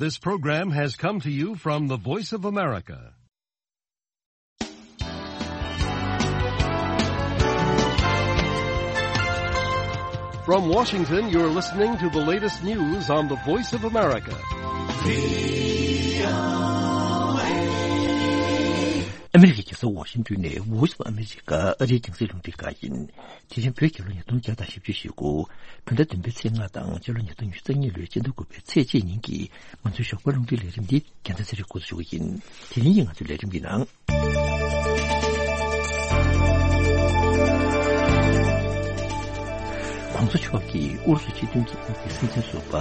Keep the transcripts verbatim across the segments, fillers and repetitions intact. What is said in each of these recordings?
This program has come to you from the Voice of America. From Washington, you're listening to the latest news on the Voice of America. ཨ་མི་རི་ཀའི་རྒྱལ་ས་ཝ་ཤིང་ཏོན་ནས་Voice of America ཨ་རིའི་རྒྱང་སྲིང་རླུང་འཕྲིན་ཁང་ཡིན། དེ་རིང་བོད་རྒྱལ་ལོ་ཉིས་སྟོང་བརྒྱ་དང་བཞི་བཅུ་ཞེ་དགུ། བོད་ཟླ་བདུན་པའི་ཚེས་ལྔ་དང་སྤྱི་ལོ་ཉིས་སྟོང་ཉི་ཤུ་རྩ་གཉིས་ལོའི་སྤྱི་ཟླ་དགུ་པའི་ཚེས་གཅིག་ཉིན་གྱི་ང་ཚོའི་ཞོགས་པ་རླུང་འཕྲིན་ལས་རིམ་འདི་རྒྱལ་མཚན་ཚེ་རིང་འགོ་འཛུགས་ཞུ་གི་ཡིན། དེ་རིང་གི་ང་ཚོའི་ལས་རིམ་གྱི་ནང་། ༸གོང་ས་མཆོག་གིས་ཨུ་རུ་སུ་སྤྱི་མཐུན་རྒྱལ་ཁབ་ཀྱི་སྲིད་འཛིན་ཟུར་པ་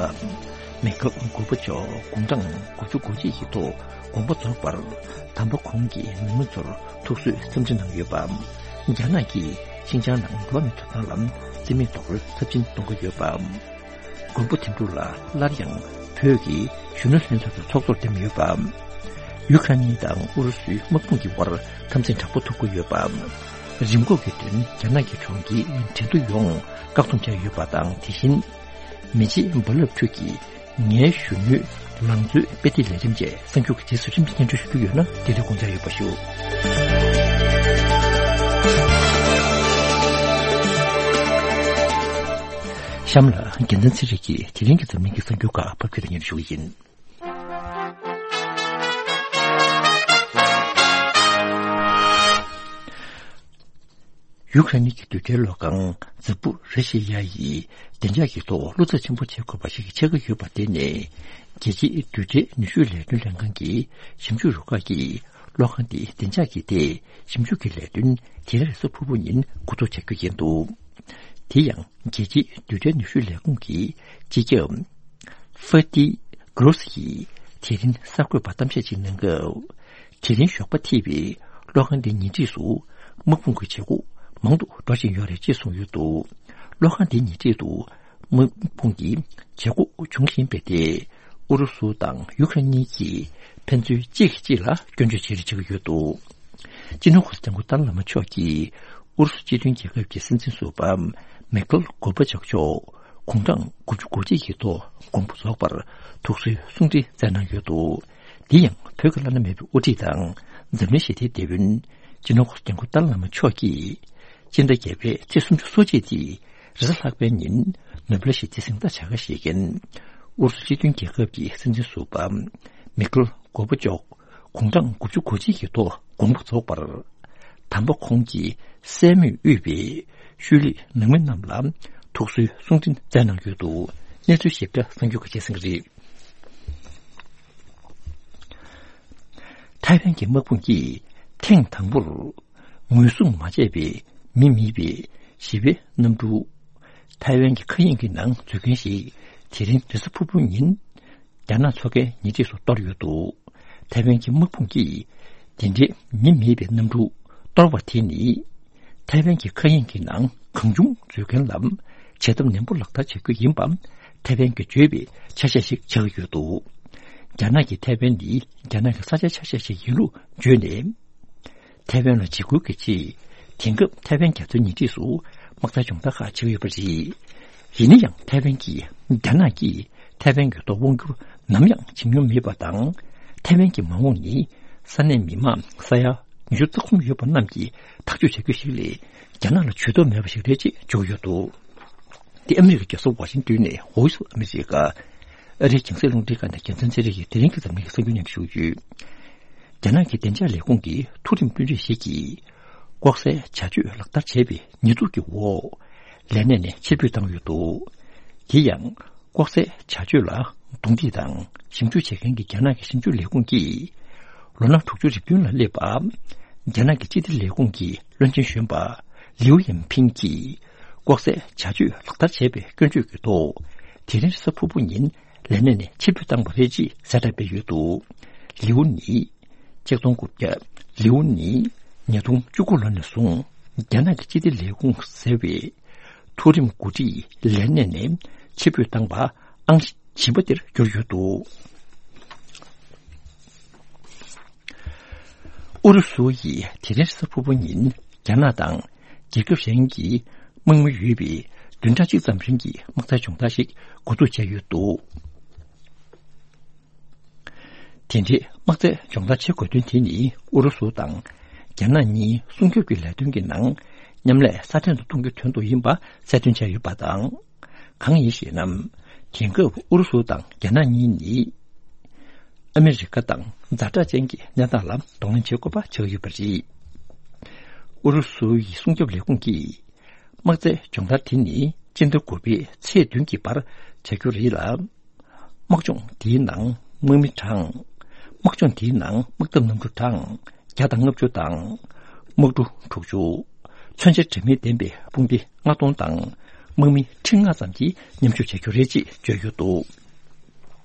མེ་ཁེལ་གོར་བྷ་ཆོབ་དགུང་གྲངས་དགུ་བཅུ་གོ་གཅིག་གི་ཐོག་དགོངས་པ་རྫོགས་པར། དམ་པ་ཁོང་གི་ནང་མི་ཚོར་ཐུགས་གསོའི་འཚམས་འདྲི་གནང་ཡོད་པ། རྒྱ་ནག་གིས་ཤིན་ཅང་ནང་འགྲོ་བ་མིའི་ཐོབ་ཐང་ལ་བརྩི་མེད་རྡོག་རོལ་ཚབས་ཆེན་གཏོང་གི་ཡོད་པ། མགོན་པོ་དོན་གྲུབ་ལགས་སླར་ཡང་བོད་ཀྱི་གཞོན་ནུ་ལྷན་ཚོགས་ཀྱི་ཚོགས་གཙོར་འདེམས་ཡོད་པ། ཡུ་ཁ་ནི་དང་ཨུ་རུ་སུའི་དམག་དཔུང་གི་དབར་འཐབ་འཛིང་དྲག་པོ་ཐུག་གི་ཡོད་པ། རིམས་འགོག་གི་དོན་རྒྱ་ནག་གི་གྲོང་ཁྱེར་ཁྲེང་ཏུའུ་ཡོངས་བཀག་སྡོམ་བྱས་ཡོད་པ་དང་། དེ་བཞིན་མི་རྗེ་རྦ་རླབས་ཕྲུག་གིས་ངའི་གཞོན་ནུའི་ལང་ཚོའི་དཔེ་དེབ་ལས་རིམ་བཅས་གསར་འགྱུར་གྱི་རྗེས་སུ་རིམ་གྱིས་སྙན་སྒྲོན་ཞུ་རྒྱུ་ཡོད་ན། དེ་ལས་དགོངས་འཇགས་ཡོད་པ་ཞུ། གཤམ་ལ་རྒྱལ་མཚན་ཚེ་རིང་གིས་དེ་རིང་གི་འཛམ་གླིང་གི་གསར་འགྱུར་ཁག་ཕབ་སྒྱུར་དང་སྙན་སྒྲོན་ཞུ་གི་ཡིན། ཡུ་ཁ་རེན་གྱི་རྡུལ་ཕྲན་གློག་ཁང་ཛ་པོ་རི་ཤི་ཡ་ཡི་བདེ་འཇགས་ཀྱི་ཐོག་བློ་འཚབ་ཆེན་པོ་བྱེད་དགོས་པ་ཞིག་ཆགས་ཀྱི་ཡོད་པ་དེ་ནས། རྒྱལ་སྤྱིའི་རྡུལ་ཕྲན་ནུས་ཤུགས་ལས་དོན་ལྷན་ཁང་གི་ཞིབ་འཇུག་རུ་ཁག་གིས་གློག་ཁང་དེའི་བདེ་འཇགས་ཀྱི་ཐད་ཞིབ་འཇུག་གི་ལས་དོན་དེ་རིང་རེས་གཟའ་ཕུར་བུ་ཉིན་འགོ་འཛུགས་བྱ་རྒྱུ་ཡིན་འདུག་དེ་ཡང་རྒྱལ་སྤྱིའི་རྡུལ་ཕྲན་ནུས་ཤུགས་ལས་ཁུངས་ཀྱི་སྤྱི་ཁྱབ་ཧྥ་ཏི་གྷོ་རོ་སི་ཡིས་དེ་རིང་གསར་འགོད་པར་གཏམ་བཤད་ཅིག་གནང་སྐབས། དེ་རིང་ཞོགས་པ་ཐེ་བའི་གློག་ཁང་འདིའི་ཉེ་འཁྲིས་སུ་དམག་དཔུང་གི་བྱེད་སྒོ་མང་དུ་འགྲོ་བཞིན་ཡོད་རེད་ཅེས་གསུངས་ཡོད་འདུག་གློག་ཁང་འདིའི་ཉེ་འཁྲིས་སུ་དམག་དཔུང་གི་བྱེད་སྒོ་འབྱུང་བཞིན་པའི་ཐད། ཨུ་རུ་སུ་དང་ཡུ་ཁ་རེན་གཉིས་ཀྱིས་ཕན་ཚུན་གཅིག་གིས་གཅིག་ལ་སྐྱོན་བརྗོད་བྱེད་རེས་བྱེད་ཀྱི་ཡོད་འདུག་སྤྱི་ནོར་༸གོང་ས་༸སྐྱབས་མགོན་ཏཱ་ལའི་བླ་མ་མཆོག་གིས་ཨུ་རུ་སུ་སྤྱི་མཐུན་རྒྱལ་ཁབ་ཀྱི་སྲིད་འཛིན་ཟུར་པ་མེ་ཁེལ་གོར་བྷ་ཆོབ་མཆོག་དགུང་གྲངས་དགུ་བཅུ་གོ་གཅིག་གི་ཐོག་དགོངས་པ་རྫོགས་པར་ཐུགས་གསོའི་གསུང་འཕྲིན་བསྩལ་གནང་ཡོད་འདུག་འདི་ཡང་བོད་ཀྱི་བླ་ན་མེད་པའི་དབུ་ཁྲིད་དང་འཛམ་གླིང་ཞི་བདེའི་དེད་དཔོན་སྤྱི་ནོར་༸གོང་ས་༸སྐྱབས་མགོན་ཏཱ་ལའི་བླ་མ་མཆོག་གིས་སྤྱི་ཟླ་བརྒྱད་པའི་ཚེས་སུམ་ཅུ་སོ་གཅིག་སྟེ་རེས་གཟའ་ལྷག་པའི་ཉིན་ནོ་བེལ་ཞི་བདེའི་གཟེངས་རྟགས་བྱ་དགའ་བཞེས་མཁན་ཨུ་རུ་སུ་སྤྱི་མཐུན་རྒྱལ་ཁབ་ཀྱི་སྲིད་འཛིན་ཟུར་པ་མེ་ཁེལ་གོར་བྷ་ཆོབ་དགུང་གྲངས་དགུ་བཅུ་གོ་གཅིག་གི་ཐོག་དགོངས་པ་རྫོགས་པར། དམ་པ་ཁོང་གི་སྲས་མོས་དབུས་པའི་ཤུལ་ལུས་ནང་མི་རྣམས་ལ་ཐུགས་གསོའི་གསུང་འཕྲིན་བསྩལ་གནང་ཡོད་འདུག་གནས་ཚུལ་ཞིབ་ཕྲ་གསར་འགྱུར་ཁག་ཅིག་གསན་གྱི་རེད། ཐའེ་ཝན་གྱི་དམག་དཔུང་གིས་ཐེངས་དང་པོར་ངོས་བཟུང་མ་བྱས་པའི་མི་མེད་པའི་ཞི་བའི་གནམ་གྲུ། ཐའེ་ཝན་གྱི་མཁའ་དབྱིངས་ཀྱི་ནང་འཛུལ་མཁན་ཞིག་དེ་རིང་རེས་གཟའ་ཕུར་བུ་ཉིན་རྒྱ་ནག་མཚོ་ཁའི་ཉེ་འཁྲིས་སུ་གཏོར་ཡོད་འདུག་ཐའེ་ཝན་གྱི་དམག་དཔུང་གིས་དེ་འདྲའི་མི་མེད་པའི་གནམ་གྲུ་གཏོར་བ་དེ་ནི། ཐའེ་ཝན་གྱི་མཁའ་དབྱིངས་ཀྱི་ནང་གང་བྱུང་འཛུལ་མཁན་ལ་བྱེད་ཐབས་ནན་པོ་ལག་བསྟར་བྱ་རྒྱུ་ཡིན་པ། ཐའེ་ཝན་གྱིས་བརྗོད་པའི་ཆ་ཤས་ཤིག་ཆགས་ཀྱི་ཡོད་འདུག་རྒྱ་ནག་གིས་ཐའེ་ཝན་ནི་རྒྱ་ནག་གི་ས་ཆའི་ཆ་ཤས་ཤིག་ཡིན་ལུགས་བརྗོད་ནས། ཐའེ་ཝན་ལ་འཇིགས་སྐུལ་གྱི་ཆེད། དེང་སྐབས་ཐའེ་ཝན་རྒྱ་མཚོའི་ཉེ་འཁྲིས་སུ་དམག་རྩལ་སྦྱོང་བརྡར་ཁག་བྱེད་ཀྱི་ཡོད་པ་རེད། ཡིན་ན་ཡང་ཐའེ་ཝན་གྱིས་རྒྱ་ནག་གིས་ཐའེ་ཝན་གྱི་ཐོག་དབང་བསྒྱུར་ནམ་ཡང་བྱེད་མྱོང་མེད་པ་དང་། ཐའེ་ཝན་གྱི་མ་འོངས་ནི་ས་གནས་མི་མང་ས་ཡ་ཉི་ཤུ་རྩ་གསུམ་ཡོད་པ་རྣམས་ཀྱིས་ཐག་གཅོད་བྱ་རྒྱུ་ཞིག་ལས། རྒྱ་ནག་ལ་ཇུས་གཏོགས་མེད་པ་ཞིག་རེད་ཅེས་བརྗོད་ཡོད་འདུག་འདི་ཨ་མི་རི་ཀའི་རྒྱལ་ས་ཝ་ཤིང་ཏོན་ནས་Voice of America ཨ་རིའི་རྒྱང་སྲིང་རླུང་འཕྲིན་ཁང་ནས་རྒྱལ་མཚན་ཚེ་རིང་གིས་དེ་རིང་གི་འཛམ་གླིང་གི་གསར་འགྱུར་སྙན་སྒྲོན་ཞུ་རྒྱུ། རྒྱ་ནག་གི་བདེ་འཇགས་ལས་ཁུངས་ཀྱི་མཐོ་རིམ་དཔོན་རིགས་ཤིག་གིས་ལྐོག་ཟའི་བྱ་སྤྱོད་ལག་བསྟར་བྱས་པའི་ཉེས་འཛུགས་ཀྱི་འོག་ལས་གནས་ནས་ཕྱིར་འབུད་བཏང་ཡོད་འདུག་དེ་ཡང་ལྐོག་ཟའི་བྱ་སྤྱོད་ལ་རྡུང་རྡེག་དང་ཞིབ་འཇུག་བྱེད་མཁན་གྱི་རྒྱ་ནག་གི་ཞིབ་འཇུག་ལས་ཁུངས་ཀྱིས་ལོ་ན་དྲུག་ཅུ་རེ་བདུན་ལ་སླེབས་པ། རྒྱ་ནག་གི་སྤྱི་བདེ་ལས་ཁུངས་ཀྱི་བློན་ཆེན་གཞོན་པ་ལིའུ་ཡིན་ཕིང་གིས་ལྐོག་ཟའི་བྱ་སྤྱོད་ལག་བསྟར་བྱས་པའི་སྐྱོན་བརྗོད་ཀྱི་ཐོག་དེ་རིང་རེས་གཟའ་ཕུར་བུ་ཉིན་ལས་གནས་ནས་ཕྱིར་འབུད་བཏང་བ་རེད་ཅེས་གསལ་བསྒྲགས་སྤེལ་ཡོད་འདུག་ལིའུ་ནི། ཆིག་སྟོང་དགུ་བརྒྱ། ལིའུ་ནི་ཉིས་སྟོང་བཅུ་དགུ་ལོ་ནས་བཟུང་རྒྱ་ནག་གི་སྤྱི་བདེ་ལས་ཁུངས་ཟེར་བའི་མཐོ་རིམ་འགོ་ཁྲིད་ལས་གནས་ནས་ཕྱིར་འབུད་བཏང་བ་ཨང་བཞི་པ་དེར་གྱུར་ཡོད་འདུག་ཨུ་རུ་སུ་ཡིས་དེ་རིང་རེས་གཟའ་ཕུར་བུ་ཉིན་རྒྱ་ནག་དང་རྒྱལ་ཁབ་གཞན་གྱི་དམག་མི་ཡོད་པའི་བདུན་ཕྲག་གཅིག་ཙམ་རིང་གི་དམག་རྩལ་སྦྱོང་བརྡར་ཞིག་འགོ་འཛུགས་བྱས་ཡོད་འདུག་དེ་འདྲའི་དམག་རྫས་སྦྱོང་བརྡར་བྱེད་དགོས་དོན་དེ་ནི་ཨུ་རུ་སུ་དང་རྒྱ་ནག་གཉིས་སྲུང་སྐྱོབ་ཀྱི་ལས་དོན་གྱི་ནང་མཉམ་ལས་སྲ་བརྟན་དུ་གཏོང་རྒྱུའི་དོན་དུ་ཡིན་པ་གསལ་སྟོན་བྱས་ཡོད་པ་དང་། གང་ཡིན་ཞེ་ན། དེང་སྐབས་ཨུ་རུ་སུ་དང་རྒྱ་ནག་གཉིས་ནི་ཨ་མི་རི་ཀ་དང་ཛ་དྲག་ཅན་གྱི་གནས་སྟངས་ལ་གདོང་ལེན་བྱེད་དགོས་པ་ཆགས་ཡོད་པ་རེད། ཨུ་རུ་སུ་ཡི་སྲུང་སྐྱོབ་ལས་ཁུངས་ཀྱིས་དམག་རྫས་སྦྱོང་བརྡར་དེ་ནི་སྤྱི་ཟླ་དགུ་པའི་ཚེས་བདུན་གྱི་བར་བྱ་རྒྱུ་རེད་ལ། དམག་སྦྱོང་འདིའི་ནང་དམག་མི་གྲངས། དམག་སྦྱོང་འདིའི་ནང་དམག་འཐབ་གནམ་གྲུ་གྲངས་བརྒྱ་དང་ལྔ་བཅུ་དང་། དམག་གྲུ་དྲུག་ཅུ། མཚོན་ཆ་དྲི་མེད་ལྡན་པའི་དཔུང་སྡེ་ལྔ་སྟོང་དང་། དམག་མི་ཁྲི་ལྔ་ཙམ་གྱིས་མཉམ་ཞུགས་བྱ་རྒྱུ་རེད་ཅེས་བརྗོད་ཡོད་འདུག་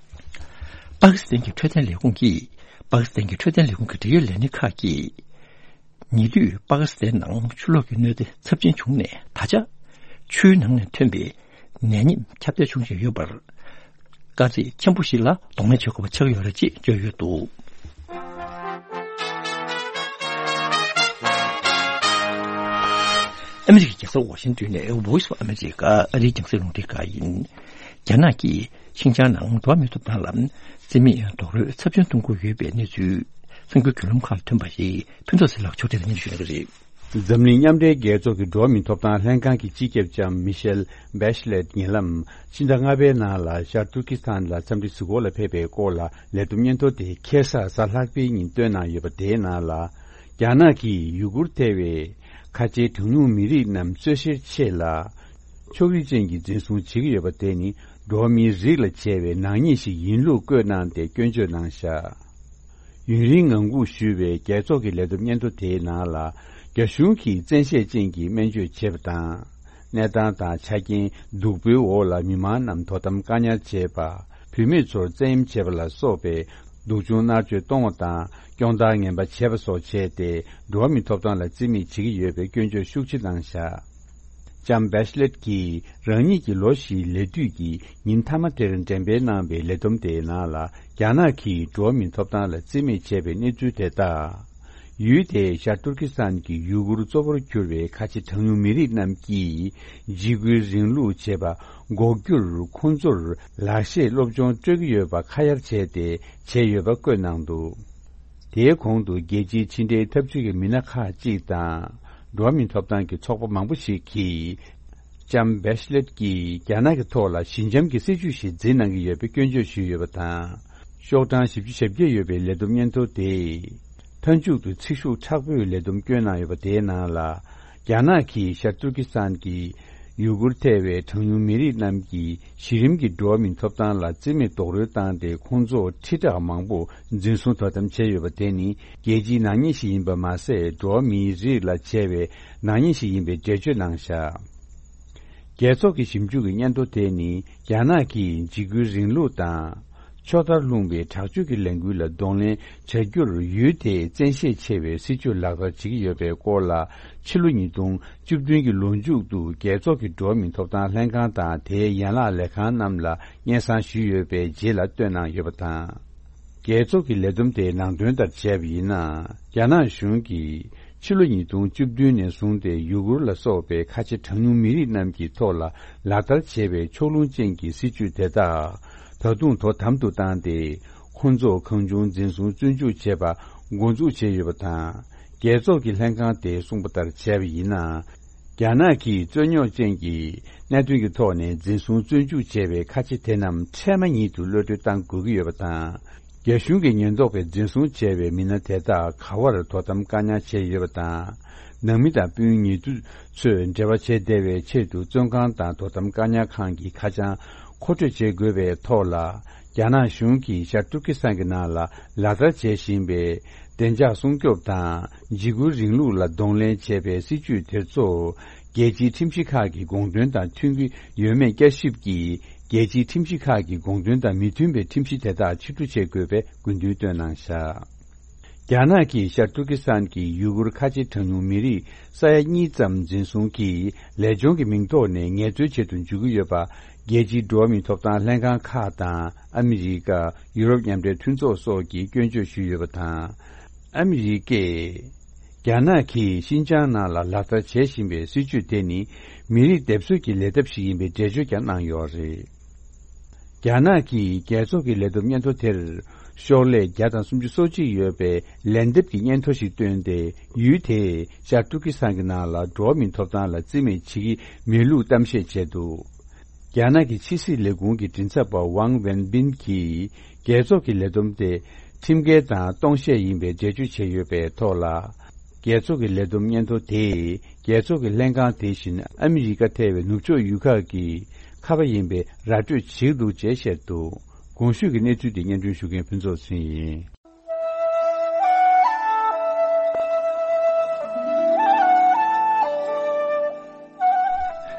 པ་ཀི་སི་ཐན་གྱི་འཕྲོད་བསྟེན་ལས་ཁུངས་ཀྱིས། པ་ཀི་སི་ཐན་གྱི་འཕྲོད་བསྟེན་ལས་ཁུངས་ཀྱི་འབྲེལ་ཡོད་ལས་སྣེ་ཁག་གིས། ཉེ་དུས་པ་ཀི་སི་ཐན་ནང་ཆུ་ལོག་གི་གནོད་འཚེ་ཚབས་ཆེན་བྱུང་ནས་ད་ཆ། ཆུའི་ནང་ནས་ཐོན་པའི་ནད་ཉེན་ཁྱབ་གདལ་བྱུང་བཞིན་ཡོད་པར། དཀའ་ཚེགས་ཆེན་པོ་ཞིག་ལ་གདོང་ལེན་བྱེད་དགོས་པ་ཆགས་ཡོད་རེད་ཅེས་བརྗོད་ཡོད་འདུག་ཨ་མི་རི་ཀའི་རྒྱལ་ས་ཝ་ཤིང་ཏོན་ནས་Voice of America ཨ་རིའི་རྒྱང་སྲིང་རླུང་འཕྲིན་ཁང་ཡིན། རྒྱ་ནག་གིས་ཤིན་ཅང་ནང་འགྲོ་བ་མིའི་ཐོབ་ཐང་ལ་རྩིས་མེད་རྡོག་རོལ་ཚབས་ཆེན་གཏོང་གི་ཡོད་པའི་གནས་ཚུལ་གསར་འགྱུར་བརྒྱུད་ལམ་ཁག་ལ་ཐོན་པ་ཞིག་ཕུན་ཚོགས་ཟེར་ལགས་ཕྱོགས་སྒྲིག་སྙན་ཞུ་གནང་གི་རེད། འཛམ་གླིང་མཉམ་འབྲེལ་རྒྱལ་ཚོགས་ཀྱི་འགྲོ་བ་མིའི་ཐོབ་ཐང་ལྷན་ཁང་གི་སྤྱི་ཁྱབ་ལྕམ་མི་ཤེལ་བེ་ཤ་ལེད་ཉེ་ལམ་ཕྱི་ཟླ་ལྔ་པའི་ནང་ལ་ཤར་ཏུར་ཀི་སི་ཐན་ལ་འཚམས་འདྲི་གཟིགས་སྐོར་ལ་ཕེབས་པའི་སྐོར་ལ་ལས་བསྡོམས་སྙན་ཐོ་དེ་ཁ་སང་གཟའ་ལྷག་པའི་ཉིན་བཏོན་གནང་ཡོད་པ་དེའི་ནང་ལ། རྒྱ་ནག་གིས་ཡུ་གུར་ཐེ་བའི་ཁ་ཆེའི་གྲངས་ཉུང་མི་རིགས་རྣམས་རྩོད་བཤེར་ཆེད་ལ། ཕྱོགས་རིས་ཅན་གྱི་འཛིན་བཟུང་བྱེད་ཀྱི་ཡོད་པ་དེ་ནི་འགྲོ་བ་མིའི་རིགས་ལ་བྱས་པའི་ནག་ཉེས་ཤིག་ཡིན་ལུགས་བཀོད་གནང་སྟེ་སྐྱོན་བརྗོད་གནང་བཞག་ཡུན་རིང་ངང་སྒུག་ཞུས་པའི་རྒྱལ་ཚོགས་ཀྱི་ལས་བསྡོམས་སྙན་ཐོ་དེའི་ནང་ལ། རྒྱ་གཞུང་གིས་བཙན་ཤེད་ཅན་གྱི་སྨན་བཅོས་བྱེད་པ་དང་། གནས་སྟངས་དང་ཆ་རྐྱེན་སྡུག་པོའི་འོག་ལ་མི་མང་རྣམས་དོ་དམ་བཀག་ཉར་བྱེད་པ། བུད་མེད་ཚོར་བཙན་གཡེམ་བྱེད་པ་ལ་སོགས་པའི་སྡུག་སྦྱོང་མནར་གཅོད་གཏོང་བ་དང་སྐྱོང་བརྡར་ངན་པ་བྱེད་པ་སོགས་བྱས་ཏེ་འགྲོ་བ་མིའི་ཐོབ་ཐང་ལ་བརྩི་མེད་བྱེད་ཀྱི་ཡོད་པའི་སྐྱོན་བརྗོད་ཤུགས་ཆེ་གནང་བཞག་ལྕམ་བེ་ཤ་ལེད་ཀྱིས་རང་ཉིད་ཀྱི་ལོ་བཞིའི་ལས་དུས་ཀྱི་ཉིན་མཐའ་མ་དེར་འགྲེམས་སྤེལ་གནང་བའི་ལས་བསྡོམས་དེའི་ནང་ལ། རྒྱ་ནག་གིས་འགྲོ་བ་མིའི་ཐོབ་ཐང་ལ་བརྩི་མེད་བྱས་པའི་གནས་ཚུལ་དེ་དག་ཡུལ་དེའི་ཤར་ཏུར་ཀི་སི་ཐན་གྱི་ཡུ་གུར་གཙོ་བོར་གྱུར་པའི་ཁ་ཆེ་གྲངས་ཉུང་མི་རིགས་རྣམས་ཀྱིས་འཇིགས་སྐུལ་རིང་ལུགས་བྱེད་པ་འགོག་རྒྱུར་ཁོང་ཚོར་ལག་ཤེས་སློབ་སྦྱོང་སྤྲོད་ཀྱི་ཡོད་པ་ཁ་གཡར་བྱས་ཏེ་བྱས་ཡོད་པ་བཀོད་གནང་འདུག་དེའི་གོང་དུ་རྒྱལ་སྤྱིའི་ཕྱི་འབྲེལ་འཐབ་ཇུས་ཀྱི་མི་སྣ་ཁག་ཅིག་དང་། འགྲོ་བ་མིའི་ཐོབ་ཐང་གི་ཚོགས་པ་མང་པོ་ཞིག་གིས། ལྕམ་བེ་ཤ་ལེད་ཀྱིས་རྒྱ་ནག་གི་ཐོག་ལ་ཞི་འཇམ་གྱི་སྲིད་བྱུས་ཤིག་འཛིན་གནང་གི་ཡོད་པའི་སྐྱོན་བརྗོད་ཞུས་ཡོད་པ་དང་། ཤོག་གྲངས་བཞི་བཅུ་ཞེ་བརྒྱད་ཡོད་པའི་ལས་བསྡོམས་སྙན་ཐོ་དེས། མཐའ་མཇུག་ཏུ་ཚིག་ཤུགས་དྲག་པོས་ལས་བསྡོམས་བསྐྱོན་གནང་ཡོད་པ་དེའི་ནང་ལ། རྒྱ་ནག་གིས་ཤར་ཏུར་ཀི་སི་ཐན་གྱི་ཡུ་གུར་ཐེ་བའི་གྲངས་ཉུང་མི་རིགས་རྣམས་ཀྱི་གཞི་རིམ་གྱི་འགྲོ་བ་མིའི་ཐོབ་ཐང་ལ་རྩིས་མེད་རྡོག་རོལ་བཏང་སྟེ་ཁོང་ཚོ་ཁྲི་ཕྲག་མང་པོ་འཛིན་བཟུང་དོ་དམ་བྱས་ཡོད་པ་དེ་ནི་རྒྱལ་སྤྱིའི་ནག་ཉེས་ཤིག་ཡིན་པ་མ་ཟད། འགྲོ་བ་མིའི་རིགས་ལ་བྱས་པའི་ནག་ཉེས་ཤིག་ཡིན་པའི་འགྲེལ་བརྗོད་གནང་བཞག་རྒྱལ་ཚོགས་ཀྱི་ཞིབ་འཇུག་གི་སྙན་ཐོ་དེ་ནི་རྒྱ་ནག་གིས་འཇིགས་སྐུལ་རིང་ལུགས་དང་། ཕྱོགས་མཐར་ལྷུང་བའི་དྲག་སྤྱོད་ཀྱི་ལས་འགུལ་ལ་གདོང་ལེན་བྱ་རྒྱུར་ཡུལ་དེའི་བཙན་ཤེད་ཆེ་བའི་སྲིད་བྱུས་ལག་བསྟར་བྱེད་ཀྱི་ཡོད་པའི་སྐོར་ལ། ཕྱི་ལོ་ཉིས་སྟོང་བཅུ་བདུན་གྱི་ལོ་མཇུག་ཏུ་རྒྱལ་ཚོགས་ཀྱི་འགྲོ་བ་མིའི་ཐོབ་ཐང་ལྷན་ཁང་དང་དེའི་ཡན་ལག་ལས་ཁང་རྣམས་ལ་སྙན་སེང་ཞུས་ཡོད་པའི་རྗེས་ལ་བཏོན་གནང་ཡོད་པ་དང་། རྒྱལ་ཚོགས་ཀྱི་ལས་བསྡོམས་དེའི་ནང་དོན་ལྟར་བྱས་པ་ཡིན་ན། རྒྱ་ནག་གཞུང་གིས་ཕྱི་ལོ་ཉིས་སྟོང་བཅུ་བདུན་ནས་བཟུང་སྟེ་ཡུ་གུར་ལ་སོགས་པའི་ཁ་ཆེ་གྲངས་ཉུང་མི་རིགས་རྣམས་ཀྱི་ཐོག་ལ་ལག་བསྟར་བྱས་པའི་ཕྱོགས་ལྷུང་ཅན་གྱི་སྲིད་བྱུས་དེ་དག་ད་དུང་དོ་དམ་དུ་བཏང་སྟེ། ཁོང་ཚོ་གང་བྱུང་འཛིན་བཟུང་བཙོན་འཇུག་བྱེད་པ་འགོ་འཛུགས་བྱས་ཡོད་པ་དང་། རྒྱལ་ཚོགས་ཀྱི་ལྷན་ཁང་དེས་གསུངས་པ་ལྟར་བྱས་པ་ཡིན་ན། རྒྱ་ནག་གིས་རྩོད་རྙོག་ཅན་གྱི་གནད་དོན་གྱི་ཐོག་ནས་འཛིན་བཟུང་བཙོན་འཇུག་བྱས་པའི་ཁ་ཆེ་དེ་རྣམས་འཕྲལ་མ་ཉིད་དུ་གློད་གྲོལ་གཏང་དགོས་ཀྱི་ཡོད་པ་དང་། རྒྱ་གཞུང་གིས་ཉེན་རྟོག་པས་འཛིན་བཟུང་བྱས་པའི་མི་སྣ་དེ་དག་ག་བར་དོ་དམ་བཀག་ཉར་བྱས་ཡོད་པ་དང་། ནང་མི་དང་སྤུན་ཉེ་དུ་ཚོས་འབྲེལ་བ་བྱེད་བདེ་བའི་ཆེད་དུ་བཙོན་ཁང་དང་དོ་དམ་བཀག་ཉར་ཁང་གི་ཁ་བྱང་མཁོ་སྤྲོད་བྱེད་དགོས་པའི་ཐོག་ལ། རྒྱ་ནག་གཞུང་གིས་ཤར་ཏུར་ཀི་སི་ཐན་གྱི་ནང་ལ་ལག་བསྟར་བྱེད་བཞིན་པའི་བདེ་འཇགས་སྲུང་སྐྱོབ་དང་འཇིགས་སྐུལ་རིང་ལུགས་ལ་གདོང་ལེན་བྱེད་པའི་སྲིད་བྱུས་དེ་ཚོ་རྒྱལ་སྤྱིའི་ཁྲིམས་གཞི་ཁག་གི་དགོངས་དོན་དང་མཐུན་གྱི་ཡོད་མེད་བསྐྱར་ཞིབ་ཀྱིས། རྒྱལ་སྤྱིའི་ཁྲིམས་གཞི་ཁག་གི་དགོངས་དོན་དང་མི་མཐུན་པའི་ཁྲིམས་གཞི་དེ་དག་ཕྱིར་བསྡུ་བྱེད་དགོས་པའི་དགོས་འདུན་བཏོན་གནང་བཞག་རྒྱ་ནག་གིས་ཤར་ཏུར་ཀི་སི་ཐན་གྱི་ཡུ་གུར་ཁ་ཆེ་གྲངས་ཉུང་མི་རིགས་ས་ཡ་གཉིས་ཙམ་འཛིན་བཟུང་གིས་ལས་སྦྱོང་གི་མིང་ཐོག་ནས་ངལ་རྩོལ་བྱེད་དུ་འཇུག་གི་ཡོད་པ། རྒྱལ་སྤྱིའི་འགྲོ་བ་མིའི་ཐོབ་ཐང་ལྷན་ཁང་ཁག་དང་ཨ་མི་རི་ཀ། ཡུ་རོབ་མཉམ་འབྲེལ་མཐུན་ཚོགས་སོགས་ཀྱིས་སྐྱོན་བརྗོད་ཞུས་ཡོད་པ་དང་། ཨ་མི་རི་ཀས་རྒྱ་ནག་གིས་ཤིན་ཅང་ནང་ལ་ལག་བསྟར་བྱེད་བཞིན་པའི་སྲིད་བྱུས་དེ་ནི་མི་རིགས་སྡེབ་གསོད་ཀྱི་ལས་ཐབས་ཤིག་ཡིན་པའི་འགྲེལ་བརྗོད་ཀྱང་གནང་ཡོད་རེད། རྒྱ་ནག་གིས་རྒྱལ་ཚོགས་ཀྱི་ལས་བསྡོམས་སྙན་ཐོ་དེར། ཤོག་ལྷེ་བརྒྱ་དང་སུམ་ཅུ་སོ་གཅིག་ཡོད་པའི་ལན་འདེབས་ཀྱི་སྙན་ཐོ་ཞིག་བཏོན་ཏེ། ཡུལ་དེས་ཤར་ཏུར་ཀི་སི་ཐན་གྱི་ནང་ལ་འགྲོ་བ་མིའི་ཐོབ་ཐང་ལ་བརྩི་མེད་བྱེད་ཀྱི་མེད་ལུགས་གཏམ་བཤད་བྱས་འདུག། རྒྱ་ནག་གི་ཕྱི་སྲིད་ལས་ཁུངས་ཀྱི་མགྲིན་ཚབ་པ་ཝང་ཝེན་པིན་གྱིས། རྒྱལ་ཚོགས་ཀྱི་ལས་བསྡོམས་དེ་ཁྲིམས་འགལ་དང་སྟོང་བཤད་ཡིན་པའི་འགྲེལ་བརྗོད་བྱས་ཡོད་པའི་ཐོག་ལ། རྒྱལ་ཚོགས་ཀྱི་ལས་བསྡོམས་སྙན་ཐོ་དེས། རྒྱལ་ཚོགས་ཀྱི་ལྷན་ཁང་དེ་བཞིན་ཨ་མི་རི་ཀ་ཐེ་བའི་ནུབ་ཕྱོགས་ཡུལ་ཁག་གི་ཁ་པ་ཡིན་པའི་ར་སྤྲོད་བྱེད་འདུག་ཅེས་བཤད་འདུག། གོང་ཞུས་ཀྱི་གནས་ཚུལ་དེ་སྙན་སྒྲོན་ཞུ་མཁན་ཕུན་ཚོགས་ཚེ་རིང་ཡིན།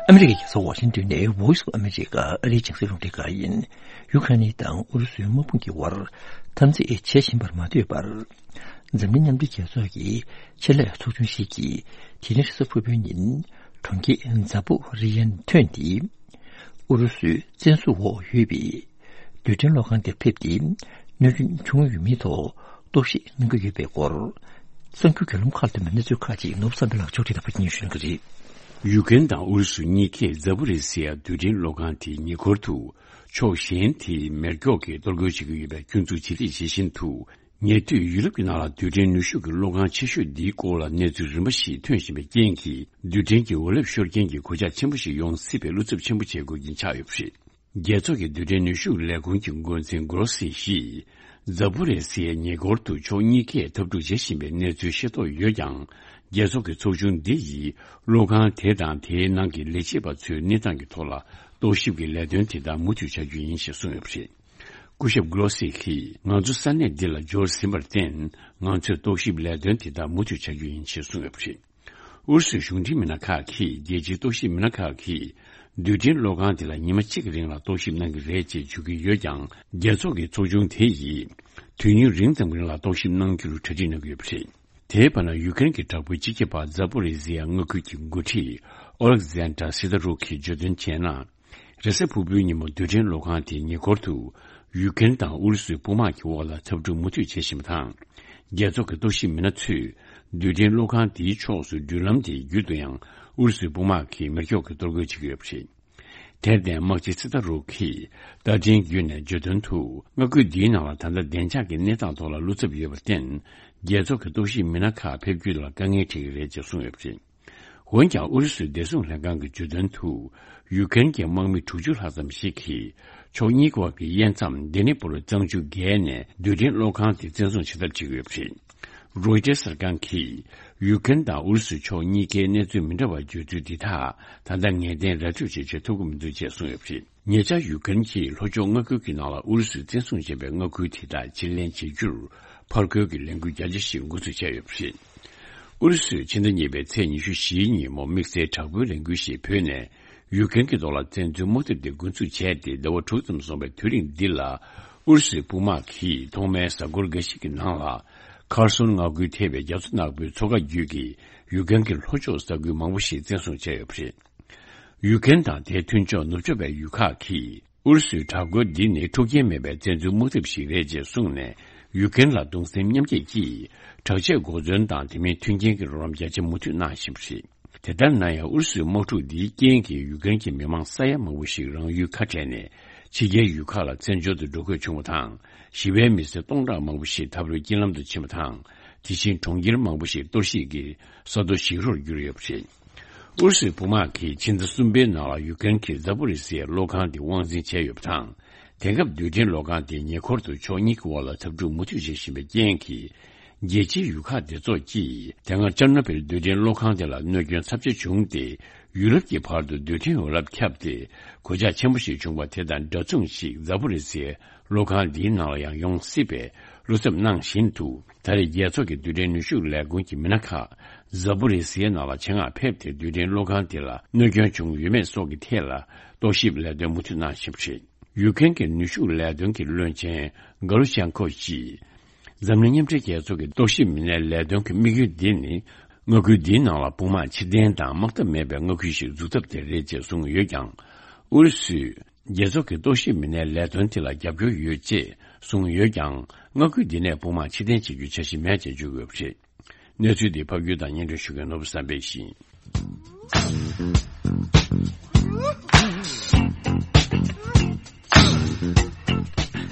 ཨ་མི་རི་ཀའི་རྒྱལ་ས་ཝ་ཤིང་ཏོན་ནས་Voice of America ཨ་རིའི་རྒྱང་སྲིང་རླུང་འཕྲིན་ཁང་ཡིན། ཡུ་ཁ་ནི་དང་ཨུ་རུ་སུའི་དམག་དཔུང་གི་དབར་འཐབ་འཛིང་བྱེད་བཞིན་པར་མ་ལྟོས་པར། འཛམ་གླིང་མཉམ་འབྲེལ་རྒྱལ་ཚོགས་ཀྱི་ཆེད་ལས་ཚོགས་ཆུང་ཞིག་གིས་དེ་རིང་རེས་གཟའ་ཕུར་བུའི་ཉིན་གྲོང་ཁྱེར་ཛ་པོ་རི་ཡན་ཐོན་ཏེ། ཨུ་རུ་སུའི་བཙན་བཟུང་འོག་ཡོད་པའི་རྡུལ་ཕྲན་གློག་ཁང་དེར་ཕེབས་ཏེ། གནོད་སྐྱོན་བྱུང་ཡོད་མེད་ཐོག་རྟོག་ཞིབ་གནང་གི་ཡོད་པའི་སྐོར། གསར་འགྱུར་བརྒྱུད་ལམ་ཁག་ལ་ཐོན་པའི་གནས་ཚུལ་ཁག་ཅིག་ནོར་བུ་བསམ་འཕེལ་ལགས་ཕྱོགས་སྒྲིག་དང་ཕབ་སྒྱུར་ཞུ་གནང་གི་རེད། ཡུ་ཀེན་དང་ཨུ་རུ་སུ་གཉིས་ཀས་ཛ་པོ་རི་སི་ཡ་རྡུལ་ཕྲན་གློག་ཁང་དེའི་ཉེ་འཁོར་དུ་ཕྱོགས་གཞན་དེས་མེ་སྒྱོགས་ཀྱིས་གཏོར་རྒོལ་བྱེད་ཀྱི་ཡོད་པའི་སྐྱོན་འཛུགས་ཇི་སྲིད་བྱེད་བཞིན་དུ། ཉེ་དུས་ཡུ་རོབ་ཀྱི་ནང་ལ་རྡུལ་ཕྲན་ནུས་ཤུགས་ཀྱི་གློག་ཁང་ཆེ་ཤོས་འདིའི་སྐོར་ལ་གནས་ཚུལ་རིམ་པ་ཞིག་ཐོན་བཞིན་པའི་རྐྱེན་གྱིས། རྡུལ་ཕྲན་གྱི་འོད་རླབས་ཤོར་རྐྱེན་གྱི་གོད་ཆག་ཆེན་པོ་ཞིག་ཡོང་སྲིད་པའི་བློ་འཚབ་ཆེན་པོ་བྱེད་དགོས་ཀྱིན་ཆགས་ཡོད་པ་རེད། རྒྱལ་ཚོགས་ཀྱི་རྡུལ་ཕྲན་ནུས་ཤུགས་ལས་ཁུངས་ཀྱི་འགོ་འཛིན་གྷོ་རོ་སི་ཡིས། ཛ་པོ་རེ་སི་ཡའི་ཉེ་འཁོར་དུ་ཕྱོགས་གཉིས་ཀས་འཐབ་འཁྲུག་བྱེད་བཞིན་པའི་གནས་ཚུལ་ཤེས་རྟོགས་ཡོད་ཀྱང་། རྒྱལ་ཚོགས་ཀྱི་ཚོགས་ཆུང་འདི་ཡིས་གློག་ཁང་དེ་དང་དེའི་ནང་གི་ལས་བྱེད་པ་ཚོའི་གནས་སྟངས་ཀྱི་ཐོག་ལ་རྟོག་ཞིབ་ཀྱི་ལས་དོན་དེ་དག་མུ་མཐུད་བྱ་རྒྱུ་ཡིན་ཞེས་གསུངས་ཡོད་པ་རེད། སྐུ་ཞབས་གྷོ་རོ་སི་ཡིས། ང་ཚོ་ས་གནས་འདི་ལ་འབྱོར་ཟིན་པར་བརྟེན། ང་ཚོས་རྟོག་ཞིབ་ལས་དོན་དེ་དག་མུ་མཐུད་བྱ་རྒྱུ་ཡིན་ཞེས་གསུངས་ཡོད་པ་རེད། ཨུ་རུ་སུའི་གཞུང་འབྲེལ་མི་སྣ་ཁག་གིས། རྒྱལ་སྤྱིའི་རྟོག་ཞིབ་མི་སྣ་ཁག་གིས། རྡུལ་ཕྲན་གློག་ཁང་དེ་ལ་ཉི་མ་གཅིག་གི་རིང་ལ་རྟོག་ཞིབ་གནང་གི་རེད་ཅེས་བརྗོད་ཀྱི་ཡོད་ཀྱང་། རྒྱལ་ཚོགས་ཀྱི་ཚོགས་ཆུང་དེ་ཡིས། དུས་ཡུན་རིང་ཙམ་རིང་ལ་རྟོག་ཞིབ་གནང་རྒྱུར་གྲ་སྒྲིག་གནང་གི་ཡོད་པ་རེད། དེའི་བར་ན། ཡུ་ཀེ་རེན་གྱི་དྲག་པོའི་སྤྱི་ཁྱབ་པ་ཛ་པོ་རི་ཟི་ཡ་མངའ་ཁུལ་གྱི་འགོ་ཁྲིད་ཨོ་ལེག་ཛན་ཏྲ་སི་ཏཱ་རུག་གིས་བརྗོད་དོན་བྱས་ན། རེས་གཟའ་ཕུར་བུའི་ཉིན་མོ་རྡུལ་ཕྲན་གློག་ཁང་དེའི་ཉེ་འཁོར་དུ། ཡུ་ཀེ་རེན་དང་ཨུ་རུ་སུའི་དཔུང་དམག་གི་འོག་ལ་འཐབ་འཁྲུག་མུ་མཐུད་བྱེད་བཞིན་པ་དང་། རྒྱལ་ཚོགས་ཀྱི་རྟོག་ཞིབ་མི་སྣ་ཚོས། རྡུལ་ཕྲན་གློག་ཁང་དེའི་ཕྱོགས་སུ་འགྲུལ་ལམ་དེའི་རྒྱུད་དུ་ཡང་ཨུ་རུ་སུའི་དཔུང་དམག་གིས་མེ་སྒྱོགས་ཀྱིས་གཏོར་རྒོལ་བྱེད་ཀྱི་ཡོད་པ་རེད། དེར་བརྟེན། དམག་སྤྱི་སི་ཏཱ་རུག་གིས་བརྡ་འཕྲིན་བརྒྱུད་ནས་བརྗོད་དོན་དུ། མངའ་ཁུལ་འདིའི་ནང་ལ་ད་ལྟ་བདེ་འཇགས་ཀྱི་གནས་སྟངས་ཐོག་ལ་བློ་འཚབ་ཡོད་པར་བརྟེན། རྒྱལ་ཚོགས་ཀྱི་རྟོག་ཞིབ་མི་སྣ་ཁག་ཕེབས་རྒྱུ་ལ་དཀའ་ངལ་འཕྲད་ཀྱི་རེད་ཅེས་གསུངས་ཡོད་པ་རེད། འོན་ཀྱང་། ཨུ་རུ་སུའི་བདེ་སྲུང་ལྷན་ཁང་གི་བརྗོད་དོན་དུ། ཡུ་ཀེ་རེན་གྱི་དམག་མི་དྲུག་ཅུ་ལྷག་ཙམ་ཞིག་གིས། ཕྱོགས་གཉིས་ཀྱི་དབར་གྱི་དབྱེ་མཚམས་ལྡི་ནི་པུར་གཙང་ཆུ་བརྒལ་ནས། རྡུལ་ཕྲན་གློག་ཁང་དེ་བཙན་བཟུང་བྱེད་ཐབས་བྱེད་ཀྱི་ཡོད་པ་རེད། རོའི་ཊར་གསར་ཁང་གིས། ཡུ་ཀེ་རེན་དང་ཨུ་རུ་སུ་ཕྱོགས་གཉིས་ཀའི་གནས་ཚུལ་མི་འདྲ་བ་བརྗོད་ཚུལ་འདི་དག་ད་ལྟ་ངེས་གཏན་ར་སྤྲོད་བྱེད་ཆེད་ཐུབ་ཀྱི་མི་འདུག་ཅེས་གསུངས་ཡོད་པ་རེད། ཉེ་ཆར་ཡུ་ཀེ་རེན་གྱིས་ལྷོ་ཕྱོགས་མངའ་ཁུལ་གྱི་ནང་ལ་ཨུ་རུ་སུས་བཙན་བཟུང་བྱས་པའི་མངའ་ཁུལ་དེ་དག་ཕྱིར་ལེན་བྱེད་རྒྱུར། ཕར་རྒོལ་གྱི་ལས་འགུལ་རྒྱ་ཆེ་ཞིག་འགོ་འཛུགས་བྱས་ཡོད་པ་རེད། ཨུ་རུ་སུས་ཕྱི་ཟླ་གཉིས་པའི་ཚེས་ཉི་ཤུ་བཞིའི་ཉིན་མོ་དམིགས་བསལ་དྲག་པོའི་ལས་འགུལ་ཞིག་བརྒྱུད་ནས། ཡུ་ཀེ་རེན་གྱི་ཐོག་ལ་བཙན་འཛུལ་དམག་འཐབ་དེ་འགོ་འཛུགས་བྱས་ཏེ། ཟླ་བ་དྲུག་ཙམ་སོང་བའི་དུས་རིང་འདི་ལ། ཨུ་རུ་སུའི་དཔུང་དམག་གིས་ཐོག་མའི་གཟའ་འཁོར་འགའ་ཞིག་གི་ནང་ལ། ཁར་སོན་མངའ་ཁུལ་ཐེ་བའི་རྒྱ་མཚོ་ནག་པོའི་མཚོ་ཁ་བརྒྱུད་ཀྱི་ཡུ་ཀེ་རེན་གྱི་ལྷོ་ཕྱོགས་ས་ཁུལ་མང་པོ་ཞིག་བཙན་བཟུང་བྱས་ཡོད་པ་རེད། ཡུ་ཀེ་རེན་དང་དེའི་མཐུན་ཕྱོགས་ནུབ་ཕྱོགས་པའི་ཡུལ་ཁག་གིས། ཨུ་རུ་སུའི་དྲག་རྒོལ་འདི་ནི་འཁྲུག་རྐྱེན་མེད་པའི་བཙན་འཛུལ་དམག་འཐབ་ཞིག་རེད་ཅེས་གསུངས་ནས། ཡུ་ཀེ་རེན་ལ་གདུང་སེམས་མཉམ་སྐྱེད་ཀྱིས། དྲག་ཆས་འགོག་ཟོན་དང་དེ་མིན་མཐུན་རྐྱེན་གྱི་རོགས་རམ་རྒྱ་ཆེ་མུ་མཐུད་གནང་བཞིན་པ་རེད། དེ་ལྟར་ན་ཡང་། ཨུ་རུ་སུའི་དམག་འཁྲུག་འདིའི་རྐྱེན་གྱིས་ཡུ་ཀེ་རེན་གྱི་མི་མང་ས་ཡ་མང་པོ་ཞིག་རང་ཡུལ་ཁ་བྲལ་ནས། ཕྱི་རྒྱལ་ཡུལ་ཁག་ལ་བཙན་བྱོལ་དུ་འགྲོ་དགོས་བྱུང་བ་དང་། ཞི་བའི་མི་སེར་སྟོང་ཕྲག་མང་པོ་ཞིག་འཐབ་རོགས་རྐྱེན་ལམ་དུ་ཕྱིན་པ་དང་། དེ་བཞིན་གྲོང་ཁྱེར་མང་པོ་ཞིག་གཏོར་བཤིག་གིས་ས་རྡོ་བཞིག་རོར་གྱུར་ཡོད་པ་རེད། ཨུ་རུ་སུའི་དཔུང་དམག་གིས་ཕྱི་ཟླ་གསུམ་པའི་ནང་ལ་ཡུ་ཀེ་རེན་གྱི་ཛ་པོ་རི་སི་ཡའི་གློག་ཁང་དེ་དབང་འཛིན་བྱས་ཡོད་པ་དང་། དེང་སྐབས་རྡུལ་ཕྲན་གློག་ཁང་དེའི་ཉེ་འཁོར་དུ་ཕྱོགས་གཉིས་ཀྱི་དབར་ལ་འཐབ་འཁྲུག་མུ་མཐུད་བྱེད་བཞིན་པའི་རྐྱེན་གྱིས། རྒྱལ་སྤྱིའི་ཡུལ་ཁག་སྡེ་ཚོགས་ཀྱིས། དེ་སྔ་ཅར་ནོ་བིལ་རྡུལ་ཕྲན་གློག་ཁང་དེ་ལ་གནོད་སྐྱོན་ཚབས་ཆེ་བྱུང་སྟེ། ཡུ་རོབ་ཀྱི་བར་དུ་རྡུལ་ཕྲན་འོད་རླབས་ཁྱབ་སྟེ། གོད་ཆག་ཆེན་པོ་ཞིག་བྱུང་བ་དེ་དང་འདྲ་མཚུངས་ཤིག་ཛ་པོ་རི་སི་ཡའི་གློག་ཁང་འདིའི་ནང་ལ་ཡང་ཡོང་སྲིད་པའི་བློ་འཚབ་གནང་བཞིན་དུ། ད་རེས་རྒྱལ་ཚོགས་ཀྱི་རྡུལ་ཕྲན་ནུས་ཤུགས་ལས་ཁུངས་ཀྱི་མི་སྣ་ཁག་ཛ་པོ་རི་སི་ཡའི་ནང་ལ་ཆེད་མངགས་ཕེབས་ཏེ། རྡུལ་ཕྲན་གློག་ཁང་དེ་ལ་གནོད་སྐྱོན་བྱུང་ཡོད་མེད་སོགས་ཀྱི་ཐད་ལ་རྟོག་ཞིབ་ལས་དོན་མུ་མཐུད་གནང་བཞིན་པ་རེད། ཡུ་ཀེ་རེན་གྱི་ནུས་ཤུགས་ལས་དོན་གྱི་བློན་ཆེན་ག་ལུ་ཤན་ཁོ་ཡིས། འཛམ་གླིང་མཉམ་འབྲེལ་རྒྱལ་ཚོགས་ཀྱི་རྟོག་ཞིབ་མི་སྣའི་ལས་དོན་གྱི་དམིགས་ཡུལ་འདི་ནི། མངའ་ཁུལ་འདིའི་ནང་ལ་དཔུང་དམག་ཕྱིར་འཐེན་དང་དམག་འཐབ་མེད་པའི་མངའ་ཁུལ་ཞིག་འཛུགས་ཐབས་དེ་རེད་ཅེས་གསུངས་ཡོད་ཀྱང་། ཨུ་རུ་སུས་རྒྱལ་ཚོགས་ཀྱི་རྟོག་ཞིབ་མི་སྣའི་ལས་དོན་དེ་ལ་རྒྱབ་སྐྱོར་ཡོད་ཅེས་གསུངས་ཡོད་ཀྱང་། མངའ་ཁུལ་འདི་ནས་དཔུང་དམག་ཕྱིར་འཐེན་བྱེད་རྒྱུའི་འཆར་གཞི་མེད་ཅེས་བརྗོད་ཡོད་པ་རེད། གནས་ཚུལ་འདི་ཕབ་སྒྱུར་དང་སྙན་སྒྲོན་ཞུ་མཁན་ནོར་བུ་བསམ་འཕེལ་ཡིན།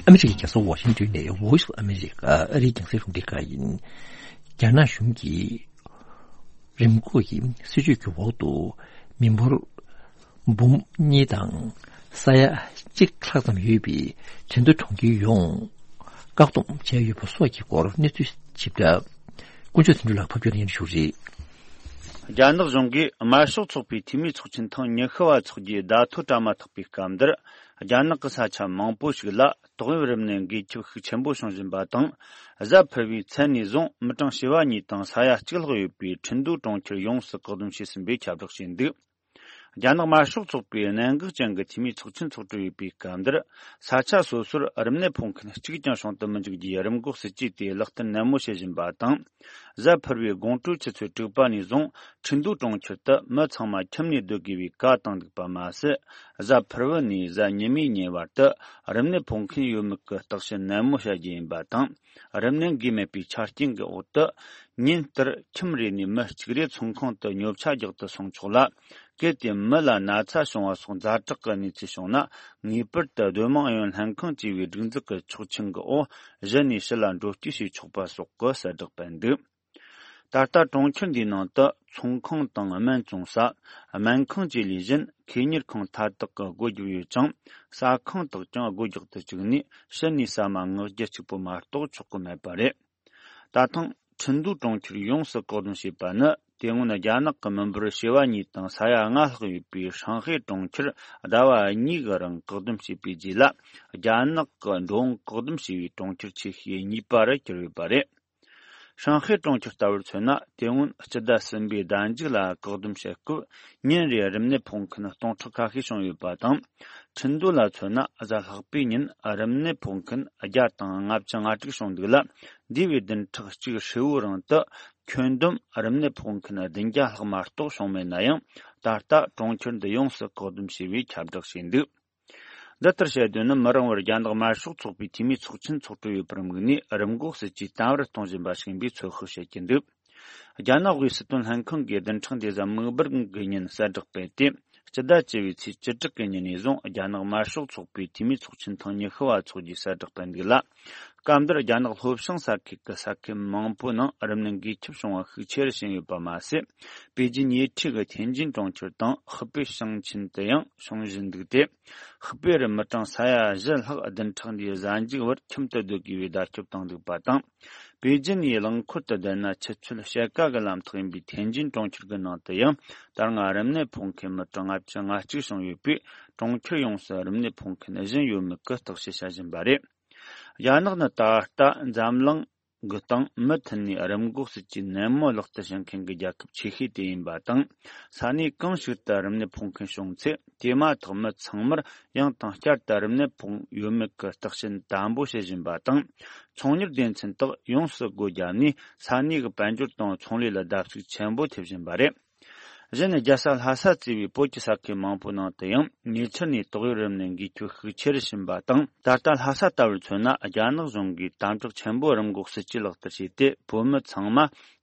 ཨ་མི་རི་ཀའི་རྒྱལ་ས་ཝ་ཤིང་ཏོན་ནས་Voice of America ཨ་རིའི་རྒྱང་སྲིང་རླུང་འཕྲིན་ཁང་ཡིན། རྒྱ་ནག་གཞུང་གིས་རིམས་འགོག་གི་སྲིད་ཇུས་ཀྱི་འོག་ཏུ་མི་འབོར་འབུམ་གཉིས་དང་ས་ཡ་གཅིག་ལྷག་ཙམ་ཡོད་པའི་ཁྲིན་ཏུའུ་གྲོང་ཁྱེར་ཡོངས་བཀག་སྡོམ་བྱས་ཡོད་པ་སོགས་ཀྱི་སྐོར་གནས་ཚུལ་ཞིབ་ཕྲ། དཀོན་མཆོག་དོན་གྲུབ་ལགས་ཕབ་སྒྱུར་ཡིན་ཞུ་རེད། རྒྱ་ནག་གཞུང་གིས་དམར་ཤོག་ཚོགས་པའི་འཐུས་མི་ཚོགས་ཆེན་ཐེངས་ཉི་ཤུ་བ་འཚོགས་རྒྱུའི་བརྡ་ཐོ་བཀྲམ་མ་ཐག་པའི་སྐབས་འདིར། རྒྱ་ནག་གི་ས་ཆ་མང་པོ་ཞིག་ལ་ཏོག་དབྱིབས་རིམས་ནད་འགོས་ཁྱབ་ཤུགས་ཆེན་པོ་བྱུང་བཞིན་པ་དང་། གཟའ་ཕུར་བུའི་མཚན་ནས་བཟུང་མི་གྲངས་བྱེ་བ་གཉིས་དང་ས་ཡ་གཅིག་ལྷག་ཡོད་པའི་ཁྲིན་ཏུའུ་གྲོང་ཁྱེར་ཡོངས་སུ་བཀག་སྡོམ་བྱས་ཟིན་པའི་ཁྱབ་བསྒྲགས་བྱས་འདུག་རྒྱ་ནག་དམར་ཤོག་ཚོགས་པའི་གནད་འགག་ཅན་གྱི་འཐུས་མིའི་ཚོགས་ཆེན་འཚོགས་གྲོལ་ཡོད་པའི་སྐབས་འདིར། ས་ཆ་སོ་སོར་རིམས་ནད་ཕོག་མཁན་གཅིག་ཀྱང་བྱུང་དུ་མི་འཇུག་རྒྱུའི་རིམས་འགོག་སྲིད་ཇུས་དེ་ལག་བསྟར་ནན་མོ་བྱེད་བཞིན་པ་དང་། གཟའ་ཕུར་བུའི་དགོང་དྲོའི་ཆུ་ཚོད་དྲུག་པ་ནས་བཟུང་ཁྲིན་ཏུའུ་གྲོང་ཁྱེར་དུ་མི་ཚང་མ་ཁྱིམ་ནས་སྡོད་དགོས་པའི་བཀའ་བཏང་འདུག་པ་མ་ཟད། གཟའ་ཕུར་བུ་ནས་གཟའ་ཉི་མའི་ཉིན་བར་དུ་རིམས་ནད་ཕོག་མཁན་ཡོད་མེད་ཀྱི་བརྟག་ཞིབ་ནན་མོ་བྱ་རྒྱུ་ཡིན་པ་དང་། རིམས་ནད་འགོས་མེད་པའི་ཆ་རྐྱེན་གྱི་འོག་ཏུ། ཉིན་ལྟར་ཁྱིམ་རེ་ནས་མི་གཅིག་རེ་ཚོང་ཁང་དུ་ཉོ་ཆ་རྒྱག་ཏུ་སོང་ཆོག་ལ། གལ་ཏེ་མི་ལ་ན་ཚ་བྱུང་བ་སོགས་ཛ་དྲག་གི་གནས་ཚུལ་བྱུང་ན། ངེས་པར་དུ་སྡོད་དམངས་ཨུ་ཡོན་ལྷན་ཁང་བཅས་པའི་སྒྲིག་འཛུགས་ཀྱི་ཆོག་མཆན་གྱི་འོག་གཞི་ནས་ཕྱི་ལ་འགྲོ་སྐྱོད་བྱེད་ཆོག་པ་སོགས་ཀྱི་གསལ་བསྒྲགས་སྤེལ་འདུག་ད་ལྟ་གྲོང་ཁྱེར་འདིའི་ནང་དུ་ཚོང་ཁང་དང་སྨན་བཙོང་ས། སྨན་ཁང་བཅས་ལས་གཞན་ཁེ་གཉེར་ཁང་མཐའ་དག་གི་སྒོ་བརྒྱབ་ཡོད་ཅིང་། ཟ་ཁང་དག་ཀྱང་སྒོ་རྒྱག་ཏུ་བཅུག་ནས་ཕྱི་ནས་ཟ་མ་མངགས་རྒྱུ་གཅིག་པུ་མ་གཏོགས་ཆོག་གི་མེད་པ་རེད། ད་ཐེངས་ཁྲིན་ཏུའུ་གྲོང་ཁྱེར་ཡོངས་སུ་བཀག་སྡོམ་བྱས་པ་ནི། དེ་སྔོན་རྒྱ་ནག་གི་མི་འབོར་བྱེ་བ་གཉིས་དང་ས་ཡ་ལྔ་ལྷག་ཡོད་པའི་ཧྲང་ཧའེ་གྲོང་ཁྱེར་ཟླ་བ་གཉིས་ཀྱི་རིང་བཀག་སྡོམ་བྱས་པའི་རྗེས་ལ། རྒྱ་ནག་གི་འགྲོ་འོང་བཀག་སྡོམ་བྱས་པའི་གྲོང་ཁྱེར་ཆེ་ཤོས་གཉིས་པ་རུ་གྱུར་ཡོད་པ་རེད། ཧྲང་ཧའེ་གྲོང་ཁྱེར་ལྟ་བུར་མཚོན་ན། དེ་སྔོན་སྤྱི་ཟླ་གསུམ་པའི་ཟླ་མཇུག་ལ་བཀག་སྡོམ་བྱེད་སྐབས། ཉིན་རེར་རིམས་ནད་ཕོག་མཁན་སྟོང་ཕྲག་ཁ་ཤས་བྱུང་ཡོད་པ་དང་། ཁྲིན་ཏུའུ་ལ་མཚོན་ན། གཟའ་ལྷག་པའི་ཉིན་རིམས་ནད་ཕོག་མཁན་བརྒྱ་དང་ལྔ་བཅུ་ང་དྲུག་བྱུང་འདུག་ལ། འདས་པའི་བདུན་ཕྲག་གཅིག་ཧྲིལ་བོའི་རིང་དུ་ཁྱོན་བསྡོམས་རིམས་ནད་ཕོག་མཁན་བདུན་བརྒྱ་ལྷག་མ་གཏོགས་བྱུང་མེད་ན་ཡང་། ད་ལྟ་གྲོང་ཁྱེར་འདི་ཡོངས་སུ་བཀག་སྡོམ་བྱས་པའི་ཁྱབ་བསྒྲགས་བྱས་འདུག་འདི་ལྟར་བཤད་དོན་ནི། མི་རིང་བར་རྒྱ་ནག་དམར་ཤོག་ཚོགས་པའི་འཐུས་མིའི་ཚོགས་ཆེན་འཚོགས་གྲོལ་ཡོད་པར་དམིགས་ནས། རིམས་འགོག་སྲིད་ཇུས་དམ་པར་གཏོང་བཞིན་པ་ཞིག་ཡིན་པའི་ཚོད་དཔག་བྱེད་ཀྱི་འདུག་རྒྱ་ནག་དབུས་སྲིད་དོན་ལྷན་ཁང་གིས་བདུན་ཕྲག་འདིའི་གཟའ་མིག་དམར་གྱི་ཉིན་གསལ་བསྒྲགས་སྤེལ་ཏེ། སྤྱི་ཟླ་བཅུ་བའི་ཚེས་བཅུ་དྲུག་གི་ཉིན་ནས་བཟུང་རྒྱ་ནག་དམར་ཤོག་ཚོགས་པའི་འཐུས་མིའི་ཚོགས་ཆེན་ཐེངས་ཉི་ཤུ་བ་འཚོགས་རྒྱུའི་གསལ་བསྒྲགས་སྤེལ་འདུག་ལ། སྐབས་འདིར་རྒྱ་ནག་ལྷོ་བྱང་ས་ཁུལ་གྱི་ས་ཁུལ་མང་པོའི་ནང་རིམས་ནད་འགོས་ཁྱབ་བྱུང་བ་ཤུགས་ཆེ་རུ་ཕྱིན་ཡོད་པ་མ་ཟད། པེ་ཅིན་ཉེ་འཁྲིས་ཀྱི་ཐེན་ཅིན་གྲོང་ཁྱེར་དང་། ཧི་པེ་ཞིང་ཆེན་དུ་ཡང་བྱུང་བཞིན་འདུག་སྟེ། ཧི་པེ་རུ་མི་གྲངས་ས་ཡ་བཞི་ལྷག་བདུན་ཕྲག་འདིའི་གཟའ་མཇུག་བར་ཁྱིམ་དུ་སྡོད་དགོས་པའི་བརྡ་ཁྱབ་བཏང་འདུག་པ་དང་། པེ་ཅིན་ཡི་རླངས་འཁོར་དུ་བསྡད་ན་ཆུ་ཚོད་ཕྱེད་ཀ་གི་ལམ་ཐག་ཡིན་པའི་ཐེན་ཅིན་གྲོང་ཁྱེར་གྱི་ནང་དུ་ཡང་། ད་སྔ་རིམས་ནད་ཕོག་མཁན་མི་གྲངས་ལྔ་བཅུ་ང་གཅིག་བྱུང་ཡོད་པས། གྲོང་ཁྱེར་ཡོངས་སུ་རིམས་ནད་ཕོག་མཁན་གཞན་ཡོད་མེད་ཀྱི་བརྟག་དཔྱད་བྱ་བཞིན་པ་རེད། རྒྱ་ནག་ནི་ད་ལྟ་འཛམ་གླིང་གི་སྟེང་མུ་མཐུད་ནས་རིམས་འགོག་སྲིད་ཇུས་ནན་མོ་ལག་བསྟར་བྱེད་མཁན་གྱི་རྒྱལ་ཁབ་ཆེ་ཤོས་དེ་ཡིན་པ་དང་། ས་གནས་གང་ཞིག་ཏུ་རིམས་ནད་ཕོག་མཁན་བྱུང་ཚེ། དེ་མ་ཐག་མི་ཚང་མར་ཡང་དང་བསྐྱར་དུ་རིམས་ནད་ཕོག་ཡོད་མེད་ཀྱི་བརྟག་དཔྱད་དམ་པོ་བྱེད་བཞིན་པ་དང་། ཚོང་གཉེར་སྡེ་ཚན་དག་ཡོངས་སུ་སྒོ་བརྒྱབ་ནས། ས་གནས་ཀྱི་དཔལ་འབྱོར་དང་ཚོང་ལས་ལ་བརྡབ་གསིག་ཆེན་པོ་ཐེབས་བཞིན་པ་རེད། གཞན། རྒྱལ་ས་ལྷ་ས་གཙོས་པའི་བོད་ཀྱི་ས་ཁུལ་མང་པོའི་ནང་དུ་ཡང་ཉེ་ཆར་ནས་ཏོག་དབྱིབས་རིམས་ནད་འགོས་ཁྱབ་ཤུགས་ཆེ་རུ་ཕྱིན་པ་དང་། ད་ལྟ་ལྷ་ས་ལྟ་བུར་མཚོན་ན། རྒྱ་ནག་གཞུང་གིས་དམ་དྲག་ཆེན་པོས་རིམས་འགོག་སྲིད་ཇུས་ལག་བསྟར་བྱས་ཏེ། བོད་མི་ཚང་མ་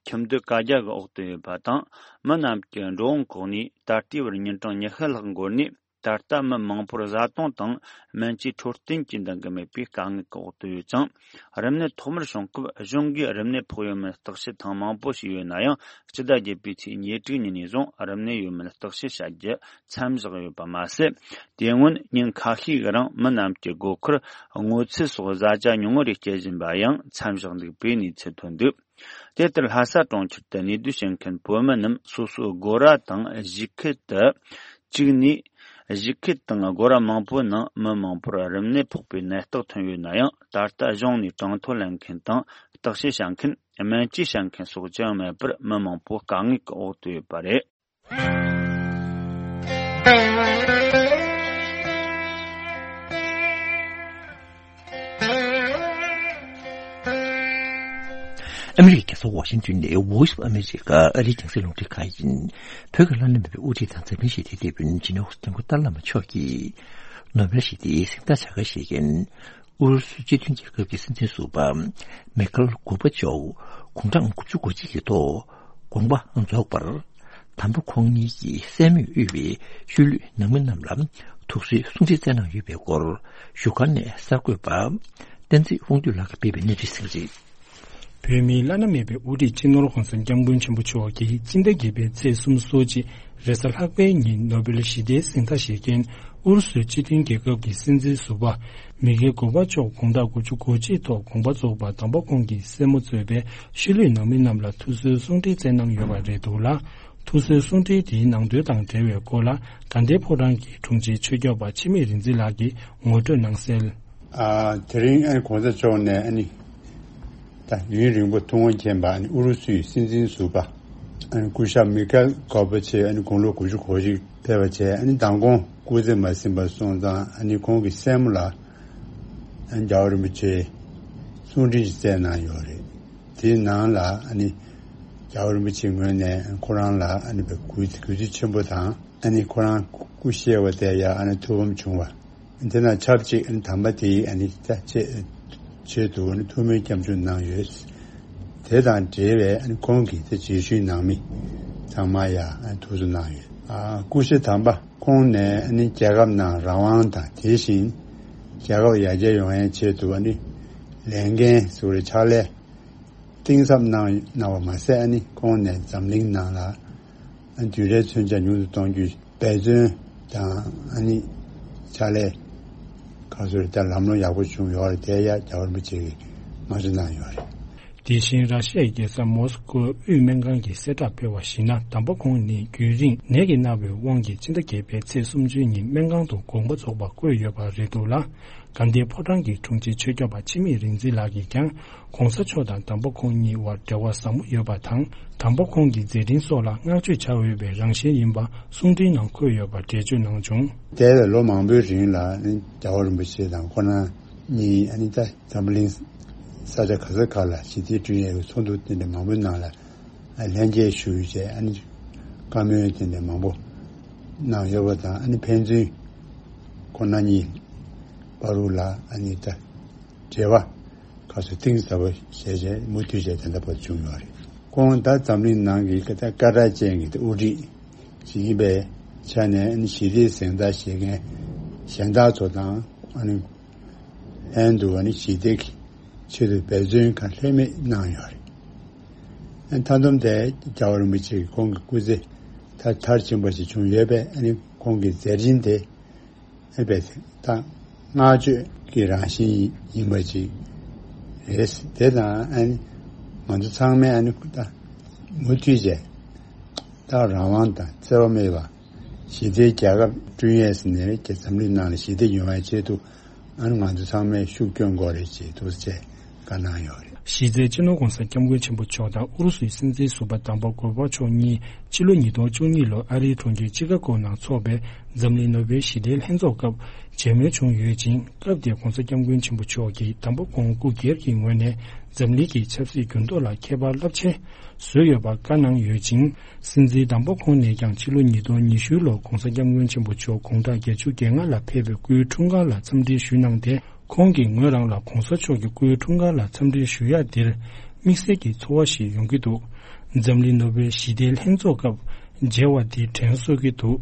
ཁྱིམ་སྡོད་བཀའ་རྒྱ་གི་འོག་ཏུ་ཡོད་པ་དང་། མི་རྣམས་ཀྱི་འགྲོ་འོང་ཁོག་ནས་ད་ལྟའི་བར་ཉིན་གྲངས་ཉི་ཤུ་ལྷག་འགོར་ནས། ད་ལྟ་མི་མང་པོར་བཟའ་བཏུང་དང་སྨན་བཅོས་འཕྲོད་བསྟེན་གྱི་འདང་གི་མེད་པའི་དཀའ་ངལ་གྱི་འོག་ཏུ་ཡོད་ཅིང་། རིམས་ནད་ཐོག་མར་བྱུང་སྐབས་གཞུང་གིས་རིམས་ནད་ཕོག་ཡོད་མེད་བརྟག་དཔྱད་ཐེངས་མང་པོ་བྱས་ཡོད་ན་ཡང་། སྤྱི་ཟླ་བརྒྱད་པའི་ཚེས་ཉེར་དྲུག་ཉིན་ནས་བཟུང་རིམས་ནད་ཡོད་མེད་བརྟག་དཔྱད་བྱ་རྒྱུ་མཚམས་བཞག་ཡོད་པ་མ་ཟད། དེ་སྔོན་ཉིན་ཁ་ཤས་ཀྱི་རིང་མི་རྣམས་ཀྱི་སྒོ་ཁར་སྔོ་ཚལ་སོགས་བཟའ་བཅའ་ཉུང་ངུ་རེ་སྤྱོད་བཞིན་པ་ཡང་མཚམས་བཞག་འདུག་པའི་གནས་ཚུལ་ཐོན་འདུག་དེ་ལྟར་ལྷ་ས་གྲོང་ཁྱེར་དུ་གནས་སྡོད་བྱེད་མཁན་བོད་མི་རྣམས་སོ་སོའི་སྒོ་ར་དང་གཞིས་ཁུལ་དུ་བཅུག་ནས། གཞིས་ཁུལ་དང་སྒོ་ར་མང་པོའི་ནང་མི་མང་པོར་རིམས་ནད་ཕོག་པའི་ནད་རྟགས་ཐོན་ཡོད་ན་ཡང་། ད་ལྟ་གཞུང་ནས་གྲངས་ཐོ་ལེན་མཁན་དང་བརྟག་དཔྱད་བྱ་མཁན། སྨན་བཅོས་བྱ་མཁན་སོགས་ཅི་ཡང་མེད་པར། མི་མང་པོ་དཀའ་ངལ་གྱི་འོག་ཏུ་ཡོད་པ་རེད། ཨ་མི་རི་ཀའི་རྒྱལ་ས་ཝ་ཤིང་ཏོན་ནས་Voice of America ཨ་རིའི་རྒྱང་སྲིང་རླུང་འཕྲིན་ཁང་ཡིན། བོད་ཀྱི་བླ་ན་མེད་པའི་དབུ་ཁྲིད་དང་འཛམ་གླིང་ཞི་བདེའི་དེད་དཔོན་ཇི་ནེ་ཝ་སི་མགོན་པོ་ཏཱ་ལའི་བླ་མ་མཆོག་གིས། ནོ་བེལ་ཞི་བདེའི་གཟེངས་རྟགས་བྱ་དགའ་བཞེས་མཁན། ཨུ་རུ་སུ་སྤྱི་མཐུན་རྒྱལ་ཁབ་ཀྱི་སྲིད་འཛིན་ཟུར་པ་མེ་ཁལ་གོར་བ་ཅོབ་དགུང་གྲངས་དགུ་བཅུ་གོ་གཅིག་གི་ཐོག་དགོངས་པ་རྫོགས་པར། དམ་པ་ཁོང་གཉིས་ཀྱི་སྲས་མོས་དབུས་པའི་ཤུལ་ལུས་ནང་མི་རྣམས་ལ་ཐུགས་གསོའི་གསུང་འཕྲིན་བསྩལ་གནང་ཡོད་པའི་སྐོར་བཞུགས་སྒར་ནས་གསར་འགོད་པ་བསྟན་འཛིན་དབང་འདུས་ལགས་ཀྱིས་སྤེལ་བའི་གནས་ཚུལ་ཟིན་རེད། བོད་མིའི་བླ་ན་མེད་པའི་དབུ་ཁྲིད་སྤྱི་ནོར་༸གོང་ས་༸སྐྱབས་མགོན་ཆེན་པོ་མཆོག་གིས་སྤྱི་ཟླ་བརྒྱད་པའི་ཚེས་སོ་གཅིག་རེས་གཟའ་ལྷག་པའི་ཉིན་ནོ་བེལ་ཞི་བདེའི་གཟེངས་རྟགས་བཞེས་མཁན་ཨུ་རུ་སུའི་སྤྱི་མཐུན་རྒྱལ་ཁབ་ཀྱི་སྲིད་འཛིན་ཟུར་པ་མི་གྷེལ་གོ་བྷ་ཆོབ་དགུང་གྲངས་དགུ་བཅུ་གོ་གཅིག་ཐོག་དགོངས་པ་རྫོགས་པ། དམ་པ་ཁོང་གི་སྲས་མོ་གཙོས་པའི་ཤུལ་ལུས་ནང་མི་རྣམས་ལ་ཐུགས་གསོའི་གསུང་འཕྲིན་བསྩལ་གནང་ཡོད་པ་རེད་འདུག་ལ། ཐུགས་གསོའི་གསུང་འཕྲིན་དེའི་ནང་དོན་དང་འབྲེལ་བའི་སྐོར་ལ་དགའ་ལྡན་ཕོ་བྲང་གི་དྲུང་ཆེ་ཆོས་སྐྱོབ་པ་འཆི་མེད་རིག་འཛིན་ལགས་ཀྱིས་ངོ་སྤྲོད་གནང་གསལ། ཨ། དེ་རིང་ཨ་ནི་གོང་ས་མཆོག་ནས་ཨ་ནི་ད་ཡུན་རིང་པོ་ཐུགས་དམ་མཁྱེན་པ་ཨ་ནི་ཨུ་རུ་སུའི་སྲིད་འཛིན་ཟུར་པ་ཨ་ནི་སྐུ་ཞབས་མི་ཁེལ་གོ་བྷ་ཆེ་ཨ་ནི་དགུང་ལོ་དགུ་བཅུ་གོ་གཅིག་ཕེབས་པ་བྱས། ཨ་ནི་མདང་དགོང་སྐུ་ཚེ་མ་ཟིན་པ་སོང་ཙང་ཨ་ནི་ཁོང་གི་སྲས་མོ་ལ་ཨ་ནི་རྒྱལ་བ་རིན་པོ་ཆེས་གསུང་འཕྲིན་ཞིག་བསྩལ་གནང་ཡོད་རེད། དེའི་ནང་ལ་ཨ་ནི་རྒྱལ་བ་རིན་པོ་ཆེའི་ངོས་ནས་ཁོ་རང་ལ་ཨ་ནི་གུས་གུས་བརྩི་ཆེན་པོ་དང་ཨ་ནི་ཁོ་རང་སྐུ་གཤེགས་པ་དེ་ཡང་ཨ་ནི་ཐུགས་ཕམ་བྱུང་བ། དེ་དང་ཆབས་ཅིག་ཨ་ནི་དམ་པ་དེའི་ཨ་ནི་ཆེད་ཆེད་དུ་ཨ་ནི་ཐུགས་སྨོན་སྐྱབས་འཇུག་གནང་ཡོད། དེ་དང་འབྲེལ་བའི་ཨ་ནི་ཁོང་གི་དེ་རྗེས་ཤུལ་ནང་མི་ཚང་མ་ཡང་ཨ་ནི་ཐུགས་གསོ་གནང་ཡོད། ཨ། སྐུ་ཞབས་དམ་པ་ཁོང་ནས་ཨ་ནི་རྒྱལ་ཁབ་ནང་རང་དབང་དང་དེ་བཞིན་རྒྱལ་ཁབ་ཡར་རྒྱས་ཡོང་ཡའི་ཆེད་དུ་ཨ་ནི་ལས་འགན་ཟུར་ཕྱག་ལས་གཏིང་ཟབ་གནང་གནང་བ་མ་ཟད། ཨ་ནི་ཁོང་ནས་འཛམ་གླིང་ནང་ལ་ཨ་ནི་དུད་འགྲོའི་མཚོན་ཆ་ཉུང་དུ་གཏོང་རྒྱུའི་འབད་བརྩོན་དང་ཨ་ནི་ཕྱག་ལས་ཁ་སོར་ད་ལམ་ལྷོང་ཡག་པོ་བྱུང་ཡོད་རེད། དེ་ཡང་རྒྱལ་བ་རིན་པོ་ཆེ་གིས་མ་ཞུ་གནང་ཡོད་རེད། དེ་བཞིན་ར་ཤི་ཡའི་རྒྱལ་ས་མོ་སི་ཀོའི་དབུས་སྨན་ཁང་གིས་གསལ་བསྒྲགས་སྤེལ་བར་གཞིགས་ན། དམ་པ་ཁོང་ནི་རྒྱུན་རིང་ནད་ཀྱིས་མནར་བའི་དབང་གིས་སྤྱི་ཟླ་བརྒྱད་པའི་ཚེས་སུམ་ཅུའི་ཉིན་སྨན་ཁང་དུ་དགོངས་པ་རྫོགས་པ་བཀོད་ཡོད་པ་རེད་འདུག་ལ། དགའ་ལྡན་ཕོ་བྲང་གི་དྲུང་ཆེ་ཆོས་སྐྱོབ་པ་འཆི་མེད་རིག་འཛིན་ལགས་ཀྱིས་ཀྱང་གོང་ས་མཆོག་དང་དམ་པ་ཁོང་གཉིས་དབར་འབྲེལ་བ་ཟབ་མོ་ཡོད་པ་དང་། དམ་པ་ཁོང་གི་མཛད་འཕྲིན་སོགས་ལ་བསྔགས་བརྗོད་བྱ་འོས་པའི་རང་བཞིན་ཡིན་པ་གསུང་འཕྲིན་ནང་འཁོད་ཡོད་པ་འགྲེལ་བརྗོད་གནང་བྱུང་། དེ་ལ་ལོ་མང་པོའི་རིང་ལ་ཨ་ནི་རྒྱལ་བ་རིན་པོ་ཆེ་དང་ཁོང་རྣམ་གཉིས་ཨ་ནི་ད་འཛམ་གླིང་ས་ཆ་ག་ས་ག་ལ་ཞི་བདེ་བསྐྲུན་ཡས་ཀྱི་ཚོགས་འདུ་དེ་འདྲ་མང་པོའི་ནང་ལ་ལྷན་རྒྱས་ཞུགས་བྱས། ཨ་ནི་བཀའ་མོལ་དེ་འདྲ་མང་པོ་གནང་ཡོད་པ་དང་། ཨ་ནི་ཕན་ཚུན་ཁོང་རྣམ་གཉིས་བར་དུ་ལ་ཨ་ནི་ད་འབྲེལ་བ་ཁ་སོ་གཏིང་ཟབ་པོ་བྱས་བྱས་མུ་མཐུད་བྱས་དེ་འདྲ་བར་བྱུང་ཡོད་རེད། ཁོང་ད་འཛམ་གླིང་ནང་གི་ད་སྐད་གྲགས་ཅན་གྱི་ད་དབུ་ཁྲིད་ཅིག་ཡིན་པའི་ཆ་ནས། ཨ་ནི་ཞི་བདེའི་གཟེངས་རྟགས་བཞེས་མཁན་གཞན་དག་ཚོ་དང་ཨ་ནི་ལྷན་དུ་ཨ་ནི་ཞི་བདེ་གི་ཆེད་དུ་འབད་བརྩོན་གང་ལྷོད་མེད་གནང་ཡོད་རེད། ཨ་ནི་མཐའ་སྡོམ་དེ་རྒྱལ་བ་རིན་པོ་ཆེ་གི་ཁོང་གི་སྐུ་ཚེ་མཐར་མཐར་ཕྱིན་པ་ཞིག་བྱུང་ཡོད་པས། ཨ་ནི་ཁོང་གི་མཛད་འཕྲིན་དེ་ཨ་ནི་ད་བསྔགས་བརྗོད་ཀྱི་རང་བཞིན་ཡིན་པ་ཅིག་རེད། དེ་དང་ཨ་ནི་ང་ཚོ་ཚང་མས་ཨ་ནི་ད་མུ་མཐུད་བྱས་ད་རང་དབང་དང་འཚེ་བ་མེད་པ་ཞི་བདེའི་རྒྱལ་ཁབ་བསྐྲུན་ཡས་ནས་འཛམ་གླིང་ནང་ལ་ཞི་བདེ་ཡོང་བའི་ཆེད་དུ་ཨ་ནི་ང་ཚོ་ཚང་མས་ཤུགས་སྐྱོན་དགོས་རེད་ཅེས་འདུག་ཅེས་བཀའ་གནང་ཡོད་རེད། གཞི་རྩའི་སྤྱི་ནོར་༸གོང་ས་༸སྐྱབས་མགོན་ཆེན་པོ་མཆོག་དང་ཨུ་རུ་སུའི་སྲིད་འཛིན་ཟུར་པ་དམ་པ་གོར་བྷ་ཆོབ་གཉིས་ཕྱི་ལོ་ཉིས་སྟོང་བཅུ་གཉིས་ལོར་ཨ་རིའི་གྲོང་ཁྱེར་ཅི་ཀ་གོ་ནང་འཚོགས་པའི་འཛམ་གླིང་ནོ་བེལ་ཞི་བདེའི་ལྷན་ཚོགས་སྐབས་མཇལ་མོལ་བྱུང་ཡོད་ཅིང་། སྐབས་དེར་༸གོང་ས་༸སྐྱབས་མགོན་ཆེན་པོ་མཆོག་གིས་དམ་པ་ཁོང་སྐུ་སྒེར་གྱི་ངོས་ནས་འཛམ་གླིང་གི་ཆབ་སྲིད་འགྱུར་ལྡོག་ལ་ཁྱད་པར་རླབས་ཆེན་བཟོས་ཡོད་པར་བཀའ་གནང་ཡོད་ཅིང་། སྲིད་འཛིན་དམ་པ་ཁོང་ནས་ཀྱང་ཕྱི་ལོ་ཉིས་སྟོང་ཉི་ཤུ་ལོར་༸གོང་ས་༸སྐྱབས་མགོན་ཆེན་པོ་མཆོག་དགུང་གྲངས་བརྒྱད་ཅུ་གྱ་ལྔ་ལ་ཕེབས་པའི་སྐུའི་འཁྲུངས་སྐར་ལ་འཚམས་འདྲི་ཞུས་གནང་སྟེ། ཁོང་གིས་ངོས་རང་ལ་༸གོང་ས་མཆོག་གི་སྐུའི་འཁྲུངས་སྐར་ལ་འཚམས་འདྲི་ཞུ་ཡག་འདིར་དམིགས་བསལ་གྱི་ཚོར་བ་ཞིག་ཡོང་གི་འདུག་འཛམ་གླིང་ནོ་བེལ་ཞི་བདེའི་ལྷན་ཚོགས་སྐབས་མཇལ་བ་འདི་དྲན་གསོ་གི་འདུག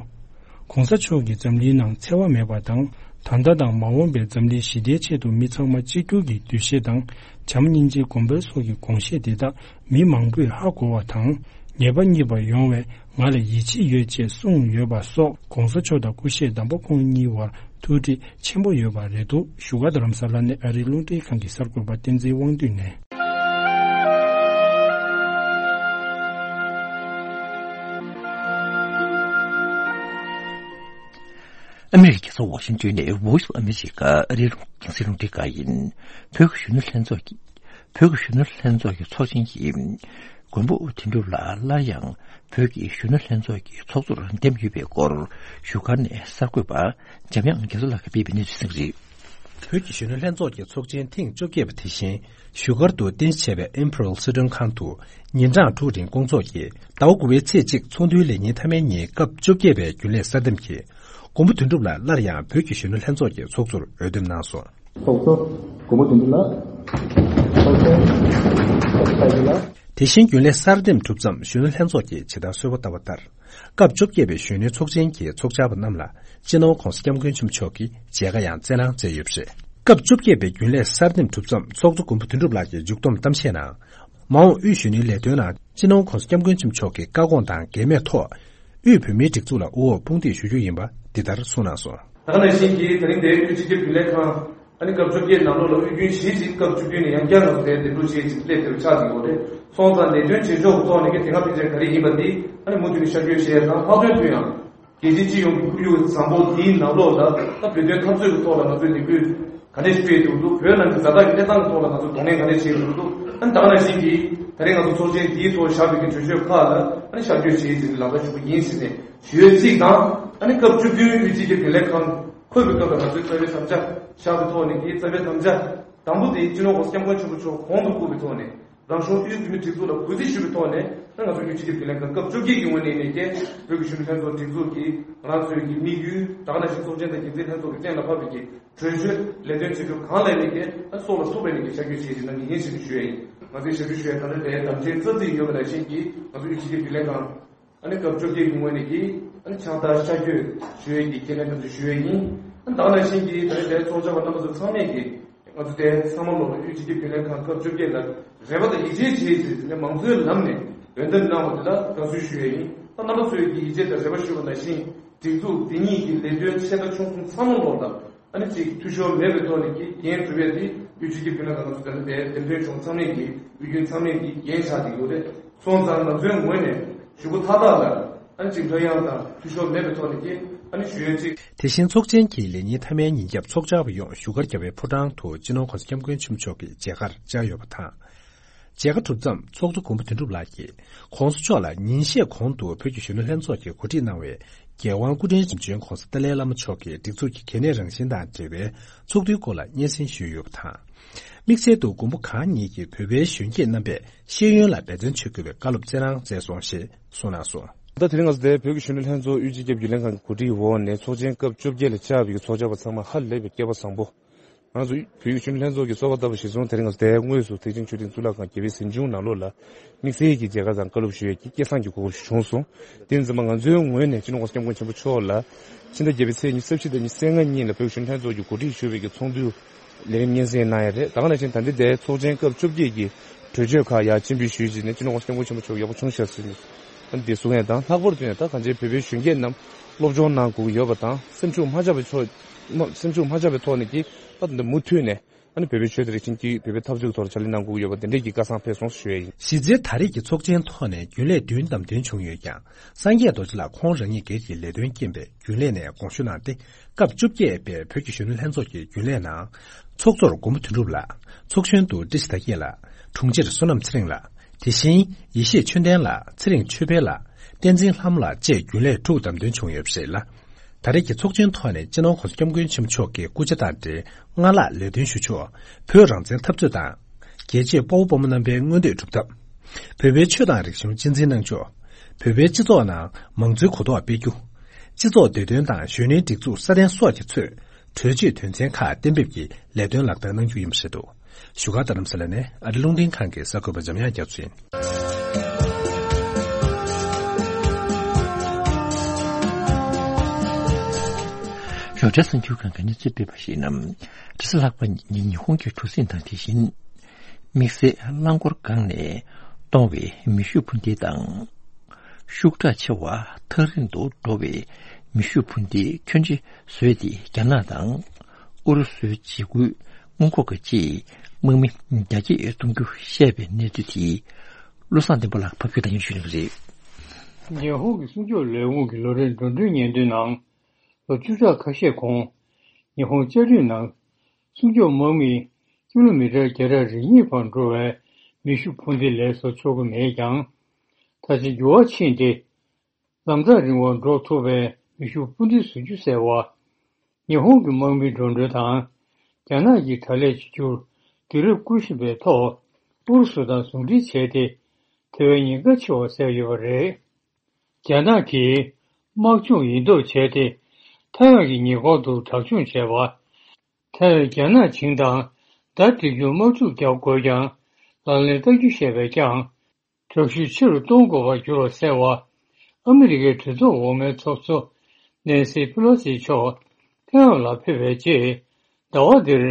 ༸གོང་ས་མཆོག་གིས་འཛམ་གླིང་ནང་འཚེ་བ་མེད་པ་དང་། ད་ལྟ་དང་མ་འོངས་པའི་འཛམ་གླིང་ཞི་བདེའི་ཆེད་དུ་མི་ཚང་མ་གཅིག་གྱུར་གྱི་འདུ་ཤེས་དང་། བྱམས་སྙིང་རྗེ་གོང་འཕེལ་སོགས་ཀྱི་དགོངས་བཞེད་འདི་དག་མི་མང་པོས་ཧ་གོ་བ་དང་། ངེས་པ་རྙེད་པ་ཡོང་བས་ང་ལ་ཡིད་ཆེས་ཡོད་ཅེས་གསུངས་ཡོད་པ་སོགས་༸གོང་ས་མཆོག་དང་སྐུ་གཤེགས་དམ་པ་ཁོང་གཉིས་བར་ཐུགས་འདྲིས་ཆེན་པོ་ཡོད་པ་རེད་འདུག་བཞུགས་སྒར་རྡ་རམ་ས་ལ་ནས་ཨ་རིའི་རླུང་འཕྲིན་ཁང་གི་གསར་འགོད་པ་བསྟན་འཛིན་དབང་འདུས་ནས། ཨ་མེ་རི་ཁའི་རྒྱལ་ས་ཝ་ཤིང་ཏོན་ནས་Voice of America ཨ་རིའི་རླུང་འཕྲིན་ཁང་ཡིན། བོད་ཀྱི་གཞོན་ནུ་ལྷན་ཚོགས་ཀྱི་བོད་ཀྱི་གཞོན་ནུ་ལྷན་ཚོགས་ཀྱི་ཚོགས་ཆེན་གྱི་མགོན་པོ་དོན་གྲུབ་ལགས་སླར་ཡང་བོད་ཀྱི་གཞོན་ནུ་ལྷན་ཚོགས་ཀྱི་ཚོགས་གཙོར་འདེམས་ཡོད་པའི་སྐོར་བཞུགས་སྒར་ནས་གསར་འགོད་པ་འཇམ་དབྱངས་རྒྱ་མཚོ་ལགས་ཀྱིས་སྤེལ་བའི་གནས་ཚུལ་གསན་གྱི་རེད། བོད་ཀྱི་གཞོན་ནུ་ལྷན་ཚོགས་ཀྱི་ཚོགས་ཆེན་ཐེངས་བཅོ་བརྒྱད་པ་དེ་བཞིན་བཞུགས་སྒར་དུ་རྟེན་གཞི་བྱས་པའི་Imperial སི་ཁྲོན་ཁང་དུ་ཉིན་གྲངས་དྲུག་རིང་སྐོང་ཚོགས་ཀྱིས་ཟླ་བ་དགུ་པའི་ཚེས་གཅིག་ཚོགས་འདུའི་ལས་ཉིན་མཐའ་མའི་ཉིན་སྐབས་བཅོ་བརྒྱད་པའི་རྒྱུན་ལས་གསར་འདེམས་ཀྱིས་མགོན་པོ་དོན་གྲུབ་ལགས་སླར་ཡང་བོད་ཀྱི་གཞོན་ནུ་ལྷན་ཚོགས་ཀྱི་ཚོགས་གཙོར་འོས་འདེམས་གནང་སོང་། ཚོགས་གཙོ་མགོན་པོ་དོན་གྲུབ་ལགས། ཚོགས་གཙོ་ལགས། དེ་བཞིན་རྒྱུན་ལས་གསར་འདེམས་གྲུབ་མཚམས་གཞོན་ནུ་ལྷན་ཚོགས་ཀྱིས་ཇི་ལྟར་གསོལ་བ་བཏབ་པ་ལྟར། སྐབས་བཅོ་བརྒྱད་པའི་གཞོན་ནུའི་ཚོགས་ཆེན་གྱི་ཚོགས་བཅར་བ་རྣམས་ལ་སྤྱི་ནོར་༧གོང་ས་༧སྐྱབས་མགོན་ཆེན་པོ་མཆོག་གིས་མཇལ་ཁ་ཡང་སྩལ་གནང་མཛད་ཡོད་པ་རེད། སྐབས་བཅོ་བརྒྱད་པའི་རྒྱུན་ལས་གསར་འདེམས་གྲུབ་མཚམས་ཚོགས་གཙོ་མགོན་པོ་དོན་གྲུབ་ལགས་ཀྱིས་མཇུག་བསྡོམས་གཏམ་བཤད་ནང་། མ་འོངས་དབུས་གཞོན་ནུའི་ལས་དོན་ནང་སྤྱི་ནོར་༧གོང་ས་༧སྐྱབས་མགོན་ཆེན་པོ་མཆོག་གི་བཀའ་དགོངས་དང་འགལ་མེད་ཐོག་དབུས་བོད་མིའི་སྒྲིག་འཛུགས་ལ་དབུ་འོག་དཔུང་འདེགས་ཞུ་རྒྱུ་ཡིན་པ་འདི་ལྟར་གསུངས་གནང་སོང་། ད་ག་ནང་བཞིན་གྱི་ད་རིང་འདིར་དབུས་སྤྱི་ཁྱབ་རྒྱུན་ལས་ཁང་ཨ་ནི་སྐབས་བཅོ་བརྒྱད་ནང་ལོགས་ལ་དབུས་རྒྱུན་བཞི་ཅིག་སྐབས་བཅུ་བདུན་ནས་ཡང་བསྐྱར་ང་ཚོ་དེར་འདེམས་སྒྲུག་བྱེད་ཅིག་སླེབས་བསྡད་པ་ཆགས་ཀྱི་ཡོད་རེད། སོང་ཙང་ལས་དོན་བྱེད་ཕྱོགས་ཀྱི་ཐོག་ནས་ཀྱི་དེ་སྔ་ཕན་ཆད་ག་རེ་ཡིན་པ་འདི་ཨ་ནི་མུ་མཐུད་ནས་ཤར་བསྐྱོད་བྱས་དང་ལྷག་དོན་དུ་ཡང་རྒྱལ་སྤྱིའི་སྤྱི་ཡོངས་ཀྱི་ཁོར་ཡུག་བཟང་པོ་འདིའི་ནང་ལོགས་ལ་ད་བོད་དོན་འཐབ་རྩོད་ཀྱི་ཐོག་ལ་ང་ཚོས་ལས་འགུལ་ག་འདྲས་སྤེལ་ཐུབ་འདུག་བོད་ནང་གི་ཛ་དྲག་གི་གནས་སྟངས་ཀྱི་ཐོག་ལ་ང་ཚོས་གདོང་ལེན་ག་འདྲས་བྱེད་ཐུབ་འདུག་ཨ་ནི་ད་ག་ནང་བཞིན་གྱི་ད་རེས་ང་ཚོ་ཚོགས་ཆེན་འདིའི་ཐོག་བཞག་པའི་གི་གྲོས་ཆོད་ཁག་ལ་ཨ་ནི་ཤར་བསྐྱོད་བྱེད་ཅིག་ལག་བསྟར་ཞུ་གི་ཡིན་ཟེར་ནས་ཞུ་ཡས་གཅིག་དང་། ཨ་ནི་སྐབས་བཅུ་བདུན་དབུས་སྤྱི་ཁྱབ་རྒྱུན་ལས་ཁང་འཁོད་པའི་སྐབས་ལ་ང་ཚོའི་རྩ་བའི་དམ་བཅའ་བཞག་པའི་ཐོག་ནས་ཀྱི་རྩ་བའི་དམ་བཅའ་དང་པོ་དེ་སྤྱི་ནོར་༧གོང་ས་༧སྐྱབས་མགོན་ཆེན་པོ་མཆོག་གོང་དུ་བཀུར་བའི་ཐོག་ནས་རང་གཞུང་དབུས་བོད་མིའི་སྒྲིག་འཛུགས་ལ་གུས་བརྩི་ཞུ་བའི་ཐོག་ནས་ད་ང་ཚོ་དབུས་སྤྱི་ཁྱབ་རྒྱུན་ལས་ཁང་སྐབས་བཅོ་བརྒྱད་ཀྱི་ངོས་ནས་ནས་ཀྱི་བོད་ཀྱི་གཞོན་ནུ་ལྷན་ཚོགས་སྒྲིག་འཛུགས་ཀྱི་ང་རང་ཚོའི་ཀྱི་དམིགས་ཡུལ་ད་ག་ནང་བཞིན་ཚོགས་ཆེན་དང་འགན་འཛིན་ལྷན་ཚོགས་ཀྱི་གཏན་ལ་ཕབ་པའི་ཀྱི་གྲོས་ཆོད་ལས་དོན་བྱེད་ཕྱོགས་གང་ལ་ནས་ཀྱི་ཨ་སྲོག་ལ་ཐུག་པའི་ནས་ཀྱི་བྱ་སྤྱོད་བྱེད་ཀྱི་གནང་གི་ཡིན་ཞེས་ཞུ་ཡ་ཡིན། ང་ཚོའི་ཞབས་ཞུ་ཞུ་ཡ་ད་ལྟ་དེ་དམ་འཛིན་རྩ་འཛིན་ཡོད་པ་ནང་བཞིན་གྱི་ང་ཚོ་དབུས་སྤྱི་ཁྱབ་རྒྱུན་ལས་ཁང་། ཨ་ནི་སྐབས་བཅོ་བརྒྱད་ཀྱི་ངོས་ནས་ཀྱི་ཨ་ནི་ཕྱག་རྟགས་ཤར་བསྐྱོད་ཞུ་ཡས་ཀྱི་ཁས་ལེན་དམ་བཅའ་ཞུ་ཡས་ཡིན། ཨ་ནི་ད་ག་ནང་བཞིན་གྱི་ད་རེས་དེའི་ཚོགས་བཅར་བ་རྣམ་པ་ཚོ་ཚང་མས་ཀྱི་ང་ཚོ་དེ་ཚང་མ་ལོག་ལ་དབུས་སྤྱི་ཁྱབ་རྒྱུན་ལས་ཁང་སྐབས་བཅོ་བརྒྱད་ལ་རེ་བ་དང་ཡིད་ཆེས་བྱེད་ཅེས་ནས་མང་གཙོའི་ལམ་ནས་འོས་འདེམས་གནང་བ་དེ་ལ་དགའ་བསུ་ཞུ་ཡས་ཡིན། ཨ་རྣམ་པ་ཚོས་ཀྱི་ཡིད་ཆེས་དང་རེ་བ་ཞུ་བ་ནང་བཞིན་སྒྲིག་འཛུགས་འདི་ཉིད་ཀྱི་ལས་དོན་ཆེ་ཕྲ་ཆུང་གསུམ་ཚང་མ་ལོག་ལ། ཨ་ནི་གཅིག་འཐུས་ཤོར་མེད་པའི་ཐོག་ནས་ཀྱི་འགན་སྒྲུབ་ཡས་དེ་དབུས་སྤྱི་ཁྱབ་རྒྱུན་ལས་ཁང་ཚོ་དེ་ལ་དེ་འདེམས་ཐོན་བྱུང་ཚང་མས་ཀྱི་དབུས་རྒྱུན་ཚང་མས་ཀྱི་འགན་བཞག་གི་ཡོད་རེད། སོང་ཙང་ང་ཚོའི་ངོས་ནས་ཞུ་སྒོ་མཐའ་དག་ལ་ཨ་ནི་གཅིག་འདྲ་ཡང་དང་འཐུས་ཤོར་མེད་པའི་ཐོག་ནས་ཀྱི་ཨ་ནི་ཞུ་ཡས་གཅིག་དེ་བཞིན་ཚོགས་ཆེན་གྱི་ལས་ཉིན་མཐའ་མའི་ཉིན་རྒྱབ་ཚོགས་བཅར་བ་ཡོངས་བཞུགས་སྒར་རྒྱལ་བའི་ཕོ་བྲང་དུ་སྤྱི་ནོར་༧གོང་ས་༧སྐྱབས་མགོན་ཆེན་པོ་མཆོག་གི་མཇལ་ཁར་བཅར་ཡོད་པ་དང་། མཇལ་ཁ་གྲུབ་མཚམས་ཚོགས་གཙོ་མགོན་པོ་དོན་གྲུབ་ལགས་ཀྱིས་༧གོང་ས་མཆོག་ལ་ཉིན་ཤས་གོང་དུ་བོད་ཀྱི་གཞོན་ནུ་ལྷན་ཚོགས་ཀྱིས་གོ་སྒྲིག་གནང་བའི་རྒྱལ་དབང་སྐུ་ཕྲེང་བདུན་ཅུ་པ་༧གོང་ས་ཏཱ་ལའི་བླ་མ་མཆོག་གི་སྒྲིག་འཛུགས་ཀྱི་གལ་གནད་རང་བཞིན་དང་འབྲེལ་བའི་ཚོགས་འདུའི་སྐོར་ལ་སྙན་སེང་ཞུས་ཡོད་པ་དང་། དམིགས་བསལ་དུ་མགོན་པོ་གང་ཉིད་ཀྱིས་བོད་པའི་གཞོན་སྐྱེས་རྣམ་པས་ཤེས་ཡོན་ལ་འབད་བརྩོན་བྱེད་དགོས་པའི་བཀའ་སློབ་སྩལ་གནང་མཛད་སོང་ཞེས་གསུངས་གནང་སོང་། ད་དེ་རིང་ང་ཚོ་དེ་བོད་ཀྱི་གཞོན་ནུ་ལྷན་ཚོགས་དབུས་སྤྱི་ཁྱབ་རྒྱུན་ལས་ཁང་གི་གོ་སྒྲིག་འོག་ནས་ཚོགས་ཆེན་སྐབས་བཅོ་བརྒྱད་ལ་བཅར་བའི་ཚོགས་བཅར་བ་ཚང་མ་ཧ་ལས་པའི་སྐལ་པ་བཟང་པོ། ང་ཚོ་བོད་ཀྱི་གཞོན་ནུ་ལྷན་ཚོགས་ཀྱི་གསོལ་བ་བཏབ་པ་གཞིར་བཟུང་དེ་རིང་ང་ཚོ་དེའི་དངོས་སུ་ཐེག་ཆེན་ཆོས་སྡིངས་གཙུག་ལག་ཁང་རྒྱལ་བའི་གཟིམ་ཆུང་ནང་ལོགས་ལ་དམིགས་བསལ་གྱི་མཇལ་ཁ་དང་བཀའ་སློབ་ཞུ་ཡས་ཀྱི་སྐལ་བཟང་གི་གོ་སྐབས་ཤིག་བྱུང་སོང་། དེ་ཡིན་ཙང་མ་ང་ཚོའི་ངོས་ནས་སྤྱི་ནོར་༧གོང་ས་༧སྐྱབས་མགོན་ཆེན་པོ་མཆོག་ལ་ཕྱི་ཟླ་བརྒྱད་པའི་ཚེས་ཉི་ཤུ་རྩ་བཞི་དང་ཉི་ཤུ་རྩ་ལྔ་གཉིས་ལ་བོད་ཀྱི་གཞོན་ནུ་ལྷན་ཚོགས་ཀྱི་གོ་སྒྲིག་ཞུ་བའི་གི་ཚོགས་འདུ་ལས་རིམ་སྙན་སེང་གནང་ཡ་རེད། ད་ག་ནང་བཞིན་ད་ལྟའི་དེའི་ཚོགས་ཆེན་སྐབས་བཅོ་བརྒྱད་ཀྱི་གྲོས་ཆོད་ཁག་ཡར་སྤྱན་འབུལ་ཞུས་རྗེས་ནས་སྤྱི་ནོར་༧གོང་ས་༧སྐྱབས་མགོན་ཆེན་པོ་མཆོག་ཡག་པོ་བྱུང་ཤག་ཟེར་ནས་འདི་གསུང་ཡ་དང་། ལྷག་པར་དུ་ཡང་ད་གང་ཅིའི་བོད་པའི་གཞོན་སྐྱེས་རྣམས་སློབ་སྦྱོང་གནང་དགོས་ཀྱི་ཡོད་པ་དང་། སེམས་ཤུགས་མ་ཆག་པའི་ཕྱོགས་སེམས་ཤུགས་མ་ཆག་པའི་ཐོག་ནས་ཀྱི་ད་འདི་མུ་མཐུད་ནས་ཨ་ནི་བོད་པའི་ཆོས་དང་རིག་གཞུང་གི་བོད་པའི་འཐབ་རྩོད་ཀྱི་ཐོག་ལ་ཕྱག་ལས་གནང་དགོས་ཀྱི་ཡོད་པ་དེ་འདྲས་ཀྱི་བཀའ་བཟང་ཕེབས་སོང་ཞུ་ཡ་ཡིན། གཞི་རྩའི་ད་རེས་ཀྱི་ཚོགས་ཆེན་ཐོག་ནས་རྒྱུན་ལས་བདུན་བདམས་ཐོན་བྱུང་ཡོད་ཀྱང་། སངས་རྒྱས་རྡོ་རྗེ་ལགས་ཁོང་རང་ཉིད་སྒེར་གྱི་ལས་དོན་རྐྱེན་པས་རྒྱུན་ལས་ནས་དགོངས་ཞུ་གནང་སྟེ། སྐབས་བཅོ་བརྒྱད་པའི་བོད་ཀྱི་གཞོན་ནུ་ལྷན་ཚོགས་ཀྱི་རྒྱུན་ལས་ནང་། ཚོགས་གཙོར་མགོན་པོ་དོན་གྲུབ་ལགས། ཚོགས་གཞོན་དུ་བཀྲ་ཤིས་དར་རྒྱས་ལགས། དྲུང་ཆེར་བསོད་ནམས་ཚེ་རིང་ལགས། དེ་བཞིན་ཡེ་ཤེས་ཆོས་ལྡན་ལགས། ཚེ་རིང་ཆོས་འཕེལ་ལགས། བསྟན་འཛིན་ལྷ་མོ་ལགས་བཅས་རྒྱུན་ལས་དྲུག་བདམས་ཐོན་བྱུང་ཡོད་པ་རེད་ལ། ད་རེས་ཀྱི་ཚོགས་ཆེན་ཐོག་ནས་སྤྱི་ནོར་༧གོང་ས་༧སྐྱབས་མགོན་ཆེན་པོ་མཆོག་གི་སྐུ་ཕྱྭ་དང་འབྲེལ་སྔར་ལྷག་ལས་དོན་ཞུ་ཕྱོགས། བོད་རང་བཙན་འཐབ་རྩོད་དང་། རྒྱལ་གཅེས་དཔའ་བོ་དཔའ་མོ་རྣམ་པའི་མངོན་འདོད་སྒྲུབ་ཐབས། བོད་པའི་ཆོས་དང་རིག་གཞུང་གཅེས་འཛིན་གནང་ཕྱོགས། བོད་པའི་སྤྱི་ཚོགས་ནང་མང་གཙོའི་གོ་རྟོགས་སྤེལ་རྒྱུ། སྤྱི་ཚོགས་བདེ་དོན་དང་གཞོན་ནུའི་སྒྲིག་འཛུགས་སྲ་བརྟན་སོགས་ཀྱི་ཚོས་གྲོས་ཆོད་དོན་ཚན་ཁག་གཏན་འབེབས་ཀྱིས་ལས་དོན་ལག་བསྟར་གནང་རྒྱུ་ཡིན་པ་རེད་འདུག་བཞུགས་སྒར་རྡ་རམ་ས་ལ་ནས་ཨ་རི་རླུང་འཕྲིན་ཁང་གི་གསར་འགོད་པ་འཇམ་དབྱངས་རྒྱ་མཚོ་ཡིན། རོགས་གྲྭའི་གསར་འགྱུར་ཁང་གི་གནས་ཚུལ་སྤེལ་བར་གཞིགས་ན། རེས་གཟའ་ལྷག་པ་ཉིན་ཉི་ཧོང་གི་གྲུ་གཟིངས་དང་དེ་བཞིན་དམིགས་བསལ་རླངས་འཁོར་སྒང་ནས་གཏོང་བའི་མེ་ཤུགས་འཕུར་མདེལ་དང་། ཤུགས་དྲག་ཆེ་བ་ཐག་རིང་དུ་འགྲོ་བའི་མེ་ཤུགས་འཕུར་མདེལ་ཁྱོན་ཆེ་བཟོས་ཏེ། རྒྱ་ནག་དང་ཨུ་རུ་སུའི་འཇིགས་སྐུལ་སྔོན་འགོག་གི་ཆེད་དམག་མི་རྒྱ་སྐྱེད་གཏོང་རྒྱུ་བཤད་པའི་གནས་ཚུལ་དེ། བློ་བཟང་བསྟན་པ་ལགས་ཕབ་སྒྱུར་དང་སྙན་ཞུ་གནང་གི་རེད། ཉི་ཧོང་གི་སྲུང་སྐྱོབ་ལས་ཁུངས་ཀྱི་ལོ་རེའི་འགྲོ་གྲོན་སྙན་ཐོའི་ནང་། ལོ་བཅུ་ཕྲག་ཁ་ཤས་གོང་། ཉི་ཧོང་བཅའ་སྡོད་ནང་སྲུང་སྐྱོབ་དམག་མིས་ཀི་ལོ་མི་ཊར་བརྒྱ་ཕྲག་རེ་གཉིས་བར་འགྲོ་བའི་མེ་ཤུགས་འཕུར་མདེལ་ལས་བཟོ་ཆོག་གི་མེད་ཀྱང་། ད་ཆ་འགྱུར་བ་ཕྱིན་ཏེ། ལམ་ཐག་རིང་བར་འགྲོ་ཐུབ་པའི་མེ་ཤུགས་འཕུར་མདེལ་བཟོ་རྒྱུ་ཟེར་བ། ཉི་ཧོང་གི་དམག་མིའི་འགྲོ་གྲོན་དང་། རྒྱ་ནག་གིས་དྲག་ལས་བྱེད་རྒྱུར་དུས་རབས་བསྐུལ་བཞིན་པའི་ཐོག་ཨུ་རུ་སུ་དང་ཟུང་འབྲེལ་བྱས་ཏེ། དེ་བས་ཉེན་ཁ་ཆེ་བ་བཟོས་ཡོད་པ་རེད། རྒྱ་ནག་གིས་དམག་སྦྱོང་ཡིན་མདོག་བྱས་ཏེ། ཐའེ་ཝན་གྱི་ཉེ་འཁོར་དུ་དྲག་སྦྱོང་བྱས་པ། ཐའེ་ཝན་རྒྱ་ནག་བྱིངས་དང་བརྡ་སྤྲད་རྒྱུར་དམག་འཁྲུག་རྒྱག་དགོས་ཀྱང་། ལག་ལེན་བསྟར་རྒྱུ་བཤད་པས་ཀྱང་། དྲག་ཤུགས་ཆེ་རུ་གཏོང་དགོས་པར་འགྱུར་བ་ཟེར་བ། ཨ་མི་རི་ཀའི་གྲོས་ཚོགས་འོག་མའི་ཚོགས་གཙོ་ནེན་སི་ཕེ་ལོ་སི་མཆོག་ཐེ་ཝན་ལ་ཕེབས་པའི་རྗེས། ཟླ་བ་འདིར་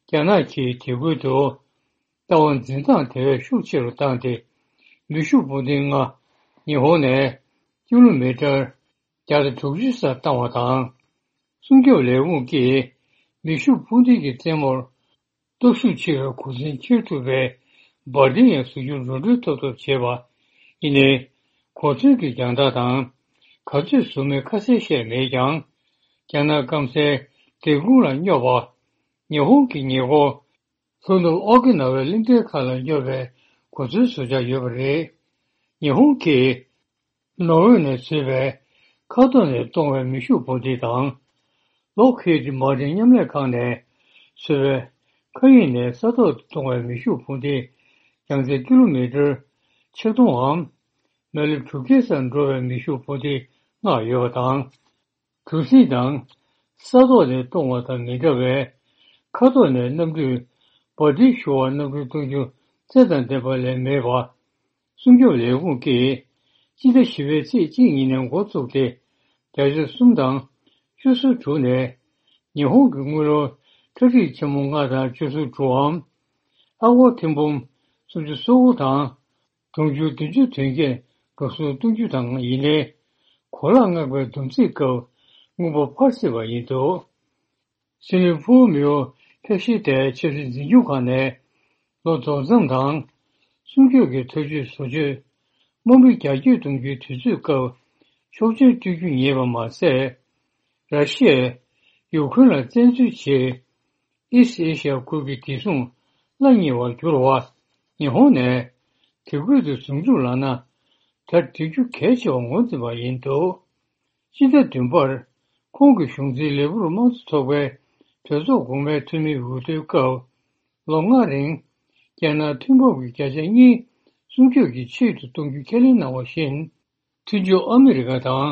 རྒྱ་ནག་གིས་དེ་ཁུལ་དུ་ལྟ་བ་འཛིན་སྟངས་དེ་བས་ཤུགས་ཆེ་རུ་བཏང་སྟེ། མེ་ཤུགས་འཕུར་མདེལ་ལྔ་ཉི་ཧོང་ནས་ཀི་ལོ་མི་ཊར་བརྒྱ་དང་དྲུག་ཅུ་སར་བཏང་བ་དང་། སྲུང་སྐྱོབ་ལས་ཁུངས་ཀྱིས་མེ་ཤུགས་འཕུར་མདེལ་གྱི་རྩེ་མོར་སྟོབས་ཤུགས་ཆེ་བའི་གོ་མཚོན་འཁྱེར་ཐུབ་པའི་འབར་མདེལ་ཡང་བཟོ་རྒྱུར་རོགས་སྐྲུན་ཐོབ་ཐབས་བྱས་པ་ཡིན་ནའི། གོ་མཚོན་གྱི་རྒྱང་ཐག་དང་ག་ཚོད་བཟོ་མིན་ཁ་གསལ་བཤད་མེད་ཀྱང་། རྒྱ་ནག་སྐམ་སའི་འབྲས་སྤུངས་ལ་སྙོབ་པ། ཉི་ཧོང་གི་ཉེ་འཁོར་ལྷོ་ནུབ་ཨོ་ཀི་ན་ཝའི་གླིང་ཕྲན་ཁག་ལ་སྙོབ་པའི་གོ་མཚོན་བཟོ་འཆར་ཡོད་པ་རེད། ཉི་ཧོང་གིས་ནོར་ཝེ་ནས་བཟོས་པའི་མཁའ་ཐོག་ནས་གཏོང་བའི་མེ་ཤུགས་འཕུར་མདེལ་དང་། ལོག་ཧིད་མར་ཊིན་མཉམ་ལས་ཁང་ནས་བཟོས་པའི་མཁའ་དབྱིངས་ནས་ས་ཐོག་ཏུ་གཏོང་བའི་མེ་ཤུགས་འཕུར་མདེལ་ཡང་རྩེ་ཀི་ལོ་མི་ཊར་ཆིག་སྟོང་འམ། མི་ལེབ་དྲུག་བརྒྱ་སར་འགྲོ་བའི་མེ་ཤུགས་འཕུར་མདེལ་ལྔ་ཡོད་པ་དང་། གྲུ་གཟིངས་དང་ས་ཐོག་ནས་གཏོང་བ་དང་མི་འདྲ་བའི་མཁའ་ཐོག་ནས་གནམ་གྲུས་འབར་མདེལ་ཤོར་བར་གནམ་གྲུ་གཏོང་རྒྱུ་རྩལ་དང་ལྡན་པ་ལས་མེད་པ། སྲུང་སྐྱོབ་ལས་ཁུངས་ཀྱིས་སྤྱི་ཟླ་བཞི་པའི་ཚེས་གཅིག་ཉིན་ནས་འགོ་བཙུགས་ཏེ། བརྒྱ་ཆ་གསུམ་དང་བཅུ་གསུམ་དྲུག་ནས་ཉི་ཧོང་གི་དངུལ་ལོར་ཁྲག་ཁྲིག་ཆེན་མོ་ལྔ་དང་བཅུ་གསུམ་དྲུག་འམ། ཨ་སྒོར་ཐེར་འབུམ་སུམ་ཅུ་སོ་དགུ་དང་། དུང་ཕྱུར་བདུན་ཅུ་དོན་བརྒྱད་འགྲོ་སོང་གཏོང་རྒྱུ་དང་ཡིན་ནའི། གོ་ལག་མངགས་པའི་བསྡོམས་རྩིས་སྐབས་དངུལ་འབོར་འཕར་སྲིད་པ་ཡིན་འདུག་སྲིད་བློན་ཕུའུ་མེའོ་ཕེབས་བཞེས་དེ་ཆབ་སྲིད་འཛིན་སྐྱོང་ཁང་ནས་ལོ་རྫོགས་མཚམས་དང་། སྲུང་སྐྱོབ་ཀྱི་ཐག་གཅོད་བཟོ་བཅོས། དམག་མི་རྒྱ་སྐྱེད་གཏོང་རྒྱུའི་དུས་ཚོད་སྐབས་ཆོག་མཆན་སྤྲོད་རྒྱུ་ཉེས་པ་མ་ཟད། ར་ཤི་ཡས་ཡུ་ཁུ་རེན་ལ་བཙན་འཛུལ་བྱས། ཨི་སི་ཨེ་ཤི་ཡ་ཁུལ་གྱི་བདེ་སྲུང་སླ་བསྙེལ་བར་གྱུར་བ། ཉི་ཧོང་ནས་དེ་ཁུལ་དུ་ཟུང་འཇུག་ལངས་ན་ད་འགྲིག་རྒྱུ་གལ་ཆེ་བར་ངོས་འཛིན་པ་ཡིན་འདུག་སྤྱི་ཟླ་བདུན་པར་ཁོང་གི་གཞུང་འཛིན་ལས་འཁུར་དམངས་གཙོ་ཚོགས་པའི་གྲོས་ཚོགས་གོང་མའི་འཐུས་མིའི་འོས་བསྡུའི་སྐབས། ལོ་ལྔ་རིང་རྒྱ་ནག་མཐུན་ཕབ་ཀྱི་བརྒྱ་ཆ་གཉིས་སྲུང་སྐྱོབ་ཀྱི་ཆེད་དུ་གཏོང་རྒྱུ་ཁས་ལེན་གནང་བ་བཞིན། མཐུན་ཕྱོགས་ཨ་མི་རི་ཀ་དང་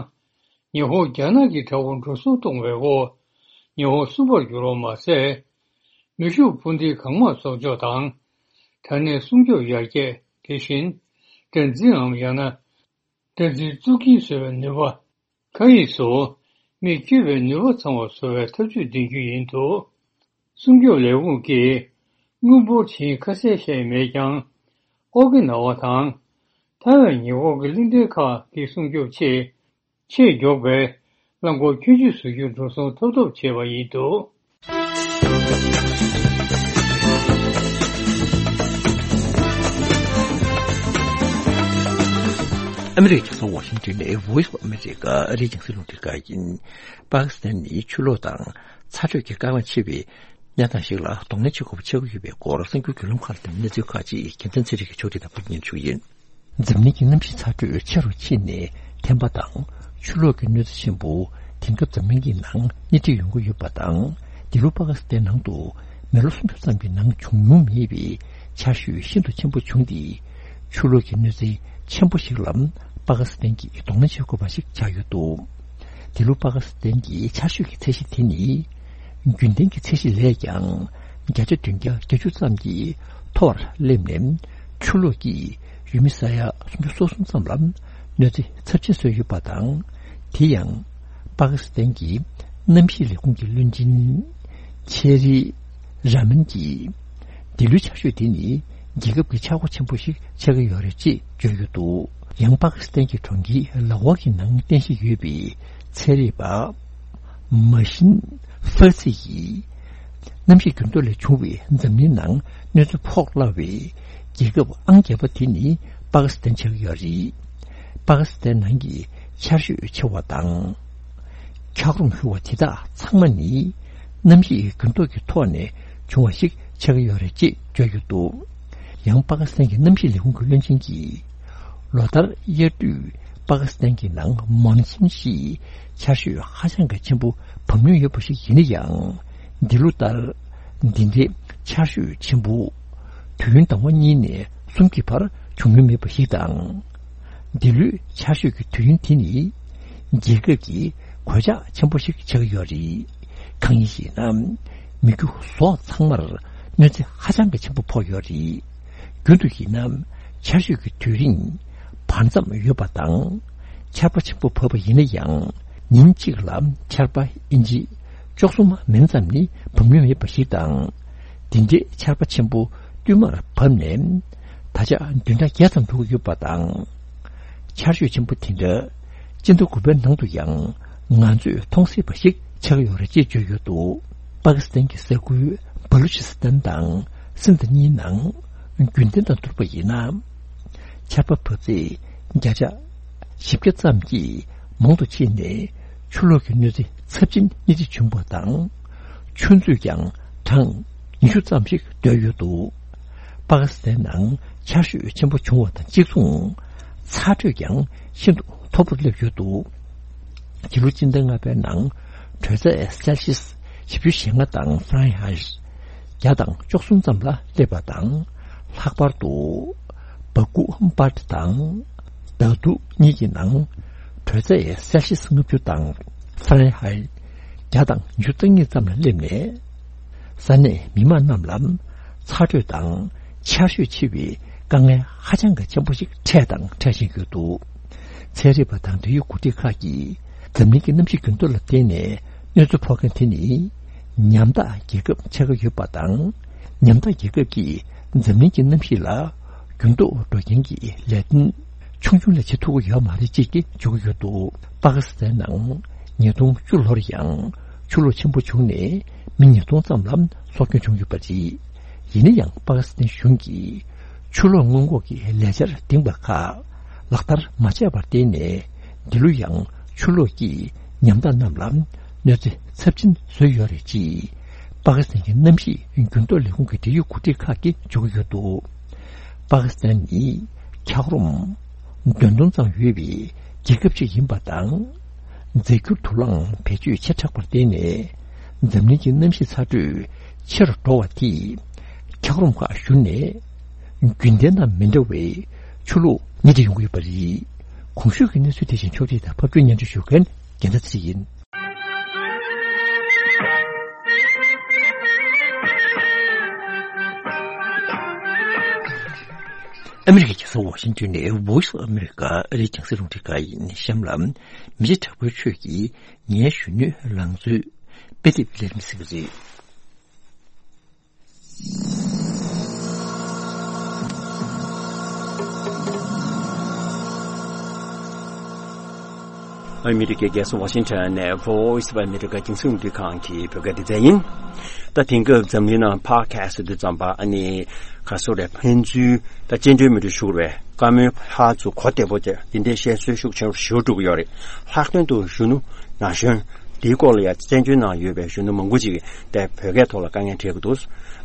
ཉི་ཧོང་། རྒྱ་ནག་གི་དྲག་པོ་འགྲོ་སོང་གཏོང་བའི་འོག་ཉི་ཧོང་གསུམ་པར་གྱུར་བ་མ་ཟད། མེ་ཤུགས་འཕུར་མདེལ་གང་མང་གསོག་འཇོག་དང་། དྲ་གནས་སྲུང་སྐྱོབ་ཡར་རྒྱས། དེ་བཞིན་སྒྲ་འཛིན་ངམ་ཡང་ན་སྒྲ་འཛིན་གཙུག་རྒྱན་བཟོ་བའི་ནུས་པ། མཁའ་དབྱིངས་སུ་མིས་བསྐྱོད་པའི་ནུས་པ་ཚང་བ་བཟོ་བའི་ཐབས་ཇུས་འདིང་རྒྱུ་ཡིན་འདུག་སྲུང་སྐྱོབ་ལས་ཁུངས་ཀྱིས་དངུལ་འབོར་ཇི་ཡིན་ཁ་གསལ་བཤད་མེད་ཀྱང་། ཨོ་ཀི་ན་ཝ་དང་ཐའེ་ཝན་ཉེ་འཁོར་གྱི་གླིང་ཕྲན་ཁག་གི་སྲུང་སྐྱོབ་ཆེད། ཆེས་མགྱོགས་པའི་རླངས་འཁོར་ཁྱོན་ཆུད་བཟོ་རྒྱུར་འགྲོ་སོང་ཐོབ་ཐབས་བྱས་པ་ཡིན་འདུག་ཨ་མི་རི་ཀའི་རྒྱལ་ས་ཝ་ཤིང་ཊོན་ནས་Voice of America ཨ་རིའི་རྒྱང་སྲིང་རླུང་འཕྲིན་ཁང་ཡིན། པ་ཀི་སི་ཐན་ནི་ཆུ་ལོག་དང་ཚ་དྲོད་ཀྱི་དཀའ་ངལ་ཆེ་བའི་གནས་སྟངས་ཤིག་ལ་གདོང་ལེན་བྱེད་དགོས་པ་ཆགས་ཀྱི་ཡོད་པའི་སྐོར་གསར་འགྱུར་བརྒྱུད་ལམ་ཁག་ལ་བརྟེན་གནས་ཚུལ་ཁག་ཅིག་རྒྱལ་མཚན་ཚེ་རིང་གིས་ཕྱོགས་སྒྲིག་དང་ཕབ་སྙན་ཞུ་ཡིན། འཛམ་གླིང་གི་གནམ་གཤིས་ཚ་དྲོད་ཆེ་རུ་ཕྱིན་ནས་ཐན་པ་དང་ཆུ་ལོག་གི་གནོད་འཚེ་ཆེན་པོ་དེང་སྐབས་འཛམ་གླིང་གི་ནང་སྣེ་ཁྲིད་ཡོང་གི་ཡོད་པ་དང་། འདི་ལོ་པ་ཀི་སི་ཐན་ནང་དུ་མི་ལོ་སུམ་ཅུ་ཙམ་གྱི་ནང་བྱུང་མྱོང་མེད་པའི་ཆར་ཞོད་ཤིན་ཏུ་ཆེན་པོ་བྱུང་སྟེ། ཆུ་ལོག་གི་གནོད་འཚེ་ཆེན་པོ་ཞིག་ལ་པ་ཀི་སི་ཐན་གྱིས་གདོང་ལེན་བྱེད་དགོས་པ་ཞིག་ཆགས་ཡོད་འདུག་འདི་ལོ་པ་ཀི་སི་ཐན་གྱི་ཆར་ཞོད་ཀྱི་ཚད་གཞི་དེ་ནི། རྒྱུན་ལྡན་གྱི་ཚད་གཞི་ལས་ཀྱང་བརྒྱ་ཆ་བདུན་བརྒྱ་བརྒྱད་ཅུ་ཙམ་གྱིས་མཐོ་བར་སླེབས་ནས། ཆུ་ལོག་གིས་ཡུལ་མི་ས་ཡ་སུམ་ཅུ་སོ་གསུམ་ཙམ་ལ་གནོད་འཚེ་ཚབས་ཆེན་བཟོས་ཡོད་པ་དང་། དེ་ཡང་། པ་ཀི་སི་ཐན་གྱི་གནམ་གཤིས་ལས་ཁུངས་ཀྱི་བློན་ཆེན། ཆེ་རི་ར་མན་གྱིས། འདི་ལོའི་ཆར་ཞོད་འདི་ནི། རྒྱལ་ཁབ་ཀྱི་ཆག་སྒོ་ཆེན་པོ་ཞིག་ཆགས་ཀྱི་ཡོད་རེད་ཅེས་བརྗོད་ཡོད་འདུག་ཡང་པ་ཀི་སི་ཐན་གྱི་གྲོང་ཁྱེར་ལ་ཝ་གི་ནང་རྟེན་གཞི་ཡོད་པའི་ཚན་རིག་པ། མ་ཤིན་ཧྥར་ཚི་ཡིས། གནམ་གཤིས་འགྱུར་ལྡོག་ལས་བྱུང་བའི་འཛམ་གླིང་ནང་གནོད་འཚེ་ཕོག་སླ་བའི་རྒྱལ་ཁབ་ཨང་བརྒྱད་པ་དེ་ནི་པ་ཀི་སི་ཐན་ཆགས་ཀྱི་ཡོད་རེད། པ་ཀི་སི་ཐན་ནང་གི་ཆར་ཞོད་ཆེ་བ་དང་། འཁྱགས་རོམ་ཤུགས་པ་དེ་དག་ཚང་མ་ནི་གནམ་གཤིས་འགྱུར་ལྡོག་གི་ཐོག་ནས་བྱུང་བ་ཞིག་ཆགས་ཀྱི་ཡོད་རེད་ཅེས་བརྗོད་ཀྱི་འདུག་ཡང་པ་ཀི་སི་ཐན་གྱི་གནམ་གཤིས་ལས་ཁུངས་ཀྱི་བློན་ཆེན་གྱིས། ལོ་ལྟར་དབྱར་དུས་པ་ཀི་སི་ཐན་གྱི་ནང་མོན་སུན་ཞེས་ཆར་ཞོད་ཧ་ཅང་གི་ཆེན་པོ་བབས་མྱོང་ཡོད་པ་ཞིག་ཡིན་ན་ཡང་། འདི་ལོ་ལྟར་འདི་འདྲའི་ཆར་ཞོད་ཆེན་པོ་དུས་ཡུན་ཟླ་བ་གཉིས་ནས་གསུམ་གྱི་བར་བྱུང་མྱོང་མེད་པ་ཞིག་དང་། འདི་ལོའི་ཆར་ཞོད་ཀྱི་དུས་ཡུན་དེ་ནི་རྒྱལ་ཁབ་ཀྱི་གོད་ཆག་ཆེན་པོ་ཞིག་ཆགས་ཀྱི་ཡོད་རེད། གང་ཡིན་ཞེ་ན། མི་རྒྱུ་ཟོག་ཚང་མར་གནོད་འཚེ་ཧ་ཅང་གི་ཆེན་པོ་ཕོག་ཡོད་རེད། རྒྱུན་དུ་ཡིན་ན་ཆར་ཞོད་ཀྱི་དུས་རིང་བར་མཚམས་ཡོད་པ་དང་ ཆར་པ་ཆེན་པོ་བབས་པ་ཡིན་ན་ཡང་། ཉིན་གཅིག་ལ་ཆར་པ་ཨིན་ཅི་བཅུ་གསུམ་མིན་ཙམ་ནི་བབས་མྱོང་མེད་པ་ཞིག་དང་། འདི་འདྲའི་ཆར་པ་ཆེན་པོ་བསྟུད་མར་བབས་ནས། ད་ཆ་བདུན་ཕྲག་བརྒྱད་ཙམ་འགྲོ་གི་ཡོད་པ་དང་། ཆར་ཞོད་ཆེན་པོ་དེ་འདྲ་སྤྱི་ཟླ་དགུ་པའི་ནང་དུ་ཡང་ང་ཚོས་མཐོང་སྲིད་པ་ཞིག་ཆགས་ཡོད་རེད་ཅེས་བརྗོད་ཡོད་འདུག། པ་ཀི་སི་ཐན་གྱི་ས་ཁུལ་བ་ལུ་ཅི་སི་ཐན་དང་སིན་དྷ་གཉིས་ནང་། རྒྱུན་ལྡན་དང་བསྡུར་བ་ཡིན་ན། ཆར་པ་བབས་ཚད་བརྒྱ་ཆ་བཞི་བརྒྱ་ཙམ་གྱིས་མང་དུ་ཕྱིན་ནས། ཆུ་ལོག་གི་གནོད་འཚེ་ཚབས་ཆེན་སྣེ་ཁྲིད་བྱུང་བ་དང་། ཆུ་མཛོད་ཀྱང་གྲངས་ཉི་ཤུ་ཙམ་ཞིག་བརྡོལ་ཡོད་འདུག། པ་ཀི་སི་ཐན་ནང་ཆར་ཞོད་ཆེན་པོ་བྱུང་བ་དང་གཅིག་མཚུངས། ཚ་དྲོད་ཀྱང་ཤིན་ཏུ་མཐོ་པོར་སླེབས་ཡོད་འདུག། ཕྱི་ལོ་སྤྱི་ཟླ་ལྔ་པའི་ནང་དྲོད་ཚད་སེལ་ཤིས་བཞི་བཅུ་ཞེ་ལྔ་དང་ཧྥ་རན་ཧའེ་བརྒྱ་དང་བཅུ་གསུམ་ཙམ་ལ་སླེབས་པ་དང་། ལྷག་པར་དུ་བ་ཀུ་པར་དང་དཱ་ཏུ་གཉིས་ཀྱི་ནང་དྲོད་ཚད་སེལ་ཤིས་ལྔ་བཅུ་དང་ཧྥ་རན་ཧའེ་བརྒྱ་དང་ཉི་ཤུ་རྩ་གཉིས་ཙམ་ལ་སླེབས་ནས། ས་གནས་མི་མང་རྣམས་ལ་ཚ་དྲོད་དང་ཆར་ཞོད་ཆེ་བའི་དཀའ་ངལ་ཧ་ཅང་གི་ཆེན་པོ་ཞིག་འཕྲད་དང་འཕྲད་བཞིན་ཡོད་འདུག། ཚན་རིག་པ་དང་འབྲེལ་ཡོད་འགོ་ཁྲིད་ཁག་གིས་འཛམ་གླིང་གི་གནམ་གཤིས་འགྱུར་ལྡོག་ལ་བརྟེན་ནས་གནོད་འཚེ་ཕོག་མཁན་དེ་ནི་ཉམ་ཐག་རྒྱལ་ཁབ་ཆགས་ཀྱི་ཡོད་པ་དང་། ཉམ་ཐག་རྒྱལ་ཁབ་ཀྱིས་འཛམ་གླིང་གི་གནམ་གཤིས་ལ་འགྱུར་ལྡོག་འགྲོ་རྐྱེན་གྱི་ལས་དོན་ཆུང་ཆུང་ལས་བྱེད་ཐུབ་ཀྱི་ཡོད་མ་རེད་ཅེས་ཀྱི་བརྗོད་ཀྱི་ཡོད་འདུག། པ་ཀི་སི་ཐན་ནང་ཉིས་སྟོང་བཅུ་ལོར་ཡང་ཆུ་ལོག་ཆེན་པོ་བྱུང་ནས་མི་ཉིས་སྟོང་ཙམ་ལ་སྲོག་སྐྱོན་བྱུང་ཡོད་པ་རེད། ཡིན་ན་ཡང་པ་ཀི་སི་ཐན་གཞུང་གིས་ཆུ་ལོག་སྔོན་འགོག་གི་ལས་འཆར་འདིང་བ་ཁག་ལག་བསྟར་མ་བྱས་པར་བརྟེན་ནས། འདི་ལོ་ཡང་ཆུ་ལོག་གིས་ཉམ་ཐག་རྣམས་ལ་གནོད་འཚེ་ཚབས་ཆེན་བཟོས་ཡོད་རེད་ཅེས་པ་ཀི་སི་ཐན་གྱི་གནམ་གཤིས་འགྱུར་ལྡོག་ལས་ཁུངས་ཀྱི་འབྲེལ་ཡོད་འགོ་ཁྲིད་ཁག་གིས་བརྗོད་ཀྱི་ཡོད་འདུག། པ་ཀི་སི་ཐན་ནི་འཁྱགས་རོམ་བདུན་སྟོང་ཙམ་ཡོད་པའི་རྒྱལ་ཁབ་ཅིག་ཡིན་པ་དང་། རྫས་འགྱུར་དུག་རླངས་བེད་སྤྱོད་ཆེ་དྲགས་པར་བརྟེན་ནས། འཛམ་གླིང་གི་གནམ་གཤིས་ཚ་དྲོད་ཆེ་རུ་འགྲོ་བ་དེས་འཁྱགས་རོམ་ཁག་བཞུར་ནས། རྒྱུན་ལྡན་དང་མི་འདྲ་བའི་ཆུ་ལོག་སྣེ་ཁྲིད་ཡོང་གི་ཡོད་པ་རེད། གོང་ཞུས་ཀྱི་གནས་ཚུལ་དེ་བཞིན་ཕྱོགས་སྒྲིག་དང་ཕབ་སྒྱུར་སྙན་སྒྲོན་ཞུ་མཁན་རྒྱལ་མཚན་ཚེ་རིང་ཡིན། ཨ་མི་རི་ཀའི་རྒྱལ་ས་ཝ་ཤིང་ཏོན་ནས་Voice of America ཨ་རིའི་རྒྱང་སྲིང་རླུང་འཕྲིན་ཁང་ཡིན། གཤམ་ལ་མི་རྗེ་དྲག་པོའི་ཆོས་ཀྱིས་ངའི་གཞོན་ནུའི་ལང་ཚོའི་དཔེ་དེབ་ལེན་མི་སྲིད་པ་རེད། ཨ་མི་རི་ཀའི་རྒྱལ་ས་ཝ་ཤིང་ཊོན་ནས་Voice of America རྒྱང་སྲིང་རླུང་འཕྲིན་ཁང་གི་བོད་སྐད་སྡེ་ཚན་ཡིན། ད་དེང་སྐབས་འཛམ་གླིང་ནང་ཕོ་ཌི་ཁ་སི་ཊི་དེ་ཙམ་པ་ཨ་ནི་ག་སོ་རེ་ཕན་ཚུན་ད་སྤྱི་འགྲོས་མི་འགྲོ་ཞུ་བའི་བཀའ་མོལ་ཕར་ཚུར་གོ་བདེ་པོ་དེ་འདི་འདྲའི་བཤད་སྲོལ་ཤུགས་ཆེན་པོ་ཞེ་པོ་འགྲོ་གི་ཡོད་རེད། ལྷག་དོན་དུ་གཞོན་ནུ་ན་གཞོན་འདིའི་སྐོར་ལ་ཡང་བཙན་བྱོལ་ནང་ཡོད་པའི་གཞོན་ནུ་མང་པོ་ཅིག་གིས་དེ་བོད་སྐད་ཐོག་ལ་དཀའ་ངལ་འཕྲད་ཀྱི་འདུག།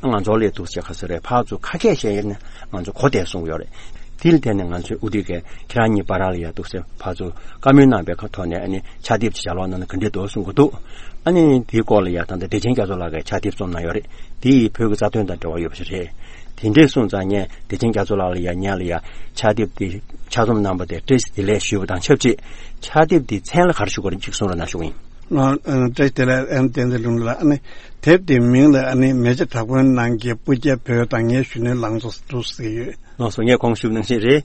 ང་ཚོ་ལས་འདུག་ཅེས་ག་སོ་རེ་ཕར་ཚུར་ཁ་སྐད་བཤད་ཡོད་ན་ང་ཚོ་གོ་བདེ་གསུང་གི་ཡོད་རེད། དེ་ལ་བརྟེན་ནས་ང་ཚོས་དབུ་ཁྲིད་ཀྱིས་ཁྱེད་རང་གཉིས་བར་ལ་ཡ་འདུག་ཟེར་ཕར་ཚུར་བཀའ་མོལ་གནང་པའི་ཁ་ཐོག་ནས་ཨ་ནི་ཕྱག་དེབ་ཅིག་ལྗགས་ཀློག་གནང་ན་ག་འདྲས་འདུག་གསུང་གི་འདུག། ཨ་ནི་དེའི་སྐོར་ལ་ཡ་ད་ལྟ་བདེ་ཆེན་རྒྱ་མཚོ་ལགས་ཀྱིས་ཕྱག་དེབ་རྩོམ་གནང་ཡོད་རེད། དེ་ཡིས་བོད་ཀྱི་རྩ་དོན་དང་འབྲེལ་བ་ཡོད་པ་ཞིག་རེད། དེ་འདྲས་གསུངས་ཙང་ངས་བདེ་ཆེན་རྒྱ་མཚོ་ལགས་ལ་ཡ་ངས་ལ་ཡ་ཕྱག་དེབ་དེ་ཕྱག་རྩོམ་གནང་པ་དེ་བཀྲ་ཤིས་བདེ་ལེགས་ཞུས་པ་དང་ཆབས་ཅིག་ཕྱག་དེབ་དེའི་མཚན་ལ་ག་རེ་ཞུ་དགོས་རེད་ཅིག་གསུང་རོགས་གནང་ཞུ་གི་ཡིན། ང་བཀྲ་ཤིས་བདེ་ལེགས་ཨེམ་བསྟན་འཛིན་ལུང་ལ་ཨ་ནི་དེབ་དེའི་མིང་ལ་ཨ་ནི་མེ་ལྕེ་དྲག་པོའི་ནང་གི་སྤུ་རྒྱལ་བོད་དང་ངའི་གཞོན་ནུའི་ལང་ཚོ་འདུག་ཟེར་གྱི་ཡོད། ལགས་སོ། ངས་གོང་ཞུས་ནང་བཞིན་རེད།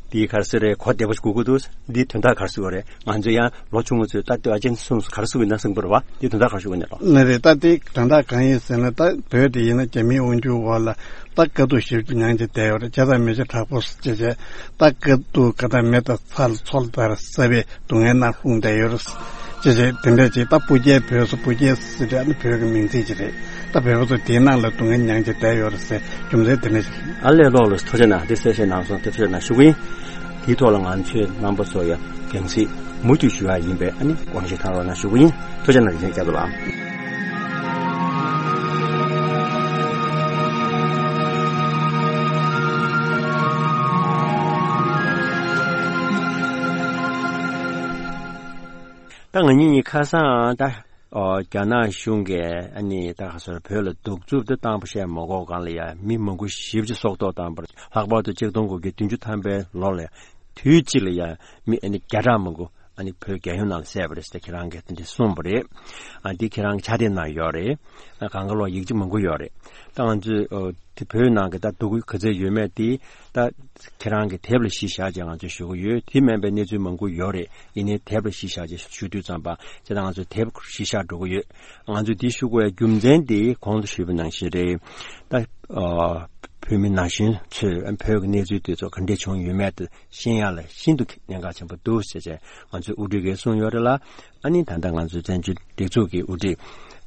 འདི་ག་རེ་ཟེར་རེད། གོ་བདེ་པོ་ཞིག་དགོས་ཀྱི་འདུག། འདི་དོན་དག་ག་རེ་ཟེར་བ་རེད། ང་ཚོ་ཡང་ལོ་ཆུང་ངུ་ཚོས་ད་ལྟོས་ཨ་ཅན་གསུངས་ག་རེ་ཟེར་གྱི་ཡོད་ན་གསུངས་པ་རེད་བ། འདི་དོན་དག་ག་རེ་ཞུ་གི་ཡིན་ལགས། ནི་རེད། ད་འདི་དོན་དག་གང་ཡིན་ཟེར་ན་ད་བོད་འདི་ཡིན་ན་རྒྱ་མིའི་དབང་སྒྱུར་འོག་ལ་ད་དཀའ་སྡུག་ཞེ་པོ་ཅིག་མྱངས་བྱས་བསྡད་ཡོད་རེད། བྱས་ཙང་མེ་ལྕེ་དྲག་པོ་ཟེར་བྱས་བྱས་ད་དཀའ་སྡུག་ག་ད་མེ་དང་ཚྭ་ལ་མཚོ་ལྟར་ཟབ་པའི་སྡུག་བསྔལ་ནང་ལྷུང་བསྡད་ཡོད་རེད། ཅེས་བྱས་དེ་འདྲ་ཅིག་ད་སྤུ་རྒྱལ་བོད་སུ་སྤུ་རྒྱལ་ཟེར་དེ་ཨ་ནི་བོད་ཀྱི་མིང་ཚིག་ཅིག་རེད། ད་བོད་པ་ཚོ་དེའི་ནང་ལ་སྡུག་བསྔལ་མྱངས་བྱས་བསྡད་ཡོད་རེད་ཟེར་རྒྱུ་མཚན་དེ་འདྲ་ཞིག་རེད། ཨ་ལས་ལོག་ལ་ཐུགས་རྗེ་གནང་། དེ་གསལ་བཤད་གནང་སོང་། དེ་ཐུགས་རྗེ་གནང་ཞུ་གི་ཡིན། དེའི་ཐོག་ལ་ང་ཚོས་རྣམ་པ་ཚོ་ཡ་རྒྱང་སྲིང་མུ་མཐུད་ཞུ་ཡ་ཡིན་པས་ཨ་ནི་དགོངས་བཞེས་གནང་རོགས་གནང་ཞུ་གི་ཡིན། ཐུགས་རྗེ་གནང་། རིན་ཆེན་སྐྱབས་ལགས། ད་ང་གཉིས་གཉིས་ཁ་སང་ད་ཨོ་རྒྱ་ནག་གཞུང་གིས་ཨ་ནི་ད་ག་སོར་བོད་ལ་གདུག་རྩུབ་དེ་བཏང་པ་བཤད་མ་དགོས་གང་ལ་ཡ་མི་མང་པོ་ཞེ་པོ་ཅིག་སྲོག་ཐོག་བཏང་པར་ལྷག་པར་དུ་ཆིག་སྟོང་དགུ་བརྒྱ་བདུན་ཅུ་ཐམ་པའི་ལོ་ལ་ཡ་དུས་གཅིག་ལ་ཡ་མི་ཨ་ནི་བརྒྱ་ཕྲག་མང་པོ་ ཨ་ནི་བོད་རྒྱལ་ཡོངས་ནང་ལ་བསད་པ་རེད་ཟེར་ཏེ་ཁྱེད་རང་གིས་དེ་འདྲ་གསུངས་པ་རེད། ཨ་འདི་ཁྱེད་རང་གི་ཕྱག་དེབ་ནང་ཡོད་རེད། ཨ་གང་ག་ལོག་ཡིག་ཆ་མང་པོ་ཡོད་རེད། ད་ང་ཚོས་ཨོ་དེ་བོད་ནང་གི་ད་སྡུག་གུ་ག་ཚོད་ཡོད་མེད་དེ་ད་ཁྱེད་རང་གི་དེབ་ལ་གཞི་བཞག་བྱས་ང་ཚོས་ཞུ་གི་ཡོད། དེ་མིན་པའི་གནས་ཚུལ་མང་པོ་ཡོད་རེད། ཡིན་ནའི་དེབ་ལ་གཞི་བཞག་བྱས་ཞུ་དུས་ཙམ་པ་བྱས་ད་ང་ཚོས་དེབ་གཞི་བཞག་འགྲོ་གི་ཡོད། ང་ཚོས་འདི་ཞུ་དགོས་པའི་རྒྱུ་མཚན་དེ་གོང་དུ་ཞུས་པ་ནང་བཞིན་རེད། ད་ཨ་བོད་མི་ན་གཞོན་ཚོས་བོད་ཀྱི་གནས་ཚུལ་དེ་ཚོ་ག་འདྲས་བྱུང་ཡོད་མེད་དེ་ཤེས་ཡ་ལ་ཤིན་ཏུ་གནད་འགག་ཆེན་པོ་འདུག་ཟེར་བྱས་ང་ཚོའི་དབུ་ཁྲིད་ཀྱིས་གསུངས་ཡོད་རེད་ལ། ཨ་ནི་ད་ལྟ་ང་ཚོའི་བཙན་བྱོལ་སྒྲིག་འཛུགས་ཀྱི་དབུ་ཁྲིད་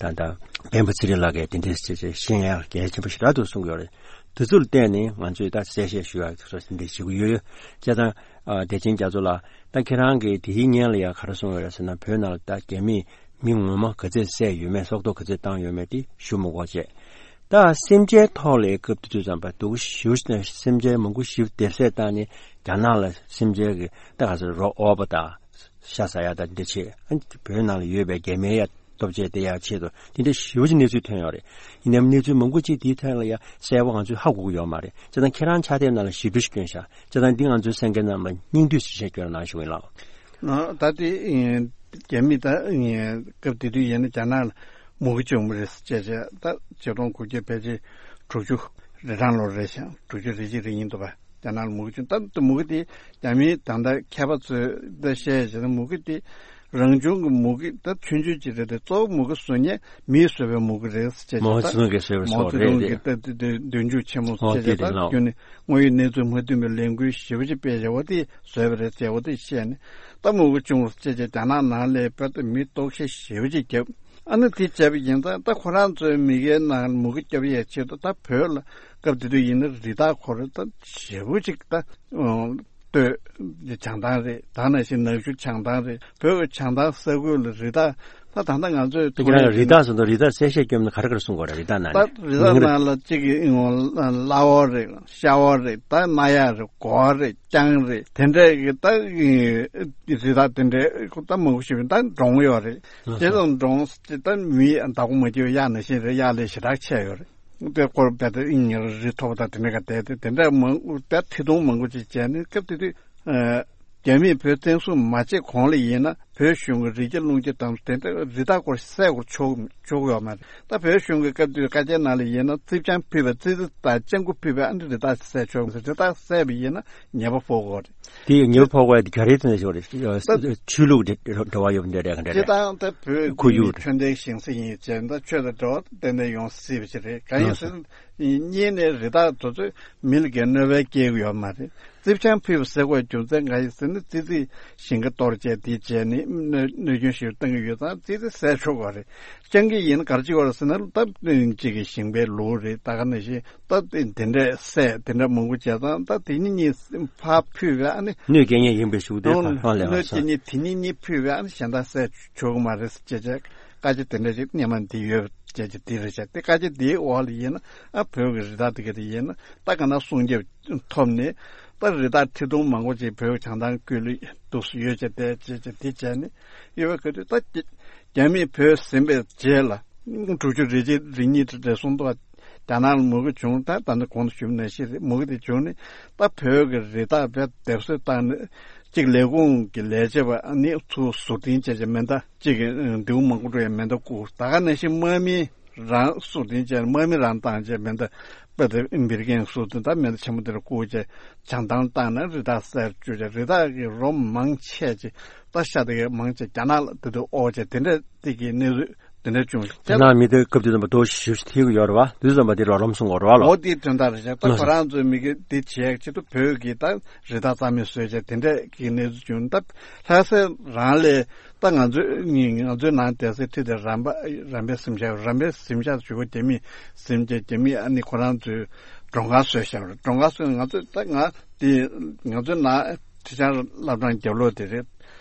ད་ལྟ་སྤེན་པ་ཚེ་རིང་ལགས་ཀྱིས་དེ་འདྲས་ཟེར་བྱས་ཤེས་ཡ་གལ་ཆེན་པོ་ཞེ་དྲག་ཏུ་གསུངས་ཡོད་རེད། དེ་ཚོ་ལ་བརྟེན་ནས་ང་ཚོས་ད་གསལ་བཤད་ཞུ་ཡ་སོགས་དེ་འདྲས་བྱེད་ཀྱི་ཡོད། བྱས་ཙང་ཨ་བདེ་ཆེན་རྒྱ་མཚོ་ལགས་ད་ཁྱེད་རང་གིས་དེའི་སྔོན་ལ་ཡ་ག་རེ་གསུངས་ཡོད་རེད་ཟེར་ན་བོད་ནང་ལ་ད་རྒྱ་མིས་མི་ངོ་མ་ག་ཚོད་བསད་ཡོད་མེད་སྲོག་ཐོག་ག་ཚོད་བཏང་ཡོད་མེད་དེ་ཞུ་མི་དགོས་བྱས། ད་སེམས་ཅན་ཐོག་ལ་སྐབས་དེ་དུས་ཙམ་པ་སྡུག་ཞུ་ཞིག་སེམས་ཅན་མང་པོ་ཞིག་བསྡད་བསད་བཏང་ནས་རྒྱ་ནག་ལ་སེམས་ཅན་གྱི་ད་ག་ཚོད་རོ་ཨོ་བ་དང་ཤ་ཟ་ཡ་དང་འདི་བྱས་ཨ་ནི་བོད་ནང་ལ་ཡོད་པའི་རྒྱ་མིའི་ཡ་སྟོབས་ཆེ་དེ་ཡ་ཆེད་དུ་དེ་འདྲ་ཞེ་པོ་ཅིག་གནས་ཚུལ་ཐོན་ཡོད་རེད། ཡིན་ནའི་གནས་ཚུལ་མང་པོ་ཅིག་དེའི་ཐད་ལ་ཡ་གསལ་པོ་ང་ཚོས་ཧ་གོ་གི་ཡོད་མ་རེད། བྱས་ཙང་ཁྱེད་རང་ཕྱག་དེབ་ནང་ལ་ཞིབ་འཇུག་ཞིག་བསྐྱོན་ཤག་བྱས་ཙང་འདི་ང་ཚོའི་གསན་མཁན་རྣམས་ལ་སྙིང་བསྡུས་ཞིབ་བཤེར་སྐྱོན་གནང་ཞུ་གི་ཡིན་ལགས། ད་དེ་རྒྱ་མི་ད་སྐབས་དེ་དུས་ཡིན་ན་རྒྱ་ནག་ལ་མུ་གེ་བྱུང་བ་རེད་ཟེར་བྱས་བྱས་ད་ཆིག་སྟོང་དགུ་བརྒྱ་ཕལ་ཆེར་དྲུག་ཅུ་རེ་གྲངས་ལོ་རེད་ཤག་དྲུག་ཅུ་རེ་གཅིག་རེ་གཉིས་འདུག་པ། རྒྱ་ནག་ལ་མུ་གེ་བྱུང་ད་མུ་གེ་དེ་རྒྱ་མིའི་ད་ལྟ་མཁས་པ་ཚོས་ད་བཤད་བྱས་ན་མུ་གེ་དེ་རང་བྱུང་གི་མུ་གེ་ད་ཆུང་ཆུང་ཅིག་རེད་དེ་གཙོ་བོ་མུ་གེ་བཟོ་མཁན་མིས་བཟོས་པའི་མུ་གེ་རེད་ཟེར་བྱས་མའོ་ཙེ་ཏུང་གིས་བཟོས་པའི་མའོ་ཙེ་ཏུང་གིས་ད་དེ་དེ་མདུན་ལྕུག་ཆེན་མོ་ཨོ་བྱས་བྱས་ད་རྒྱུན་ནས་དངོས་ཡོད་གནས་ཚུལ་མ་མཐུན་པའི་ལས་འགུལ་ཞེ་པོ་ཅིག་སྤེལ་བྱས་འོ་དེ་བཟོས་པ་རེད་ཟེར་འོ་དེ་བཤད་ནས་ད་མུ་གེ་བྱུང་ཟེར་བྱས་རྒྱ་ནག་ནང་ལ་བོད་དུ་མི་ལྟོགས་ཤི་ཞེ་པོ་ཅིག་བརྒྱབ། ཨ་ནི་དེ་བྱས་པ་ཡིན་ཙང་ད་ཁོ་རང་ཚོའི་མི་སྒེར་ནང་མུ་གེ་བརྒྱབ་ཡས་ཆེད་དུ་ད་བོད་ལ་སྐབས་དེ་དུས་ཡིན་ན་རི་དྭགས་ཁོ་རང་ད་ཞེ་པོ་ཅིག་ད་ལྟོས་བྱང་ཐང་རེད། ད་ནང་བཞིན་ནག་ཆུ་བྱང་ཐང་རེད། བོད་ཀྱི་བྱང་ཐང་ས་ཁུལ་ལ་རི་དྭགས་ད་ད་ལྟ་ང་ཚོས་དེ་ཁྱེད་རང་རི་དྭགས་སོང་དུ་རི་དྭགས་གསལ་བཤད་སྐྱོན་ན་ག་རེ་ག་རེ་གསུང་དགོས་རེད། རི་དྭགས་ནང་ད་ནས་རི་དྭགས་མིང་རེད། ནང་ལ་གཅིག་གི་གླ་བ་རེད། ཤ་བ་རེད། ད་རྣ་ཡག་རེད། གོ་བ་རེད། རྐྱང་རེད། དེ་འདྲས་ཀྱི་ད་རི་དྭགས་དེ་འདྲས་ད་མང་པོ་ཞིག་ད་འབྲོང་ཡོད་རེད། ལགས་སོ། དེ་ཚོ་འབྲོང་ད་མི་བདག་པོ་མ་བྱེད་པའི་གཡག་ནང་བཞིན་རེད། གཡག་ལས་ཞེ་དྲག་ཆེ་ཡོད་རེད། དེ་སྐོར་བལ་དེ་ཨིན་ཉེར་རི་མཐོ་པོ་དང་དེ་འདྲས་ཀ་བསྡད་དེ་དེ་འདྲས་མང་པོ་ད་ཁྲི་སྟོང་མང་པོ་ཅིག་བྱས་ནས་སྐབས་དེ་དུས་རྒྱ་མིས་བོད་བཙན་བཟུང་མ་བྱས་གོང་ལ་ཡིན་ན་བོད་གཞུང་གི་རི་རྒྱ་ལུང་རྒྱ་དང་དེ་འདྲ་རི་དྭགས་སྐོར་བསད་སྐོར་ཆོག་ཆོག་ཡོད་མ་རེད། ད་བོད་གཞུང་གི་སྐབས་དུས་བཀའ་རྒྱའི་ནང་ལ་ཡིན་ན་རྩིབ་ཆང་ཕུད་པའི་ཙི་ཙི་དང་སྤྱང་ཀི་ཕུད་པའི་ཨ་ནི་རི་དྭགས་བསད་ཆོག་མ་རེད། རི་དྭགས་བསད་པ་ཡིན་ན་ཉེས་པ་ཕོག་གོ་རེད། དེ་ཉེས་པ་ཕོག་པ་དེ་ག་རེ་ཐོན་ཞོར་རེད། ད་ཆོས་ལུགས་འབྲེལ་བ་ཡོད་པ་འདྲ་འདྲ་ག་འདྲ་སྤྱིར་རེད། བཏང་ད་བོད་ཁོར་ཡུག་རེད། ཆོས་ལྡན་ཞིང་ས་ཡིན་ཅེས་ད་ཆོས་དང་འབྲེལ་བ་ཏན་ཏན་ཡོང་སྲིད་པ་ཞིག་རེད། གང་ཡིན་ཟེར་ན་གཉིས་ནས་རི་དྭགས་དེ་ཚོས་མི་ལ་གའི་གནོད་པ་སྐྱེལ་གི་ཡོད་མ་རེད། རྩིབ་ཆང་ཕུད་པ་ཟེར་དགོས་རྒྱུ་མཚན་གང་ཡིན་ཟེར་ན་ཙི་ཙི་ཞིང་ཁ་གཏོར་བྱས་དེ་བྱས་ནས་གནོད་གནོད་སྐྱོན་ཞིག་བཏང་གི་ཡོད་ཙང་ཙི་ཙི་བསད་ཆོག་གི་རེད། སྤྱང་ཀི་ཡིན་ན་ག་རེ་བྱེད་དགོས་རེད་ཟེར་ན་ད་གཅིག་གི་ཞིང་པའི་ལུགས་རེད། ད་ག་ནང་བཞིན་ད་དེ་འདྲས་བསད་དེ་འདྲ་མང་པོ་བྱས་ཙང་ད་དེ་གཉིས་གཉིས་ཕར་ཕུད་པས་ཨ་ནི་གནོད་སྐྱེལ་མཁན་ཡིན་པའི་ཤུགས་དེ་ཕར་ལས་གནོད་སྐྱེལ་མཁན་དེ་གཉིས་གཉིས་ཕུད་པས་ཨ་ནི་གཞན་དག་བསད་ཆོག་གི་མ་རེད་ཅེས་བྱས་བཀའ་རྒྱ་དེ་འདྲ་ཞིག་སྔོན་མ་འདི་ཡོད་ཅེས་བྱས་འདི་རེད་བྱས་ཏེ་བཀའ་རྒྱ་འདིའི་འོག་ལ་ཡིན་ན་ཨ་བོད་ཀྱི་རི་དྭགས་དེ་ག་དེ་ཡིན་ན་ད་ག་ན་སྲུང་སྐྱོབ་ཐོབ་ནས་ད་རི་དྭགས་ཁྲི་སྟོང་མང་པོ་ཅིག་བོད་ཀྱི་བྱང་ཐང་ཁུལ་ལ་འདུག་སེ་ཡོད་ཅེས་དེ་བྱས་བྱས་དེ་བྱས་ནས་ཡོད་པའི་སྐབས་དུས་ད་རྒྱ་མིས་བོད་ཟིན་པའི་རྗེས་ལ་དྲུག་ཅུ་རེ་གཅིག་རེ་གཉིས་དེ་རེ་ཟུང་དུ་རྒྱ་ནག་ལ་མུ་གེ་བྱུང་། ད་ད་ནི་གོང་དུ་ཞུས་པ་ནང་བཞིན་རེད། མུ་གེ་དེ་བྱུང་ནས་ད་བོད་ཀྱི་རི་དྭགས་བེད་སྡེབ་གསོད་བཏང་ནས་གཅིག་ལས་ཁུངས་ཀྱི་ལས་བྱེད་པ་ནི་ཚུར་ཟུར་འཐེན་བྱས་བྱས་མེ་མདའ་གཅིག་གི་མདེའུ་མང་པོ་འགྲོ་ཡའི་མེ་མདའ་བསྐུར། ད་ག་ནང་བཞིན་དམག་མི་རང་སུ་དེ་བྱས་དམག་མི་རང་བཏང་བྱས་མེ་མདའ་པ་དེ་འབིར་གེང་སུ་དེ་ད་མེ་མདའ་ཆེན་པོ་དེར་བསྐུར་བྱས་བྱང་ཐང་བཏང་ནས་རི་དྭགས་བསད་བཅུག་བྱས་རི་དྭགས་ཀྱི་རོ་མང་ཆེ་ཅིག་ད་ཤ་དེ་གའི་མང་ཆེ་རྒྱ་ནག་ལ་དེ་དུ་ཨོ་བྱས་དེ་འདྲ་དེ་གི་གནས་ཚུལ་དེ་འདྲ་བྱུང་། རྒྱ་ནག་མི་དེ་སྐབས་དེ་ཙམ་པ་དོ་ཞིབ་ཞིབ་ཐེག་གི་ཡོད་རེད་བ། དུས་ཙམ་པ་དེ་རོ་ལམ་སོང་གོ་རེད་བ་ལོ། འོ་དེ་དོན་དག་རེད་ཤག་ད་ལགས་སོ། ཁོ་རང་ཚོའི་མི་གི་དེ་བྱས་ཆེད་དུ་བོད་ཀྱི་ད་རི་དྭགས་རྩ་མེད་བཟོས་བྱས་དེ་འདྲ་གི་གནས་ཚུལ་བྱུང་། ད་ལྷ་ས་རང་ལས་ད་ང་ཚོའི་ང་ཚོའི་ནང་དེ་སའི་ཁྲི་དེ་རམ་པ་རམ་པའི་གཟིམ་ཤག་རམ་པའི་གཟིམ་ཤག་ཞུ་བ་རྒྱ་མི་གཟིམ་བྱས་རྒྱ་མི་ཨ་ནི་ཁོ་རང་ཚོའི་མགྲོན་ཁང་བཟོས་བཞག་རེད། མགྲོན་ཁང་བཟོས་ང་ཚོས་ད་ང་དེ་ང་ཚོའི་ནང་ཁྲི་བྱང་བླ་བྲང་རྒྱབ་ལོགས་དེ་རེད།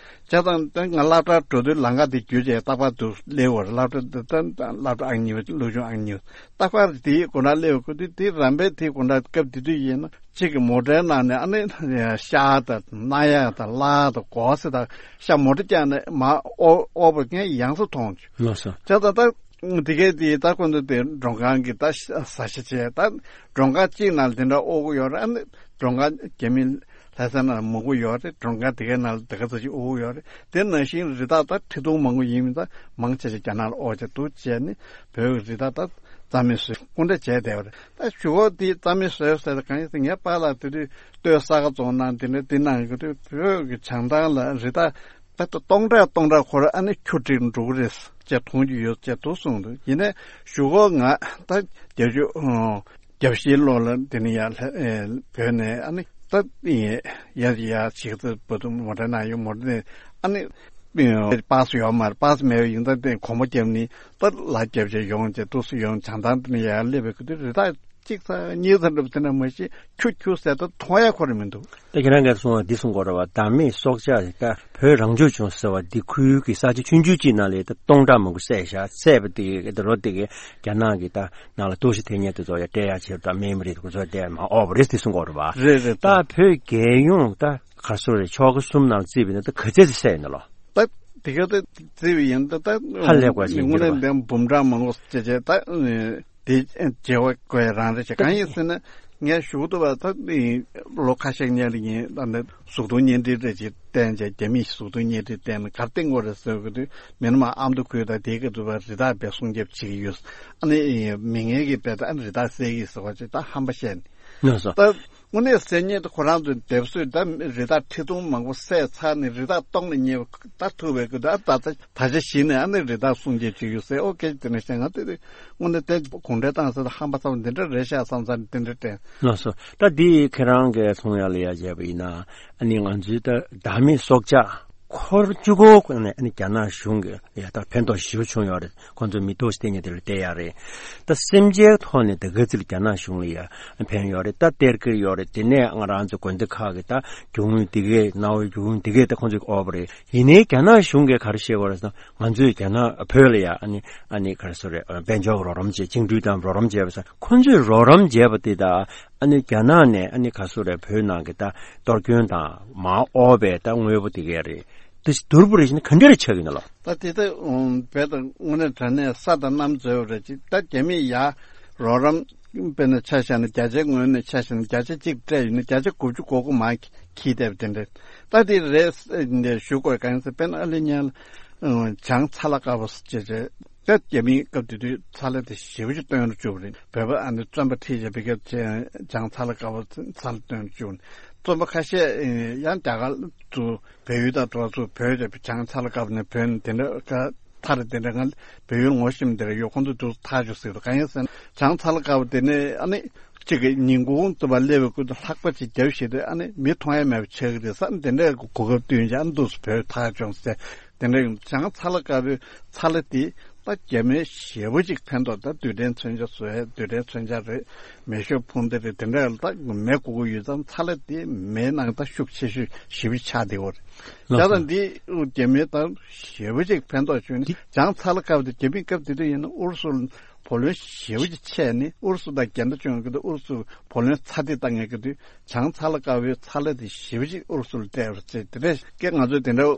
བྱས་ཙང་ད་ང་སློབ་གྲྭར་འགྲོ་དུས་ལམ་ཁ་དེ་བརྒྱུད་བྱས་རྟག་པར་དུ་སླེབས་པ་རེད། སློབ་གྲྭ་དེ་ད་སློབ་གྲྭ་ཨང་གཉིས་པ་སློབ་ཆུང་ཨང་གཉིས་པ་རྟག་པར་དེའི་སྒོ་ནས་སླེབས་པ་ཁོ་དེ་དེ་རམ་པའི་དེའི་སྒོ་ནས་སྐབས་དེ་དུས་ཡིན་ན་གཅིག་གི་མོ་ཊའི་ནང་ནས་ཨ་ནི་ཤ་དང་རྣ་ཡག་དང་གླ་དང་གོ་ས་དང་ཤ་མོ་ཊ་བཀྱག་ནས་མར་ཨོ་ཨོ་བ་ངས་ཡང་སེ་མཐོང་བྱུང་། ལགས་སོ། བྱས་ཙང་ད། དེ་གས་དེ་ད་ཁོ་ཚོ་དེ་མགྲོན་ཁང་གི་ད་ཟ་ཞིག་བྱས། ད་མགྲོན་ཁང་གཅིག་ནང་ལ་དེ་འདྲ་ཨོ་གི་ཡོད་རེད། ཨ་ནི་མགྲོན་ཁང་རྒྱ་མི་ལྷ་ས་ནང་མང་པོ་ཡོད་རེད། མགྲོན་ཁང་དེ་གའི་ནང་ལ་དེ་ག་ཚོད་ཅིག་ཨོ་གི་ཡོད་རེད། དེ་ནང་བཞིན་རི་དྭགས་ད་ཁྲི་སྟོང་མང་པོ་ཡིན་མིན་ད་མང་ཆེ་ཆེ་རྒྱ་ནག་ལ་ཨོ་བྱས་འདུག་བྱས་ནི་བོད་ཀྱི་རི་དྭགས་ད་རྩ་མེད་བཟོས་སྐུ་འདྲ་བྱས་བསྡད་པ་རེད། ད་གཞུག་གུ་དེ་རྩ་མེད་བཟོས་ཟེར་ད་གང་ཡིན་ཟེར། ངས་པཱ་ལགས་དེ་དུས་སྟོད་ས་ག་རྫོང་ནང་དེ་འདྲ་དེ་ནང་གི་དུས་བོད་ཀྱི་བྱང་ཐང་ལ་རི་དྭགས་ད་ལྟ་སྟོང་ཕྲག་སྟོང་ཕྲག་ཁོ་ར་ཨ་ནི་ཁྱུ་སྒྲིག་འགྲོ་གི་རེད་ཅེས་མཐོང་རྒྱུ་ཡོད་ཅེས་འདུག་གསུངས་འདུག་ཡིན་ནའི་གཞུག་གུ་ང་ད་བརྒྱད་ཅུ་གྱ་བཞིའི་ལོ་ལ་དེ་ནས་ཡར་ལྷ་ཨེ་བོད་ནས་ཨ་ནི་ད་ཡ་ཡ་ཞིག་ཏུ་བོད་དུ་མོ་ཊ་ནང་ཡོང་། མོ་ཊ་ནས་ཨ་ནི་པཱ་སི་ཡོད་མ་རེད། པཱ་སི་མེད་པ་ཡིན་ཙང་དེ་གོམ་པ་བརྒྱབ་ནས་ད་ལ་རྒྱབ་བྱས་ཡོང་བྱས་འདུག་སེ་ཡོང་། བྱང་ཐང་དེ་ནས་ཡར་སླེབས་པའི་སྐབས་དུས་རི་དྭགས་གཅིག་ཙམ་གཉིས་ཙམ་འགྲུབ་དེ་འདྲ་མ་གཞི་ཁྱུ་ཁྱུ་ཟེར་ད་མཐོང་ཡ་ཁོ་ར་མི་འདུག་ད་ཁྱེད་རང་གིས་གསུངས་པ་འདི་གསུང་དགོས་རེད་བ། བདག་མེད་སྲོག་ཆགས་ད་བོད་རང་སྐྱོང་ལྗོངས་ཟེར་བ་འདི་ཁུལ་གྱི་ས་ཆ་ཆུང་ཆུང་གཅིག་ནང་ལ་ད་སྟོང་ཕྲག་མང་པོ་བསད་བཞག་བསད་པ་དེ་གི་ད་རོ་དེ་གི་རྒྱ་ནག་གི་ད་ནང་ལ་གཏོར་བཤིག་ཐེབས་མཁན་དེ་ཚོ་ཡ་སྤྲད་ཡ་བྱེད་ད་མེད་མི་རེད། ཁོ་ཚོ་སྤྲད་མ་ཨོ་བ་རེད་དེ་གསུང་དགོས་རེད་བ། རེད་རེད། ད་ད་བོད་རྒྱལ་ཡོངས་ད་ག་སོ་རེད། ཆོལ་ཁ་གསུམ་ནང་བརྩིས་པ་ཡིན་ན་ད་ག་ཚད་ཅིག་བསད་ཡོད་ན་ལོ། ད་དེ་ག་ད་བརྩིས་པ་ཡིན་ད་ད་ཧ་ལས་དགོས་ཅིག་དངོས་གནས་འདི་འབུམ་ཕྲག་མང་པོ་བྱས་བྱས་ད། དེ་བརྗེ་བ་དགོས་རང་རེད་ཅེས། གང་ཡིན་ཟེར་ན་ངས་ཞུ་གི་འདུག་བ། ད་ལོ་ཁ་ཤས་སྔོན་ལ་ཡིན་ད་ནི་གཟུགས་མཐོང་བརྙན་འཕྲིན་རེ་ཅིག་བསྟན་བྱས། རྒྱ་མིས་གཟུགས་མཐོང་བརྙན་འཕྲིན་བསྟན་ནས་ག་རེ་བསྟན་དགོས་རེད་ཟེར་གི་དུས་མི་ནི་མ་ཨ་མདོ་ཁུལ་དང་དེའི་སྐབས་དུ་བ་རི་དྭགས་པའི་སྲུང་སྐྱོབ་བྱེད་ཀྱི་ཡོད། ཨ་ནི་མི་ངན་གྱིས་དཔེ་ད་ཨ་ནི་རི་དྭགས་བསད་ཀྱི་ཟེར་བ་ཅིག་ད་ཧམ་པ་བཤད་ནས་ལགས་སོ། ད་དངོས་གནས་ཟེར་ཉིད་དུ་ཁོ་རང་ཚོས་འདེབས་གསོས་ད་རི་དྭགས་ཁྲི་སྟོང་མང་པོ་བསད་ཚར་ནས་རི་དྭགས་སྟོང་ལ་ཉེ་བ་ད་ཐུག་པའི་སྐབས་དུ་ཨ་ད་ད་ད་ཆ་གཞི་ནས་ཨ་ནི་རི་དྭགས་སྲུང་སྐྱོབ་བྱེད་ཀྱི་ཡོད་ཟེར། ཨོ་སྐད་ཆ་དེ་འདྲ་བཤད། ང་དེ་དུས་དངོས་གནས་དེ་གུང་ཁྲན་ཏང་ཟེར་ད་ཧམ་པ་ཚ་བོ་འདི་འདྲ་རེད་ཤག་བསམ་ཚར་དེ་འདྲ་དྲན། ལགས་སོ། ད་འདི་ཁྱེད་རང་གིས་མཐོང་ཡག་ལ་ཡ་བྱས་པ་ཡིན་ན་ཨ་ནི་ང་ཚོའི་ད་བདག་མེད་སྲོག་ཆགས་འཁོར་བཅུ་གོ་ནས་ཨ་ནི་རྒྱ་ནག་གཞུང་གི་ཡ་ད་ཕན་ཐོགས་ཞེ་པོ་བྱུང་ཡོད་རེད། ཁོང་ཚོ་མི་ཐོག་སྟེང་གི་དེ་ལ་བལྟས་ཡག་རེད། ད་སེམས་ཅན་ཐོག་ནས་ད་ག་ཚོད་རྒྱ་ནག་གཞུང་ལ་ཡ་ཕན་ཡོད་རེད། ད་སྟེར་གི་ཡོད་རེད། དེ་ནས་ང་རང་ཚོ་དགོན་སྡེ་ཁག་གི་ད་རྒྱུ་དངོས་དེ་གས་གནའ་བོའི་རྒྱུ་དངོས་དེ་གས་ད་ཁོང་ཚོས་དབོར་བ་རེད། ཡིན་ནའི་རྒྱ་ནག་གཞུང་གིས་ག་རེ་བཤད་པ་རེད་ཟེར་ན། ང་ཚོས་རྒྱ་ནག་བོད་ལ་ཡ་ཨ་ནི་ཨ་ནི་ག་རེ་ཟེར་རེད། དཔལ་འབྱོར་རོགས་རམ་བྱས། བཅིངས་འགྲོལ་དང་རོགས་རམ་བྱས་པ་ཟེར། ཁོང་ཚོས་རོགས་རམ་བྱས་པ་དེ་དང་ཨ་ནི་རྒྱ་ནག་ནས་ཨ་ནི་ག་རེ་ཟེར་རེད། བོད་ནང་གི་ད་གཏོར་སྐྱོན་དང་མར་དབོར་བའི་ད་དངོས་པོ་དེ་གས་རེད། དེ་བསྡུར་བ་རེད་བྱས་ན་ག་འདྲ་རེ་ཆགས་ཀྱི་ཡོད་ན་ལགས། ད་དེ་ལྟ་བོད་དང་དངོས་གནས་དྲང་གནས་ས་དང་གནམ་འཛོལ་བ་རེད་ཅིག་ད་རྒྱ་མིས་ཡ་རོགས་རམ་དཔེར་ན་ཆ་བཞག་ན་བརྒྱ་ཆའི་ངོས་ནས་ཆ་བཞག་ན་བརྒྱ་ཆ་གཅིག་སྤྲད་ཡོད་ན་བརྒྱ་ཆ་དགུ་བཅུ་གོ་དགུ་མར་འཁྱེར་བསྡད་པ་དེ་འདྲ། ད་དེ་རེད་འདི་ཞུ་དགོས་གང་ཡིན་ཟེར། དཔེར་ན་ཨ་ལི་ཉལ་བྱང་ཚ་ལ་དཀར་པོ་ཟེར་བྱས་ད་རྒྱ་མིའི་སྐབས་དེ་དུས་ཚ་ལ་དེ་ཞེ་པོ་ཅིག་བཏོན་རུ་བཅུག་པ་རེད། བོད་པ་ཨ་ནི་བཙོན་པ་ཁྲིད་བྱས་པའི་སྐབས་བྱང་ཚ་ལ་དཀར་པོ་ཚ་ལ་བཏོན་རུ་བཅུག་པ་རེད། བཙོན་པ་ཁ་ཤས་ཡང་རྒྱ་གར་དུ་བལ་ཡུལ་དང་འགྲོ་ཚུར་བོད་ཀྱི་བྱང་ཚ་ལ་དཀར་པོ་ནས་བོད་ནས་དེ་འདྲ་ཁ་ཐར་དེ་འདྲ་ང་བལ་ཡུལ་ངོ་ཤེས་མི་དེ་འདྲ་ཡོད། ཁོང་ཚོ་དུ་ཐར་བཅུག་ཟེར་དུས་གང་ཡིན་ཟེར་ན་བྱང་ཚ་ལ་དཀར་པོ་དེ་ནས་ཨ་ནི་གཅིག་གི་ཉིན་གུང་དུ་བ་སླེབས་པའི་ཁུལ་དུ་ལྷགས་པ་ཅིག་རྒྱབ་བྱེད་དུས་ཨ་ནི་མི་མཐོང་ཡ་མེད་པ་ཆགས་ཀྱི་རེད་ཟེར། དེ་འདྲའི་གོ་སྐབས་བསྟུན་བྱས་ཨ་ནི་འདུག་སེ་བོད་ཐར་བྱུང་ཟེར། དེ་འདྲ་ཡིན་བྱང་ཚ་ལ་དཀར་པོའི་ཚ་ལ་དེ་ད་རྒྱ་མིའི་ཞེ་པོ་ཅིག་ཕན་ཐོགས། ད་རྡུལ་ཕྲན་མཚོན་ཆ་བཟོ་ཡས་རྡུལ་ཕྲན་མཚོན་ཆ་རེད། མེ་ཤོག་ཕུང་དེ་རེད། དེ་འདྲ་ལ་ད་མེ་དགོས་ཀྱི་ཡོད་ཙང་ཚ་ལ་དེ་མེའི་ནང་ད་ཤུགས་ཆེ་ཤོས་ཞེ་པོ་ཆགས་བསྡད་ཡོད་རེད། ལགས་སོ། ད་ལྟ་འདི་རྒྱ་མིའི་ད་ཞེ་པོ་ཅིག་ཕན་ཐོགས་བྱུང་ནས་བྱང་ཚ་ལ་དཀར་པོ་དེ་རྒྱ་མིའི་སྐབས་དེ་དུས་ཡིན་ན་ཨུ་རུ་སུ་བུ་ལོན་ཞེ་པོ་ཅིག་ཆད་ནས་ཨུ་རུ་སུ་དང་འགལ་ཟླ་བྱུང་གི་འདུག་ཨུ་རུ་སུ་བུ་ལོན་ཚ་འདི་བཏང་ངེས་ཀྱི་དུས་བྱང་ཚ་ལ་དཀར་པོའི་ཚ་ལ་དེ་ཞེ་པོ་ཅིག་ཨུ་རུ་སུ་ལ་སྤྲད་པ་རེད་ཟེར། དེ་འདྲའི་སྐད་ང་ཚོས་དེ་འདྲ་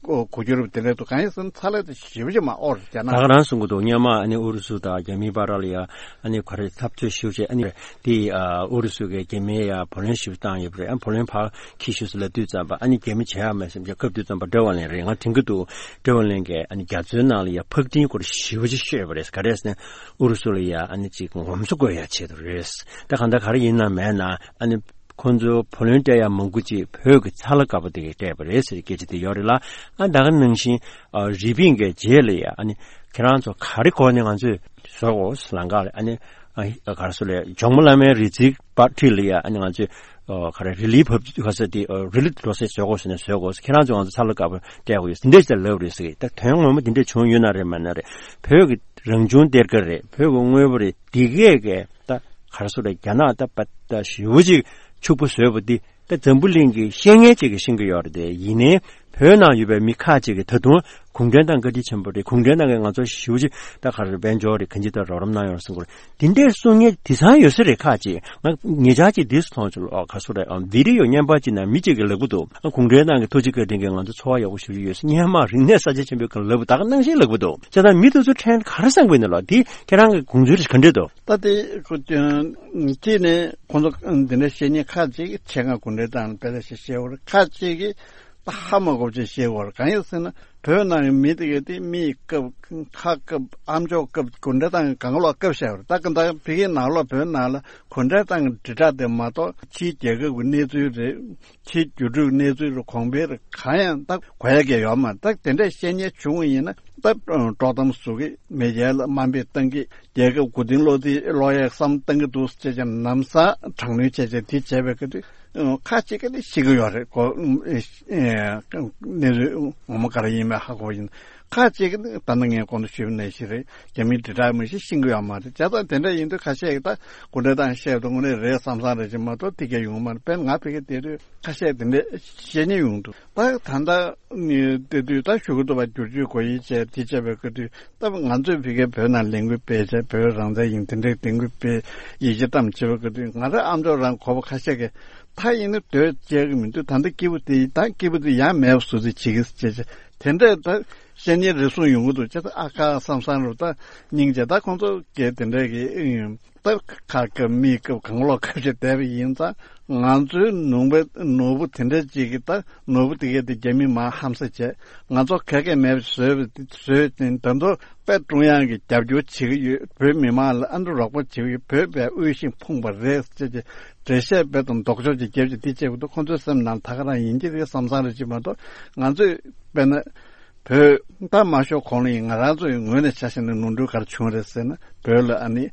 གོ་གོ་རྒྱུ་རེད། དེ་འདྲ་འདུག་གང་ཡིན་ཟེར་ན་ཚ་ལ་དེ་ཞེ་པོ་ཅིག་མར་དབོར་རྒྱ་ནག་ད་ག་རང་གསུང་གི་འདུག་སྔོན་མ་ཨ་ནི་ཨུ་རུ་སུ་དང་རྒྱ་མིའི་བར་ལ་ཡ་ཨ་ནི་ག་རེ་འཐབ་རྩོད་ཞེ་པོ་ཅིག་ཨ་ནི་དེ་ཨ་ཨུ་རུ་སུ་གིས་རྒྱ་མིའི་ཡ་བུ་ལོན་ཞེ་པོ་བཏང་ཡོད་པ་རེད། ཨ་བུ་ལོན་ཕར་འཁྱེར་ཤོག་ཟེར་ལབ་དུས་ཙམ་པ་ཨ་ནི་རྒྱ་མི་བྱེད་ཡག་མེད་བསམ་བྱས། སྐབས་དུས་ཙམ་པ་ཀྲོའུ་ཨེན་ལེ་རེད། ང་དྲན་གྱི་འདུག་ཀྲོའུ་ཨེན་ལེ་གིས་ཨ་ནི་རྒྱ་མཚོའི་ནང་ལ་ཡ་ཕག་ཊིན་སྐོར་ཞེ་པོ་ཅིག་ཤོད་པ་རེད། ག་རེ་ཟེར་ན་ཨུ་རུ་སུ་ལ་ཡ་ཨ་ནི་ཅིག་ངོམ་སོ་དགོས་ཡ་ཆེད་དུ་རེད། ད་གང་ལྟར་ག་རེ་ཡིན་ན་མེད་ན་ཨ་ནི་ཁོང་ཚོ་བུ་ལོན་སྤྲད་ཡ་མང་པོ་ཅིག་བོད་ཀྱི་ཚ་ལ་དཀར་པོ་དེ་གས་སྤྲད་པ་རེད་ཟེར་སྐད་ཆ་དེ་ཡོད་རེད་ལ། ཨ་ད་ག་ནང་བཞིན་ཨ་རི་པིན་གྱི་རྗེས་ལ་ཡ་ཨ་ནི་ཁྱེད་རང་ཚོ་ག་རེ་དགོས་ནས་ང་ཚོས་བཟོ་དགོས་ལམ་ཁ་ལ་ཨ་ནི་ཨ་ག་རེ་ཟེར་ལ་ཇོ་མོ་གླང་མའི་རི་རྩེ་བར་འཁྲིས་ལ་ཡ་ཨ་ནི་ང་ཚོས་ཨ་ག་རེ་རི་ལི་བབ་ག་ས་དེ་ཨ་རི་ལི་འགྲོ་སའི་བཟོ་དགོས་ཟེར་ནས་བཟོ་དགོས། ཁྱེད་རང་ཚོ་ང་ཚོ་ཚ་ལ་དཀར་པོ་སྤྲད་དགོས་ཡོད་འདི་འདྲ་ཞིག་ལབ་རེད་ཟེར། ད་དོན་ངོ་མ་འདི་འདྲ་བྱུང་ཡོད་ན་རེད་མ་ན་རེད། བོད་ཀྱི་རང་བྱུང་གཏེར་ཁ་རེད། བོད་ཀྱི་དངོས་པོ་རེད། འདི་གས་གས་ད་ག་རེ་ཟེར་རེད། རྒྱ་ནག་ད་པ་ད་ཞེ་པོ་ཅིག་ཕྱུག་པོ་བཟོས་པ་འདི་ད་འཛམ་བུ་གླིང་གི་ཤེས་མཁན་ཅིག་གིས་ཤེས་ཀྱི་ཡོད་རེད་དེ། ཡིན་ནའི་ བོད་ནང་ཡོད་པའི་མི་ཁག་ཅིག་གིས་ད་དུང་གུང་ཁྲན་ཏང་བཀའ་དྲིན་ཆེན་པོ་རེད། གུང་ཁྲན་ཏང་གིས་ང་ཚོ་ཞེ་པོ་ཅིག་ད་ག་རེ་དཔལ་འབྱོར་རེད། གང་ཅི་ལྟར་རོགས་རམ་གནང་ཡོད་རེད་གསུང་གི་རེད། དེ་འདྲའི་གསུང་མཁན་དེང་སང་ཡོད་ས་རེད། ཁག་ཅིག་ང་ཉེ་ཆར་ཅིག་འདི་སུ་མཐོང་བྱུང་ལོ། ག་སུ་རེད། ཨ། བི་ཌི་ཡོ་བརྙན་པར་ཅིག་ནང་མི་གཅིག་གིས་ལབ་གི་འདུག་ཨ། གུང་ཁྲན་ཏང་གི་ཐུགས་རྗེ་བཀའ་དྲིན་གྱིས་ང་ཚོ་འཚོ་བ་ཡག་པོ་ཞེ་པོ་ཅིག་ཡོད་ས། སྔོན་མ་རིག་གནས་གསར་བརྗེ་ཆེན་པོའི་སྐབས་ལབ་པ་ད་ག་ནང་བཞིན་ལབ་གི་འདུག་བྱས་ཙང་མི་དེ་ཚོ་ཕྲན་ག་རེ་བསམ་གི་ཡོད་ན་ལོ། འདི་ཁྱེད་རང་གི་དགོངས་ཚུལ་ག་འདྲས་འདུག་ད་དེ་ཁོ་གཅིག་ནས་ཁོང་ཚོ་འདི་འདྲ་བཤད་མཁན་ཁག་ཅིག་ཆེད་མངགས་གུང་ཁྲན་ཏང་ལ་དཔེ་ལ་བཤད་བཤད་འོར། ཁག་ཅིག་གིས་ད་ཧ་མ་གོ་བ་ཅིག་བཤད་འོར། གང་ཡིན་ཟེར་ན། བོད་ནང་གི་མི་དེ་གས་དེ་མིའི་སྐབས་ཁ་སྐབས་ཨ་མཆོག་སྐབས་གུང་ཁྲན་ཏང་གི་གང་ལོག་སྐབས་བཤད་འོར། ད་ག་ད་ཕ་གིའི་ནང་ལོགས་བོད་ནང་ལ་གུང་ཁྲན་ཏང་གི་དྲིལ་བསྒྲགས་དེ་མ་གཏོགས་ཕྱིའི་རྒྱལ་ཁབ་ཀྱི་གནས་ཚུལ་རེད། ཕྱིའི་རྒྱུད་སྤྲོད་གནས་ཚུལ་རེད། གོང་འཕེལ་རེད། གང་ཡང་ད་གོ་ཡ་གས་ཡོད་མ་རེད། ད་དེ་འདྲས་བཤད་མཁན་བྱུང་བ་ཡིན་ན་ད་དཀྲོག་གཏམ་བཟོ་གི། མེ་རྒྱལ་ལ་དམའ་འབེབས་བཏང་གི། རྒྱལ་ཁབ་མགོ་རྟིང་སློག་དེ་སློག་ཡའི་བསམ་བཏང་གི་འདུག་ཅེས་བྱས་ནམ་སང་དྲག་གནོན་བྱས་བྱས་དེ་བྱས་པའི་སྐབས་དུས་ཁ་ཅིག་གིས་ནི་ཤི་གི་ཡོད་རེད་གོ། གནས་ཚུལ་ངོ་མ་ག་རེ་ཡིན་མིན་ཧ་གོ་ཡིན། ཁ་ཅིག་གིས་ནི་ད་ནི་ངས་གོང་དུ་ཞུས་པ་ནང་བཞིན་རེད། རྒྱ་མིའི་དྲིལ་བསྒྲགས་མི་ཤེས་ཤེས་ཀྱི་ཡོད་མ་རེད། བྱས་ཙང་དེ་འདྲ་ཡིན་དུས་ཁ་ཤས་ཀྱིས་ད་གུང་ཁྲན་ཏང་བཤད་དུས་དངོས་གནས་རེད་བསམ་བསམ་རེད་ཅེས་མ་གཏོགས་དེ་གས་ཡོང་མ་རེད། དཔེར་ན་ང་ཕ་གིར་བསྡད་དུས་ཁ་ཤས་དེ་འདྲས་བཤད་མཁན་ཡོང་འདུག་ད་ད་ལྟ་ནི་བལྟས་དུས་ད་ཞུ་གི་འདུག་པ། བསྒྱུར་བཅོས་དགོས་ཡིན་བྱས་དེ་བྱས་པའི་སྐབས་དུས་ད་ང་ཚོས་ཕ་གིར་བོད་ནང་ལས་འགུལ་སྤེལ་བྱས་བོད་རང་བཙན་ཡིན་དེ་འདྲས་དེ་འགུལ་སྤེལ་ཡིད་ཆེས་གཏམ་བྱེད་པའི་སྐབས་དུས་ང་རང་ཨ་མཆོག་རང་གོ་བ་ཁ་ཤས་ཀྱིས་ད་ཡིན་ན་དོལ་བཅད་གི་མི་འདུག་ད་ལྟ་སྐྱིད་པོ་དེ་ད་སྐྱིད་པོ་དེ་ཡང་མེད་པ་བཟོ་རྩིས་བྱེད་ཀྱི་ཟེར་བྱས་དེ་འདྲས་ད་བཤད་མཁན་རེ་ཟུང་ཡོང་གི་འདུག་བྱས་ཙང་ཨ་ཁ་བསམ་བསམ་རུ་ད་སྙིང་རྗེ། ད་ཁོང་ཚོ་གས་དེ་འདྲས་ཀྱི་ད་ཁ་སྐབས་མིའི་སྐབས་གང་ལོག་སྐབས་ཤིག་བསྡད་པ་ཡིན་ཙང་ང་ཚོའི་ནོར་བུ་ནོར་བུ་དེ་འདྲ་ཅིག་གིས་ད་ནོར་བུ་དེ་གས་དེ་རྒྱ་མི་མར་ཧམ་ཟ་བྱས། ང་ཚོ་ག་གས་མེད་པ་བཟོས་པ་བཟོས་ཏེ་ད་དུང་དཔེ་ཀྲུང་དབྱང་གིས་རྒྱབ་སྐྱོར་བྱེད་ཀྱི་ཡོད། བོད་མི་མང་ལ་ཨ་འདྲ་རོགས་པ་བྱེད་ཀྱི་ཡོད། བོད་པའི་དབུལ་ཞིང་ཕོངས་པ་རེད་ཅེས་ཀྱི་འགྲེལ་བཤད་དཔེ་དང་ལྡོག་ཕྱོགས་ཀྱི་རྒྱབ་ཀྱི་དེ་བྱེད་དགོས་འདུག་ཁོང་ཚོའི་སེམས་ནང་ད་ག་རང་ཡིན་གྱི་རེད་བསམ་བསམ་རེ་བྱེད་མ་གཏོགས་ང་ཚོས་དཔེར་ན། བོད་ད་མ་ཤོར་གོང་ལ་ཡིན་ང་རང་ཚོའི་ངོས་ནས་ཆ་བཞག་ན་ནོར་འཁྲུལ་ག་རེ་བྱུང་རེད་ཟེར་ན། བོད་ལ་ཨ་ནི་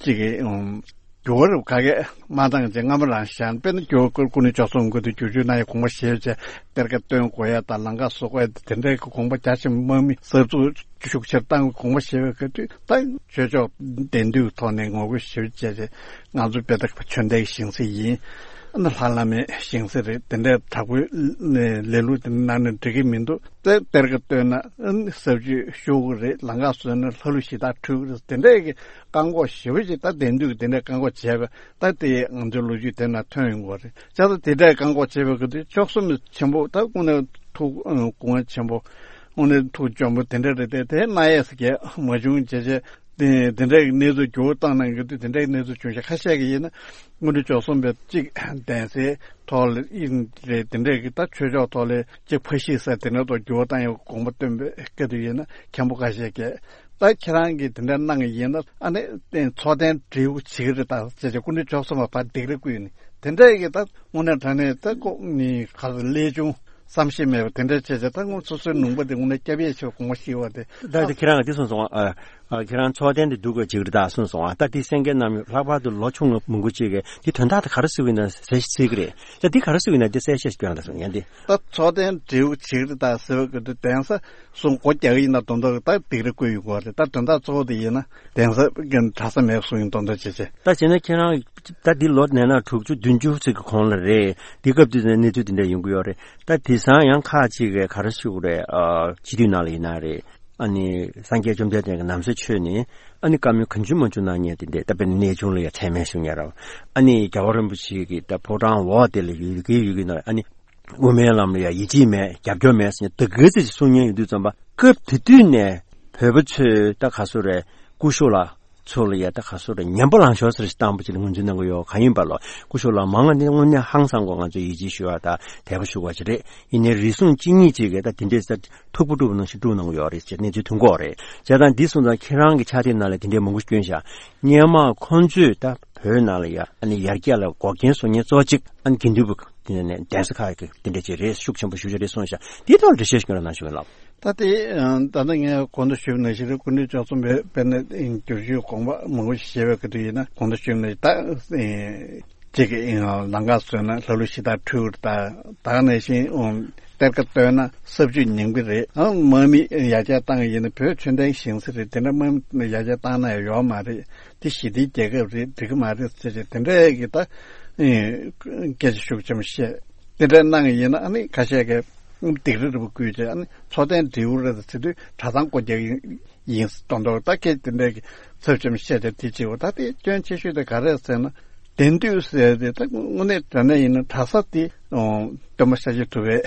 གཅིག་གི་ཨུམ་འགྱུར་བ་རུ་ག་གས་མ་བཏང་བྱས་སྔ་མོ་རང་བཞག་ན། དཔེར་ན་འགྱུར་བ་སྐུ་ནས་ལྕོགས་ཚོམ་དགོས་དུས་བསྒྱུར་བཅོས་གནང་ཡ་དགོངས་པ་བཞེས་བྱས་གཏེར་ཁ་བཏོན་དགོས་ཡ་དང་ལམ་ཁ་བཟོ་དགོས་ཡ་དེ་འདྲའི་དགོངས་པ་རྒྱ་ཆེན་པོ་དམག་མི་གསར་འཛུགས་ཤུགས་ཆེར་བཏང་དགོངས་པ་བཞེས་པའི་སྐབས་དུས་ད་ཆོས་ཕྱོགས་བདེན་མཐའི་ཐོག་ནས་ངོ་རྒོལ་ཞེ་པོ་བྱས་བྱས་ང་ཚོ་དཔེ་ད་ཆོས་ལྡན་ཞིང་སྲིད་ཡིན། ཨ་ནི་ལྷ་བླ་མའི་ཞིང་སྲིད་རེད། དེ་འདྲའི་དྲག་པོའི་ལས་ལུགས་དེ་གནང་ན་འགྲིག་གི་མི་འདུག་དེ་གཏེར་ཁ་བཏོན་ན་ཨ་ནི་གསར་བཅོས་ཤོར་གི་རེད། ལམ་ཁ་བཟོས་ན་ལྷ་ཀླུ་གཞི་བདག་འཁྲུག་གི་རེད། དེ་འདྲའི་གི་བཀག་འགོག་ཞེ་པོ་ཅིག་ད་དེང་དུས་ཀྱི་དེ་འདྲའི་བཀག་འགོག་བྱས་པ་ད་དེ་ང་ཚོའི་ལོ་རྒྱུས་དེ་ན་ཐོན་ཡོང་གི་རེད། བྱས་ཙང་དེ་འདྲའི་བཀག་འགོག་བྱས་པའི་སྐབས་དུས་བཅུ་གསུམ་ཆེན་པོ་ད་དངོས་གནས་ཐུགས་དགོངས་ཆེན་པོ་དངོས་གནས་ཐུགས་འཇོན་པོ་དེ་འདྲ་རེད་དེ། དེ་གནང་ཡས་སུ་གས་མ་བྱུང་བྱས་བྱས། དེ་དེ་འདྲའི་གནས་ཚུལ་འགྱུར་བ་བཏང་གནང་གི་འདུག་དེ་འདྲའི་གནས་ཚུལ་བྱུང་ཤག་ཁ་ཤས་ཀྱིས་ཡིན་ན་དངོས་གྲུབ་ཆོས་གསུམ་པའི་གཅིག་གདན་སའི་ཐོག་ལ་ཡིན་རེད། དེ་འདྲའི་གི་ད་ཆོས་ཕྱོགས་ཐོག་ལ་གཅིག་ཕ་གཞིས་ས་དེ་འདྲ་ཐོག་འགྱུར་བ་བཏང་ཡག་དགོངས་པ་བཏོན་པའི་སྐད་དུ་ཡིན་ན་མཁན་པོ་ཁ་ཤས་ཀྱིས་ད་ཁྱེད་རང་གིས་དེ་འདྲ་གནང་གི་ཡིན་ན་ཨ་ནི་ཚོགས་གདན་འབྲེལ་ཡོད་བྱེད་ཀྱི་རེད་ད་ཅེས་བྱས་དངོས་གྲུབ་ཆོས་གསུམ་པ་ཕར་སྡིགས་ར་བསྐུལ་ནས་དེ་འདྲའི་གི་ད་དངོས་གནས་དྲང་གནས་ད་ཁོ་ནི་ག་ལས་བྱུང་། བསམ་ཤེས་མེད་པ་དེ་འདྲ་བྱས་བྱས་ད་ངོ་སོ་སོའི་ལུང་པ་དེ་དངོས་གནས་སྐྱབས་ཡས་ཆེ་བ་དགོངས་པ་ཞིག་བ་དེ། ད་དེ་ཁྱེད་རང་ག་དེ་གསུངས་སོང་ཨ། ཨ། ཁྱེད་རང་ཚོགས་གདན་དེ་འདུག་དགོས་ཅིག་རེད་ད་གསུངས་སོང་ཨ། ད་དེ་གསན་མཁན་རྣམས་ལྷག་པར་དུ་ལོ་ཆུང་ངུ་མང་པོ་ཅིག་གིས་དེ་དོན་དག་དེ་ག་རེ་ཟེར་གི་ཡིན་ན་ཟེར་ཟེར་གི་རེད། ད་དེ་ག་རེ་ཟེར་གི་ཡིན་ན་དེ་གསལ་བཤད་ཞིག་སྐྱོན་ད་གསུང་ཡན་དེ། ད་ཚོགས་གདན་འབྲེལ་ཡོད་བྱེད་ཀྱི་རེད་ད་ཟེར་བ་གི་དུས་གདན་ས་གསུང་སྒོ་རྒྱག་གི་ཡིན་ན་དོན་དག་ད་སྡིགས་ར་བསྐུལ་ཡོང་གི་རེད། ད་དོན་དག་གཙོ་བོ་དེ་ཡིན་ན་གདན་ས་གི་གྲྭ་ས་མེད་གསུང་ཡིན་དོན་དག་བྱེད་བྱེད། ད་བྱས་ན་ཁྱེད་རང་ད་འདི་ལོ་ནས་ན་དྲུག་ཅུ་བདུན་ཅུ་ཙམ་གི་གོང་ལ་རེད། འདི་སྐབས་དུས་ནས་གནས་ཚུལ་འདི་འདྲ་ཡོང་གི་ཡོད་རེད། ད་དེང་སང་ཡང་ཁག་ཅིག་གིས་ག་རེ་ཞུ་དགོས་རེད། ཨ། སྤྱི་འཐུས་ནང་ལ་ཡིན་ན་རེད། ཨ་ནི་སངས་རྒྱས་བཅོམ་ལྡན་འདས་ཀྱི་ན་བཟའ་མཆོད་ནས་ཨ་ནི་བཀའ་མོལ་གང་བྱུང་མང་བྱུང་གནང་མཁན་དེ་འདྲས། ད་དཔེར་ན་གནས་ཆུང་ལ་ཡ་མཚན་སྨད་ཞུ་མཁན་རེད། ཨ་ནི་རྒྱལ་བ་རིན་པོ་ཆེ་གི་ད་ཕོ་བྲང་འོག་དེ་ལ་ཡོད་ཀྱི་ཡོད་ཀྱི་ན་ཨ་ནི་དབུ་མའི་ལམ་ལ་ཡ་ཡིད་ཆེས་མེད། རྒྱབ་སྐྱོར་མེད་ཟེར་ནས་ད་ག་ཚོད་ཅིག་གསུང་མཁན་ཡོད་དུས་ཙམ་པ་སྐབས་དེ་དུས་ནས་བོད་པ་ཚོས་ད་ག་ཚོད་རེད། སྐུ་ཞབས་ལ་ཚོ་ལ་ཡ་ད་ག་སོ་རེ་ཉན་པ་ལང་ཤོར་ཟེར་ཞིག་བཏང་པ་ཅིག་ལ་ངོས་འཛིན་གནང་གི་ཡོད། གང་ཡིན་པ་ལོ་སྐུ་ཞབས་ལ་མང་ང་ནི་དངོས་གནས་ཧང་སང་གོ་ང་ཚོ་ཡིད་ཆེས་ཞུ་བ་དང་དད་པ་ཞུ་བ་ཅིག་རེད། ཡིན་ནའི་རེ་ཟུང་གཅིག་གཉིས་ཅིག་གིས་ད་དེ་འདྲས་ཟེར་ཐུག་པ་དཀྲུག་པ་ནང་བཞིན་དཀྲུག་གནང་གི་ཡོད་རེད་ཟེར་གནས་ཚུལ་ཐོན་གོ་རེད། བྱས་ཙང་འདི་སོང་ཙང་ཁྱེད་རང་གི་ཕྱག་དེབ་ནང་ལ་དེ་འདྲས་མང་པོ་བསྐྱོན་བཞག་སྔོན་མ་ཁོང་ཚོས་ད་བོད་ནང་ལ་ཡ་ཨ་ནི་ཡར་རྒྱས་ལ་འགོག་རྐྱེན་བཟོ་མཁན་གཙོ་གཅིག་ཨ་ནི་དགེ་འདུན་པ་དེ་ནས་གདན་ས་ཁག་གི་དེ་འདྲས་ཅིག་རེད། ཤུགས་ཆེན་པོ་ཞེ་པོ་ཅིག་རེད་གསུངས་བཞག་དེའི་ཐོག་ལ་འགྲེལ་བཤད་ཞིག་སྐྱོན་རོགས་གནང་ཞུ་གི་ལགས། ད་དེ་ད་ལྟ་ངས་གོང་དུ་ཞུས་པ་ནང་བཞིན་རེད། སྐུ་མདུན་མཆོག་གསུངས་པའི་དཔེར་ན་བསྒྱུར་བཅོས་དགོངས་པ་མང་པོ་ཞིག་བཞེས་པའི་སྐབས་དུ་ཡིན་ན་གོང་དུ་ཞུས་པ་ནང་བཞིན་ད་གཅིག་གི་ལམ་ཁ་བཟོས་ན་ལྷ་ཀླུ་གཞི་བདག་འཁྲུག་གི་རེད། ད་ད་ག་ནང་བཞིན་གཏེར་ཁ་བཏོན་ན་གསར་བཅོས་ཉམས་ཀྱི་རེད། ཨང་དམག་མི་ཡར་རྒྱས་བཏང་གི་ཡིན་ན་བོད་ཆོས་ལྡན་ཞིང་ས་རེད། དེ་འདྲ་དམག་མི་ཡར་རྒྱས་བཏང་ན་ཡང་ཡོག་མ་རེད། དེ་ཞི་བདེའི་རྒྱལ་ཁབ་རེད། འགྲིག་གི་མ་རེད་ཟེར་བྱས་དེ་འདྲའི་གི་ད་སྐད་ཆ་ཤུགས་ཆེན་པོ་བཤད། དེ་འདྲ་གནང་གི་ཡིན་ན་ཨ་ནི་ཁ་ཤས་ཀྱིས་ སྡིགས་ར་རི་བོ་བརྐོས་བྱས། ཨ་ནི་མཚོ་ལྡན་འབྲས་བུ་རེད་ཟེར་དུས་གྲྭ་ཚང་སྒོ་རྒྱག་ཡིན་ཟེར་མདོག་མདོག་ད་སྐད་དེ་འདྲའི་གི་ཚབ་ཆེན་པོ་བཤད་བྱས་དེ་བྱེད་འོ། ད་དེ་སྐྱོན་ཆེ་ཤོས་དེ་ག་རེད་ཟེར་ན། གདན་སྟོད་ཟེར་དེ་ད་དངོས་གནས་དྲང་གནས་ཡིན་ན་གྲྭ་ས་དེ་སྟོན་པ་ཤཱཀྱ་ཐུབ་པའི་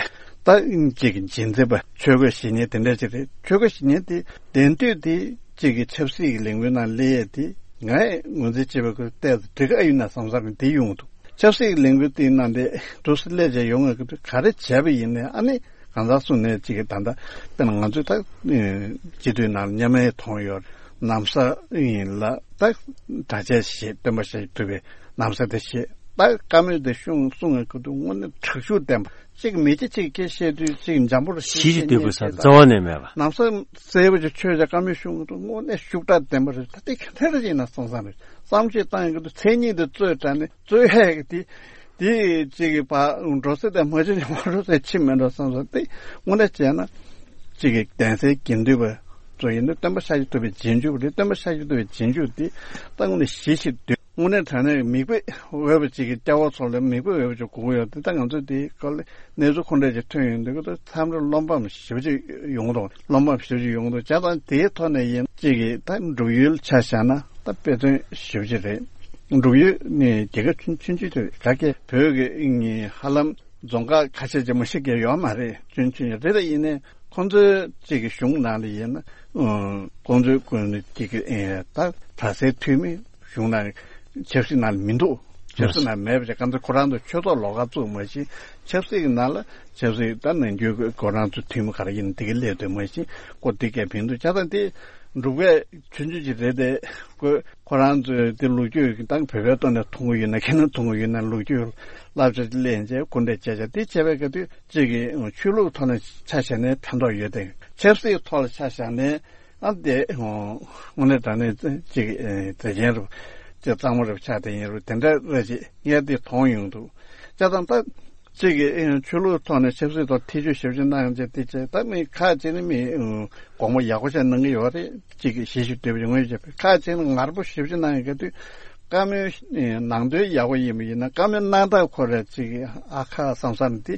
ད་ཅིག་གི་རྗེས་འཛིན་པ་ཆོས་གོས་བཞེས་མཁན་དེ་འདྲ་ཅིག་རེད། ཆོས་གོས་བཞེས་མཁན་དེ་གདན་སྟོད་དེ་ཅིག་གི་ཆབ་སྲིད་ཀྱི་ལས་འགུལ་ནང་སླེབས་ཡས་དེ་ངས་ངོས་འཛིན་བྱེད་པའི་སྐོར་བལྟས་ཚེ་འགྲིག་གི་ཨ་ཡོད་ན་བསམ་བསམ་རེད། དེ་ཡོང་འདུག་ཆབ་སྲིད་ཀྱི་ལས་འགུལ་དེའི་ནང་དེ་འདུག་སེ་སླེབས་བྱས་ཡོང་ངེས་ཀྱི་འདུག་ག་རེ་བྱས་པ་ཡིན་ནའི་ཨ་ནི་གང་ཟག་སུ་ནས་ཅིག་གི་ད་ལྟ་དཔེར་ན་ང་ཚོས་ད་སྤྱི་འཐུས་ནང་མཉམ་མེད་མཐོང་ཡོད། ན་བཟའ་ཡིན་ལ་ད་གྲྭ་ཆས་བཞེས། སྟོན་པ་ཤཱཀྱ་ཐུབ་པའི་ན་བཟའ་དེ་བཞེས། ད་བཀའ་མོལ་དེ་གསུང་གསུང་ངེས་ཀྱི་འདུག་དངོས་གནས་དྲག་ཤུགས་ལྡན་པ། གཅིག་མི་གཅིག་གཅིག་སྐད་བཤད་དུས་གཅིག་འཇམ་པོར་བཤད། ཞི་ཞི་དུལ་པོ་ཟེར་རྩ་བ་ནས་མེད་པ། ལམ་སང་གསལ་པོ་ཅིག་ཆོས་ཀྱི་བཀའ་མོལ་གསུང་གི་འདུག་དངོས་གནས་ཤུགས་དྲག་ལྡན་པ་རེད། ད་ལྟའི་ག་འདྲ་ཡིན་ན་བསམ་བསམ་རེད། བསམ་ཤེས་བཏང་ཡོང་གི་འདུག་མཚན་ཉིད་དེ་རྩོད་དྲགས་ནས་རྩོད་ཧད་ཀྱི་དེ་དེ་གཅིག་གི་བ་འགྲོ་ས་དེ་མ་བྱུང་ནས་མ་འགྲོ་ས་ཕྱིན་མེད་འགྲོ་བསམ་བསམ། དེ་དངོས་གནས་བྱས་ན་གཅིག་གི་གདན་སའི་དགེ་འདུན་པ་ཚོ་ཡིན་ན་སྟོན་པ་ཤཱཀྱ་ཐུབ་པའི་རྗེས་འཇུག་རེད། སྟོན་པ་ཤཱཀྱ་ཐུབ་པའི་རྗེས་འཇུག་དེ་ད་དངོས་གནས་ཞི་ཞི་དུལ། དངོས་གནས་དྲང་གནས་མིག་དཔེ་འོས་པ་ཅིག་གི་སྐྱ་བོ་ཚོ་ལ་མིག་དཔེ་འོས་པ་ཅིག་དགོས་ཀྱི་ཡོད་དེ། ད་ང་ཚོས་དེའི་སྐོར་ལ་གནས་ཚུལ་ཁོ་འདྲ་ཅིག་ཐོན་ཡོང་དུས་ཀྱི་མཚམས་རེ་བློ་ཕམ་ཞེ་པོ་ཅིག་ཡོང་གི་འདུག་བློ་ཕམ་ཞེ་པོ་ཅིག་ཡོང་གི་འདུག་བྱས་ཙང་དེའི་ཐོག་ནས་ཡིན་གཅིག་གི་ད་འབྲུག་ཡུལ་ཆ་བཞག་ན་ད་དཔེ་མཚོན་ཞེ་པོ་ཅིག་རེད། འབྲུག་ཡུལ་ནི་རྒྱལ་ཁབ་ཆུང་ཆུང་ཅིག་རེད། ག་གེ་བོད་ཀྱི་ཧ་ལམ་རྫོང་ཁག་ཁ་ཤས་ཅིག་མ་ཤི་གེ་ཡོད་མ་རེད། ཆུང་ཆུང་རེད། ད་ཡིན་ནའི་ཁོང་ཚོའི་གཅིག་གི་གཞུང་ནང་ལ་ཡིན་ན་ཁོང་ཚོའི་ཀུན་གཅིག་གི་ད་གྲྭ་སའི་འཐུས་མི་གཞུང་ནང་ཆབ་སྲིད་ནང་ལ་མི་འདུག་ཆབ་སྲིད་ནང་མེད་པ་ཅིག་གང་ཚེ་ཁོ་རང་ཚོ་ཆོས་ཐོག་ལོགས་ཀ་བཙུགས་མ་ཤེས། ཆབ་སྲིད་ཀྱི་ནང་ལ་ཆབ་སྲིད་ད་ནང་རྒྱུད་ཁོ་རང་ཚོ་འཐུས་མི་ག་རེ་ཡིན་དེ་ག་སླེབས་འདུག་མ་ཤེས། ཁོ་དེ་གས་ཕན་འདུག་བྱས་ཙང་དེ་འབྲུག་པའི་ཆུང་ཆུང་ཅིག་རེད་དེ། ཁོ་ཁོ་རང་ཚོའི་དེ་ལོ་རྒྱུས་ད་བོད་པའི་ཐོག་ནས་མཐོང་གི་ཡོད་ན་ཁྱེད་རང་མཐོང་གི་ཡོད་ན་ལོ་རྒྱུས་བསླབ་བྱ་ལེན་བྱས་སྐུ་འདྲ་བྱས་བྱས་དེ་བྱས་པའི་སྐབས་དུས་གཅིག་གི་ཆོས་ལུགས་ཐོག་ནས་ཆ་བཞག་ནས་ཕན་ཐོགས་ཡོད་དེ། ཆབ་སྲིད་ཐོག་ལ་ཆ་བཞག་ནས་ཨ་དེ་དངོས་གནས་དྲང་གནས་གཅིག་གི་མཛེས་རྒྱན་རུ་གཅིག་གཙང་མ་རུ་ཆགས་དེ་ཡིན་རུ་དེ་འདྲ་རེད་ཅེས་ངས་དེ་མཐོང་ཡོང་འདུག་བྱས་ཙང་ད། གཅིག་གིས་ཨེ་ཆོས་ལུགས་ཐོག་ནས་ཆབ་སྲིད་ཐོག་ཐེ་བྱུས་ཞབས་ཕྱི་གནང་ཡོང་ཆེད་དེ་བྱས། ད་མི་ཁག་ཅིག་ནི་མི་ཨེ་དགོངས་པ་ཡག་པོ་ཞིག་གནང་གི་ཡོད་རེད། གཅིག་གིས་ཞི་ཞི་དུལ་བའི་ངོས་བྱས་པས། ཁག་ཅིག་ནི་ངར་པོ་ཞབས་ཕྱི་གནང་ཡོང་གི་དུས་བཀའ་མོལ་ཨེ་ནང་དོན་ཡག་པོ་ཡིན་པ་ཡིན་ན་བཀའ་མོལ་གནང་སྟངས་ཁོ་ར་གཅིག་གིས་ཨ་ཁ་བསམ་བསམ་དེ་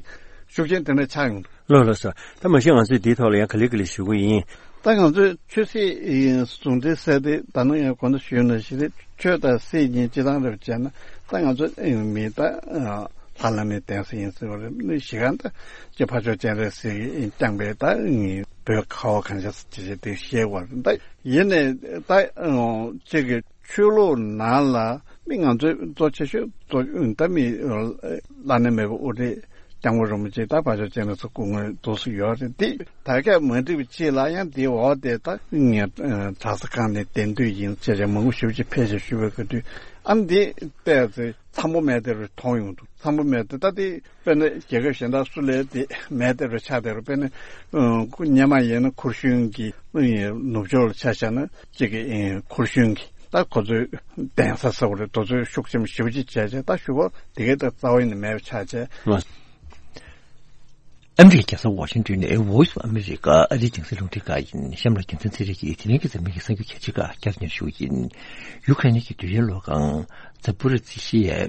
ཤུགས་རྐྱེན་དེ་འདྲ་ཆགས་ཡོང་འདུག་ལགས་ལགས་སོ། ད་མ་གཞི་ང་ཚོས་འདིའི་ཐོག་ལ་ཡང་ག་ལེ་ག་ལེ་ཞུ་གི་ཡིན། ད་ང་ཚོས་ཆོས་སྲིད་ཟུང་འབྲེལ་ཟེར་དེ་ད་ནང་ཡང་གོང་དུ་ཞུས་ནང་བཞིན་རེད། ཆོས་དང་སྲིད་གཉིས་སྤྱི་བཏང་རེད་བྱས་ན་ད་ང་ཚོ་མི་ད་ལྷ་བླ་མའི་གདན་ས་ཡིན་ཟེར་བ་རེད། གཞི་གང་ད་ཀྱི་ཕ་ཆོས་སྤྱན་རས་གཟིགས་བསྐྱངས་པའི་ད་བོད་ཁ་བ་གང་ཤ་ཅི་ཞིག་དེ་བཤད་བར་ད་ཡིན་ནས་ད་གཅིག་གི་ཆོས་ལུགས་ནང་ལ་མི་ང་ཚོའི་གཙོ་ཆེ་ཤོས་གཙོ་ད་མི་བླ་ན་མེད་པའི་དབུ་ཁྲིད་སྐྱབས་མགོན་རིན་པོ་ཆེ་ད་ཕ་ཆོས་སྤྱན་རས་གཟིགས་སྐུ་དངོས་འདུག་སེ་ཡོད་རེད། འདི་ད་ག་མ་འགྲིག་པ་ཅིག་ལ་ཡང་འདི་འོག་དེ་ད་ངས་གྲྭ་ས་ཁང་ནས་གདན་དུས་ཡིན་ཅེས་བྱས་མང་པོ་ཞེ་པོ་ཅིག་ཕལ་ཆེར་ཞུ་བའི་སྐབས་དུས་ཨ་འདི་བལྟས་ཚེ་འཚམ་པོ་མེད་དེ་རུ་མཐོང་ཡོང་འདུག་འཚམ་པོ་མེད་དེ་ད་དེ་དཔེར་ན་རྒྱལ་ཁབ་གཞན་དག་སུ་ལས་དེ་མེད་དེ་རུ་ཆགས་དེ་རུ་དཔེར་ན་སྔོན་མ་ཡིན་ན་ཁུ་བྱུག་གི་ནུབ་ཕྱོགས་ལ་ཆ་བཞག་ན་གཅིག་གི་ཁུ་བྱུག་གི་ད་ཁོ་ཚོའི་གདན་ས་ས་བོ་རེད། དེ་ཚོའི་ཤུགས་ཆེན་པོ་ཞེ་པོ་ཅིག་བྱས་བྱས་ད་ཞུ་བ་དེ་གའི་ད་རྩ་བ་ཡིན་ནི་མེད་པ་ཆགས་བྱས། ཨ་མི་རི་ཀའི་རྒྱལ་ས་ཝ་ཤིང་ཏོན་ནས་Voice of America ཨ་རིའི་རྒྱང་སྲིང་རླུང་འཕྲིན་ཁང་ཡིན། གཤམ་ལ་རྒྱལ་མཚན་ཚེ་རིང་གིས་དེ་རིང་གི་འཛམ་གླིང་གི་གསར་འགྱུར་གལ་ཆེ་ཁག་བསྐྱར་ཉན་ཞུ་གི་ཡིན། ཡུ་ཁ་རེན་གྱི་འབྲེལ་ཡོད་ལྷོ་ཁང་ཛ་པོ་རི་ཛི་ཤི་ཡའི་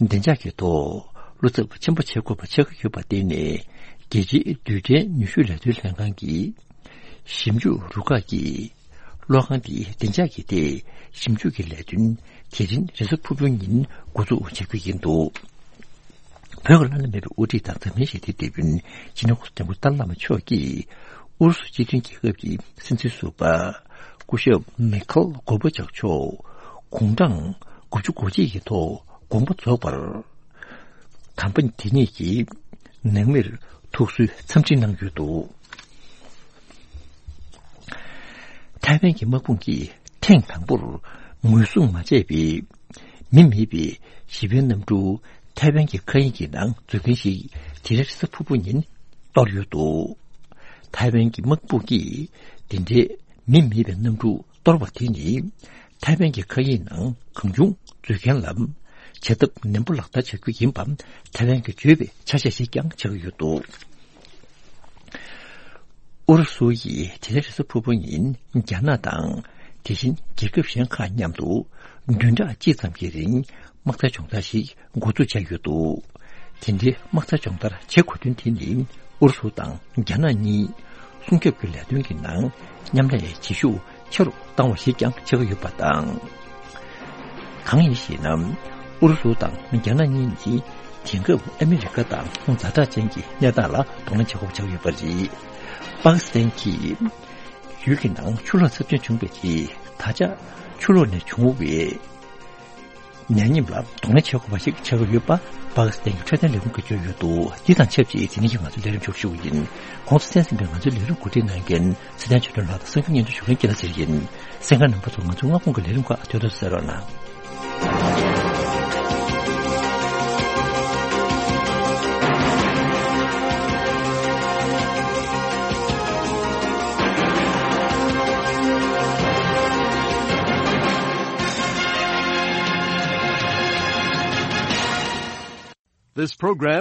བདེ་འཇགས་ཀྱི་ཐོག་བློ་འཚབ་ཆེན་པོ་བྱེད་དགོས་པ་ཆགས་ཀྱི་ཡོད་པར་བརྟེན་ནས། རྒྱལ་སྤྱིའི་རྡུལ་ཕྲན་ནུས་ཤུགས་ལས་དོན་ལྷན་ཁང་གི་ཞིབ་འཇུག་རུ་ཁག་གིས་ལྷོ་ཁང་དེའི་བདེ་འཇགས་ཀྱི་ཐད་ཞིབ་འཇུག་གི་ལས་དོན་དེ་རིང་རེས་གཟའ་ཕུར་བུའི་ཉིན་འགོ་འཛུགས་བྱ་རྒྱུ་ཡིན་འདུག་བོད་ཀྱི་བླ་ན་མེད་པའི་དབུ་ཁྲིད་དང་འཛམ་གླིང་ཞི་བདེའི་དེད་དཔོན་སྤྱི་ནོར་༸གོང་ས་༸སྐྱབས་མགོན་ཏཱ་ལའི་བླ་མ་མཆོག་གིས་ཨུ་རུ་སུ་སྤྱི་མཐུན་རྒྱལ་ཁབ་ཀྱི་སྲིད་འཛིན་ཟུར་པ་སྐུ་ཞབས་མི་ཁེལ་གོར་བྷ་ཆོབ་མཆོག་དགུང་གྲངས་དགུ་བཅུ་གོ་གཅིག་གི་ཐོག་དགོངས་པ་རྫོགས་པར། དམ་པ་དེ་ཉིད་ཀྱིས་ནང་མིར་ཐུགས་གསོའི་འཚམས་འདྲི་གནང་ཡོད་འདུག་ཐའེ་ཝན་གྱི་དམག་དཔུང་གིས་ཐེངས་དང་པོར་ངོས་བཟུང་མ་བྱས་པའི་མི་མེད་པའི་ཞི་བའི་གནམ་གྲུ་ཐའེ་ཝན་གྱི་མཁའ་དབྱིངས་ཀྱི་ནང་འཛུལ་མཁན་ཞིག་དེ་རིང་རེས་གཟའ་ཕུར་བུ་ཉིན་གཏོར་ཡོད་འདུག་ཐའེ་ཝན་གྱི་དམག་དཔུང་གིས་དེ་འདྲའི་མི་མེད་པའི་གནམ་གྲུ་གཏོར་བ་དེ་ནི། ཐའེ་ཝན་གྱི་མཁའ་དབྱིངས་ནང་གང་བྱུང་འཛུལ་མཁན་ལ་བྱ་ཐབས་ནན་པོ་ལག་བསྟར་བྱ་རྒྱུ་ཡིན་པ་ཐའེ་ཝན་གྱིས་བརྗོད་པའི་ཆ་ཤས་ཤིག་ཀྱང་ཆགས་ཀྱི་ཡོད་འདུག་ཨུ་རུ་སུ་ཡིས་དེ་རིང་རེས་གཟའ་ཕུར་བུ་ཉིན་རྒྱ་ནག་དང་དེ་བཞིན་རྒྱལ་ཁབ་གཞན་ཁག་མཉམ་དུ་བདུན་ཕྲག་གཅིག་ཙམ་གྱི་རིང་དམག་འཐབ་སྦྱོང་བརྡར་ཞིག་འགོ་འཛུགས་བྱས་ཡོད་འདུག་དེ་འདྲའི་དམག་འཐབ་སྦྱོང་བརྡར་བྱེད་དགོས་དོན་དེ་ནི། ཨུ་རུ་སུ་དང་རྒྱ་ནག་གཉིས་སྲུང་སྐྱོབ་ཀྱི་ལས་དོན་གྱི་ནང་མཉམ་ལས་བྱེད་ཤུགས་ཆེ་རུ་བཏང་བ་ཞིག་ཀྱང་ཆགས་ཀྱི་ཡོད་པ་དང་། གང་ཡིན་ཞེ་ན། ཨུ་རུ་སུ་དང་རྒྱ་ནག་གཉིས་ནི་དེང་སྐབས་ཨ་མི་རི་ཀ་དང་ཛ་དྲག་ཅན་གྱི་གནས་སྟངས་ལ་གདོང་ལེན་བྱེད་དགོས་པ་ཆགས་ཡོད་པ་རེད། པ་ཀི་སི་ཐན་གྱིས་ཡུལ་གྱི་ནང་ཆུ་ལོག་ཚབས་ཆེན་བྱུང་བའི་རྗེས། ད་ཆ་ཆུ་ལོག་ནས་བྱུང་བའི་ནད་ཡམས་ལ་གདོང་ལེན་བྱེད་དགོས་པ་ཞིག་ཆགས་ཀྱི་ཡོད་པ། པ་ཀི་སི་ཐན་གྱི་འཕྲོད་བསྟེན་ལས་ཁུངས་ཀྱིས་བརྗོད་ཡོད་འདུག་འདི་དང་ཆབས་ཅིག་དེ་རིང་གི་ང་ཚོའི་ལས་རིམ་མཇུག་སྒྲིལ་ཞུ་གི་ཡིན། གོང་དུ་གསན་ཟིན་པའི་ང་ཚོའི་ལས་རིམ་གོ་སྒྲིག་གནང་མཁན་ཚེ་བརྟན་ཆོས་སྒྲོན་ལགས་དང་གསན་མཁན་སྙན་སྒྲོན་ཞུ་མཁན་སྐྱིད་ལ་ཟེར་ཡིན། གསན་མཁན་རྣམ་པ་ཚོ་ང་ཚོའི་སྔ་དགོང་གི་ལས་རིམ་ཁག་ཐོས་ཐོས་གསན་རོགས་གནང་། This program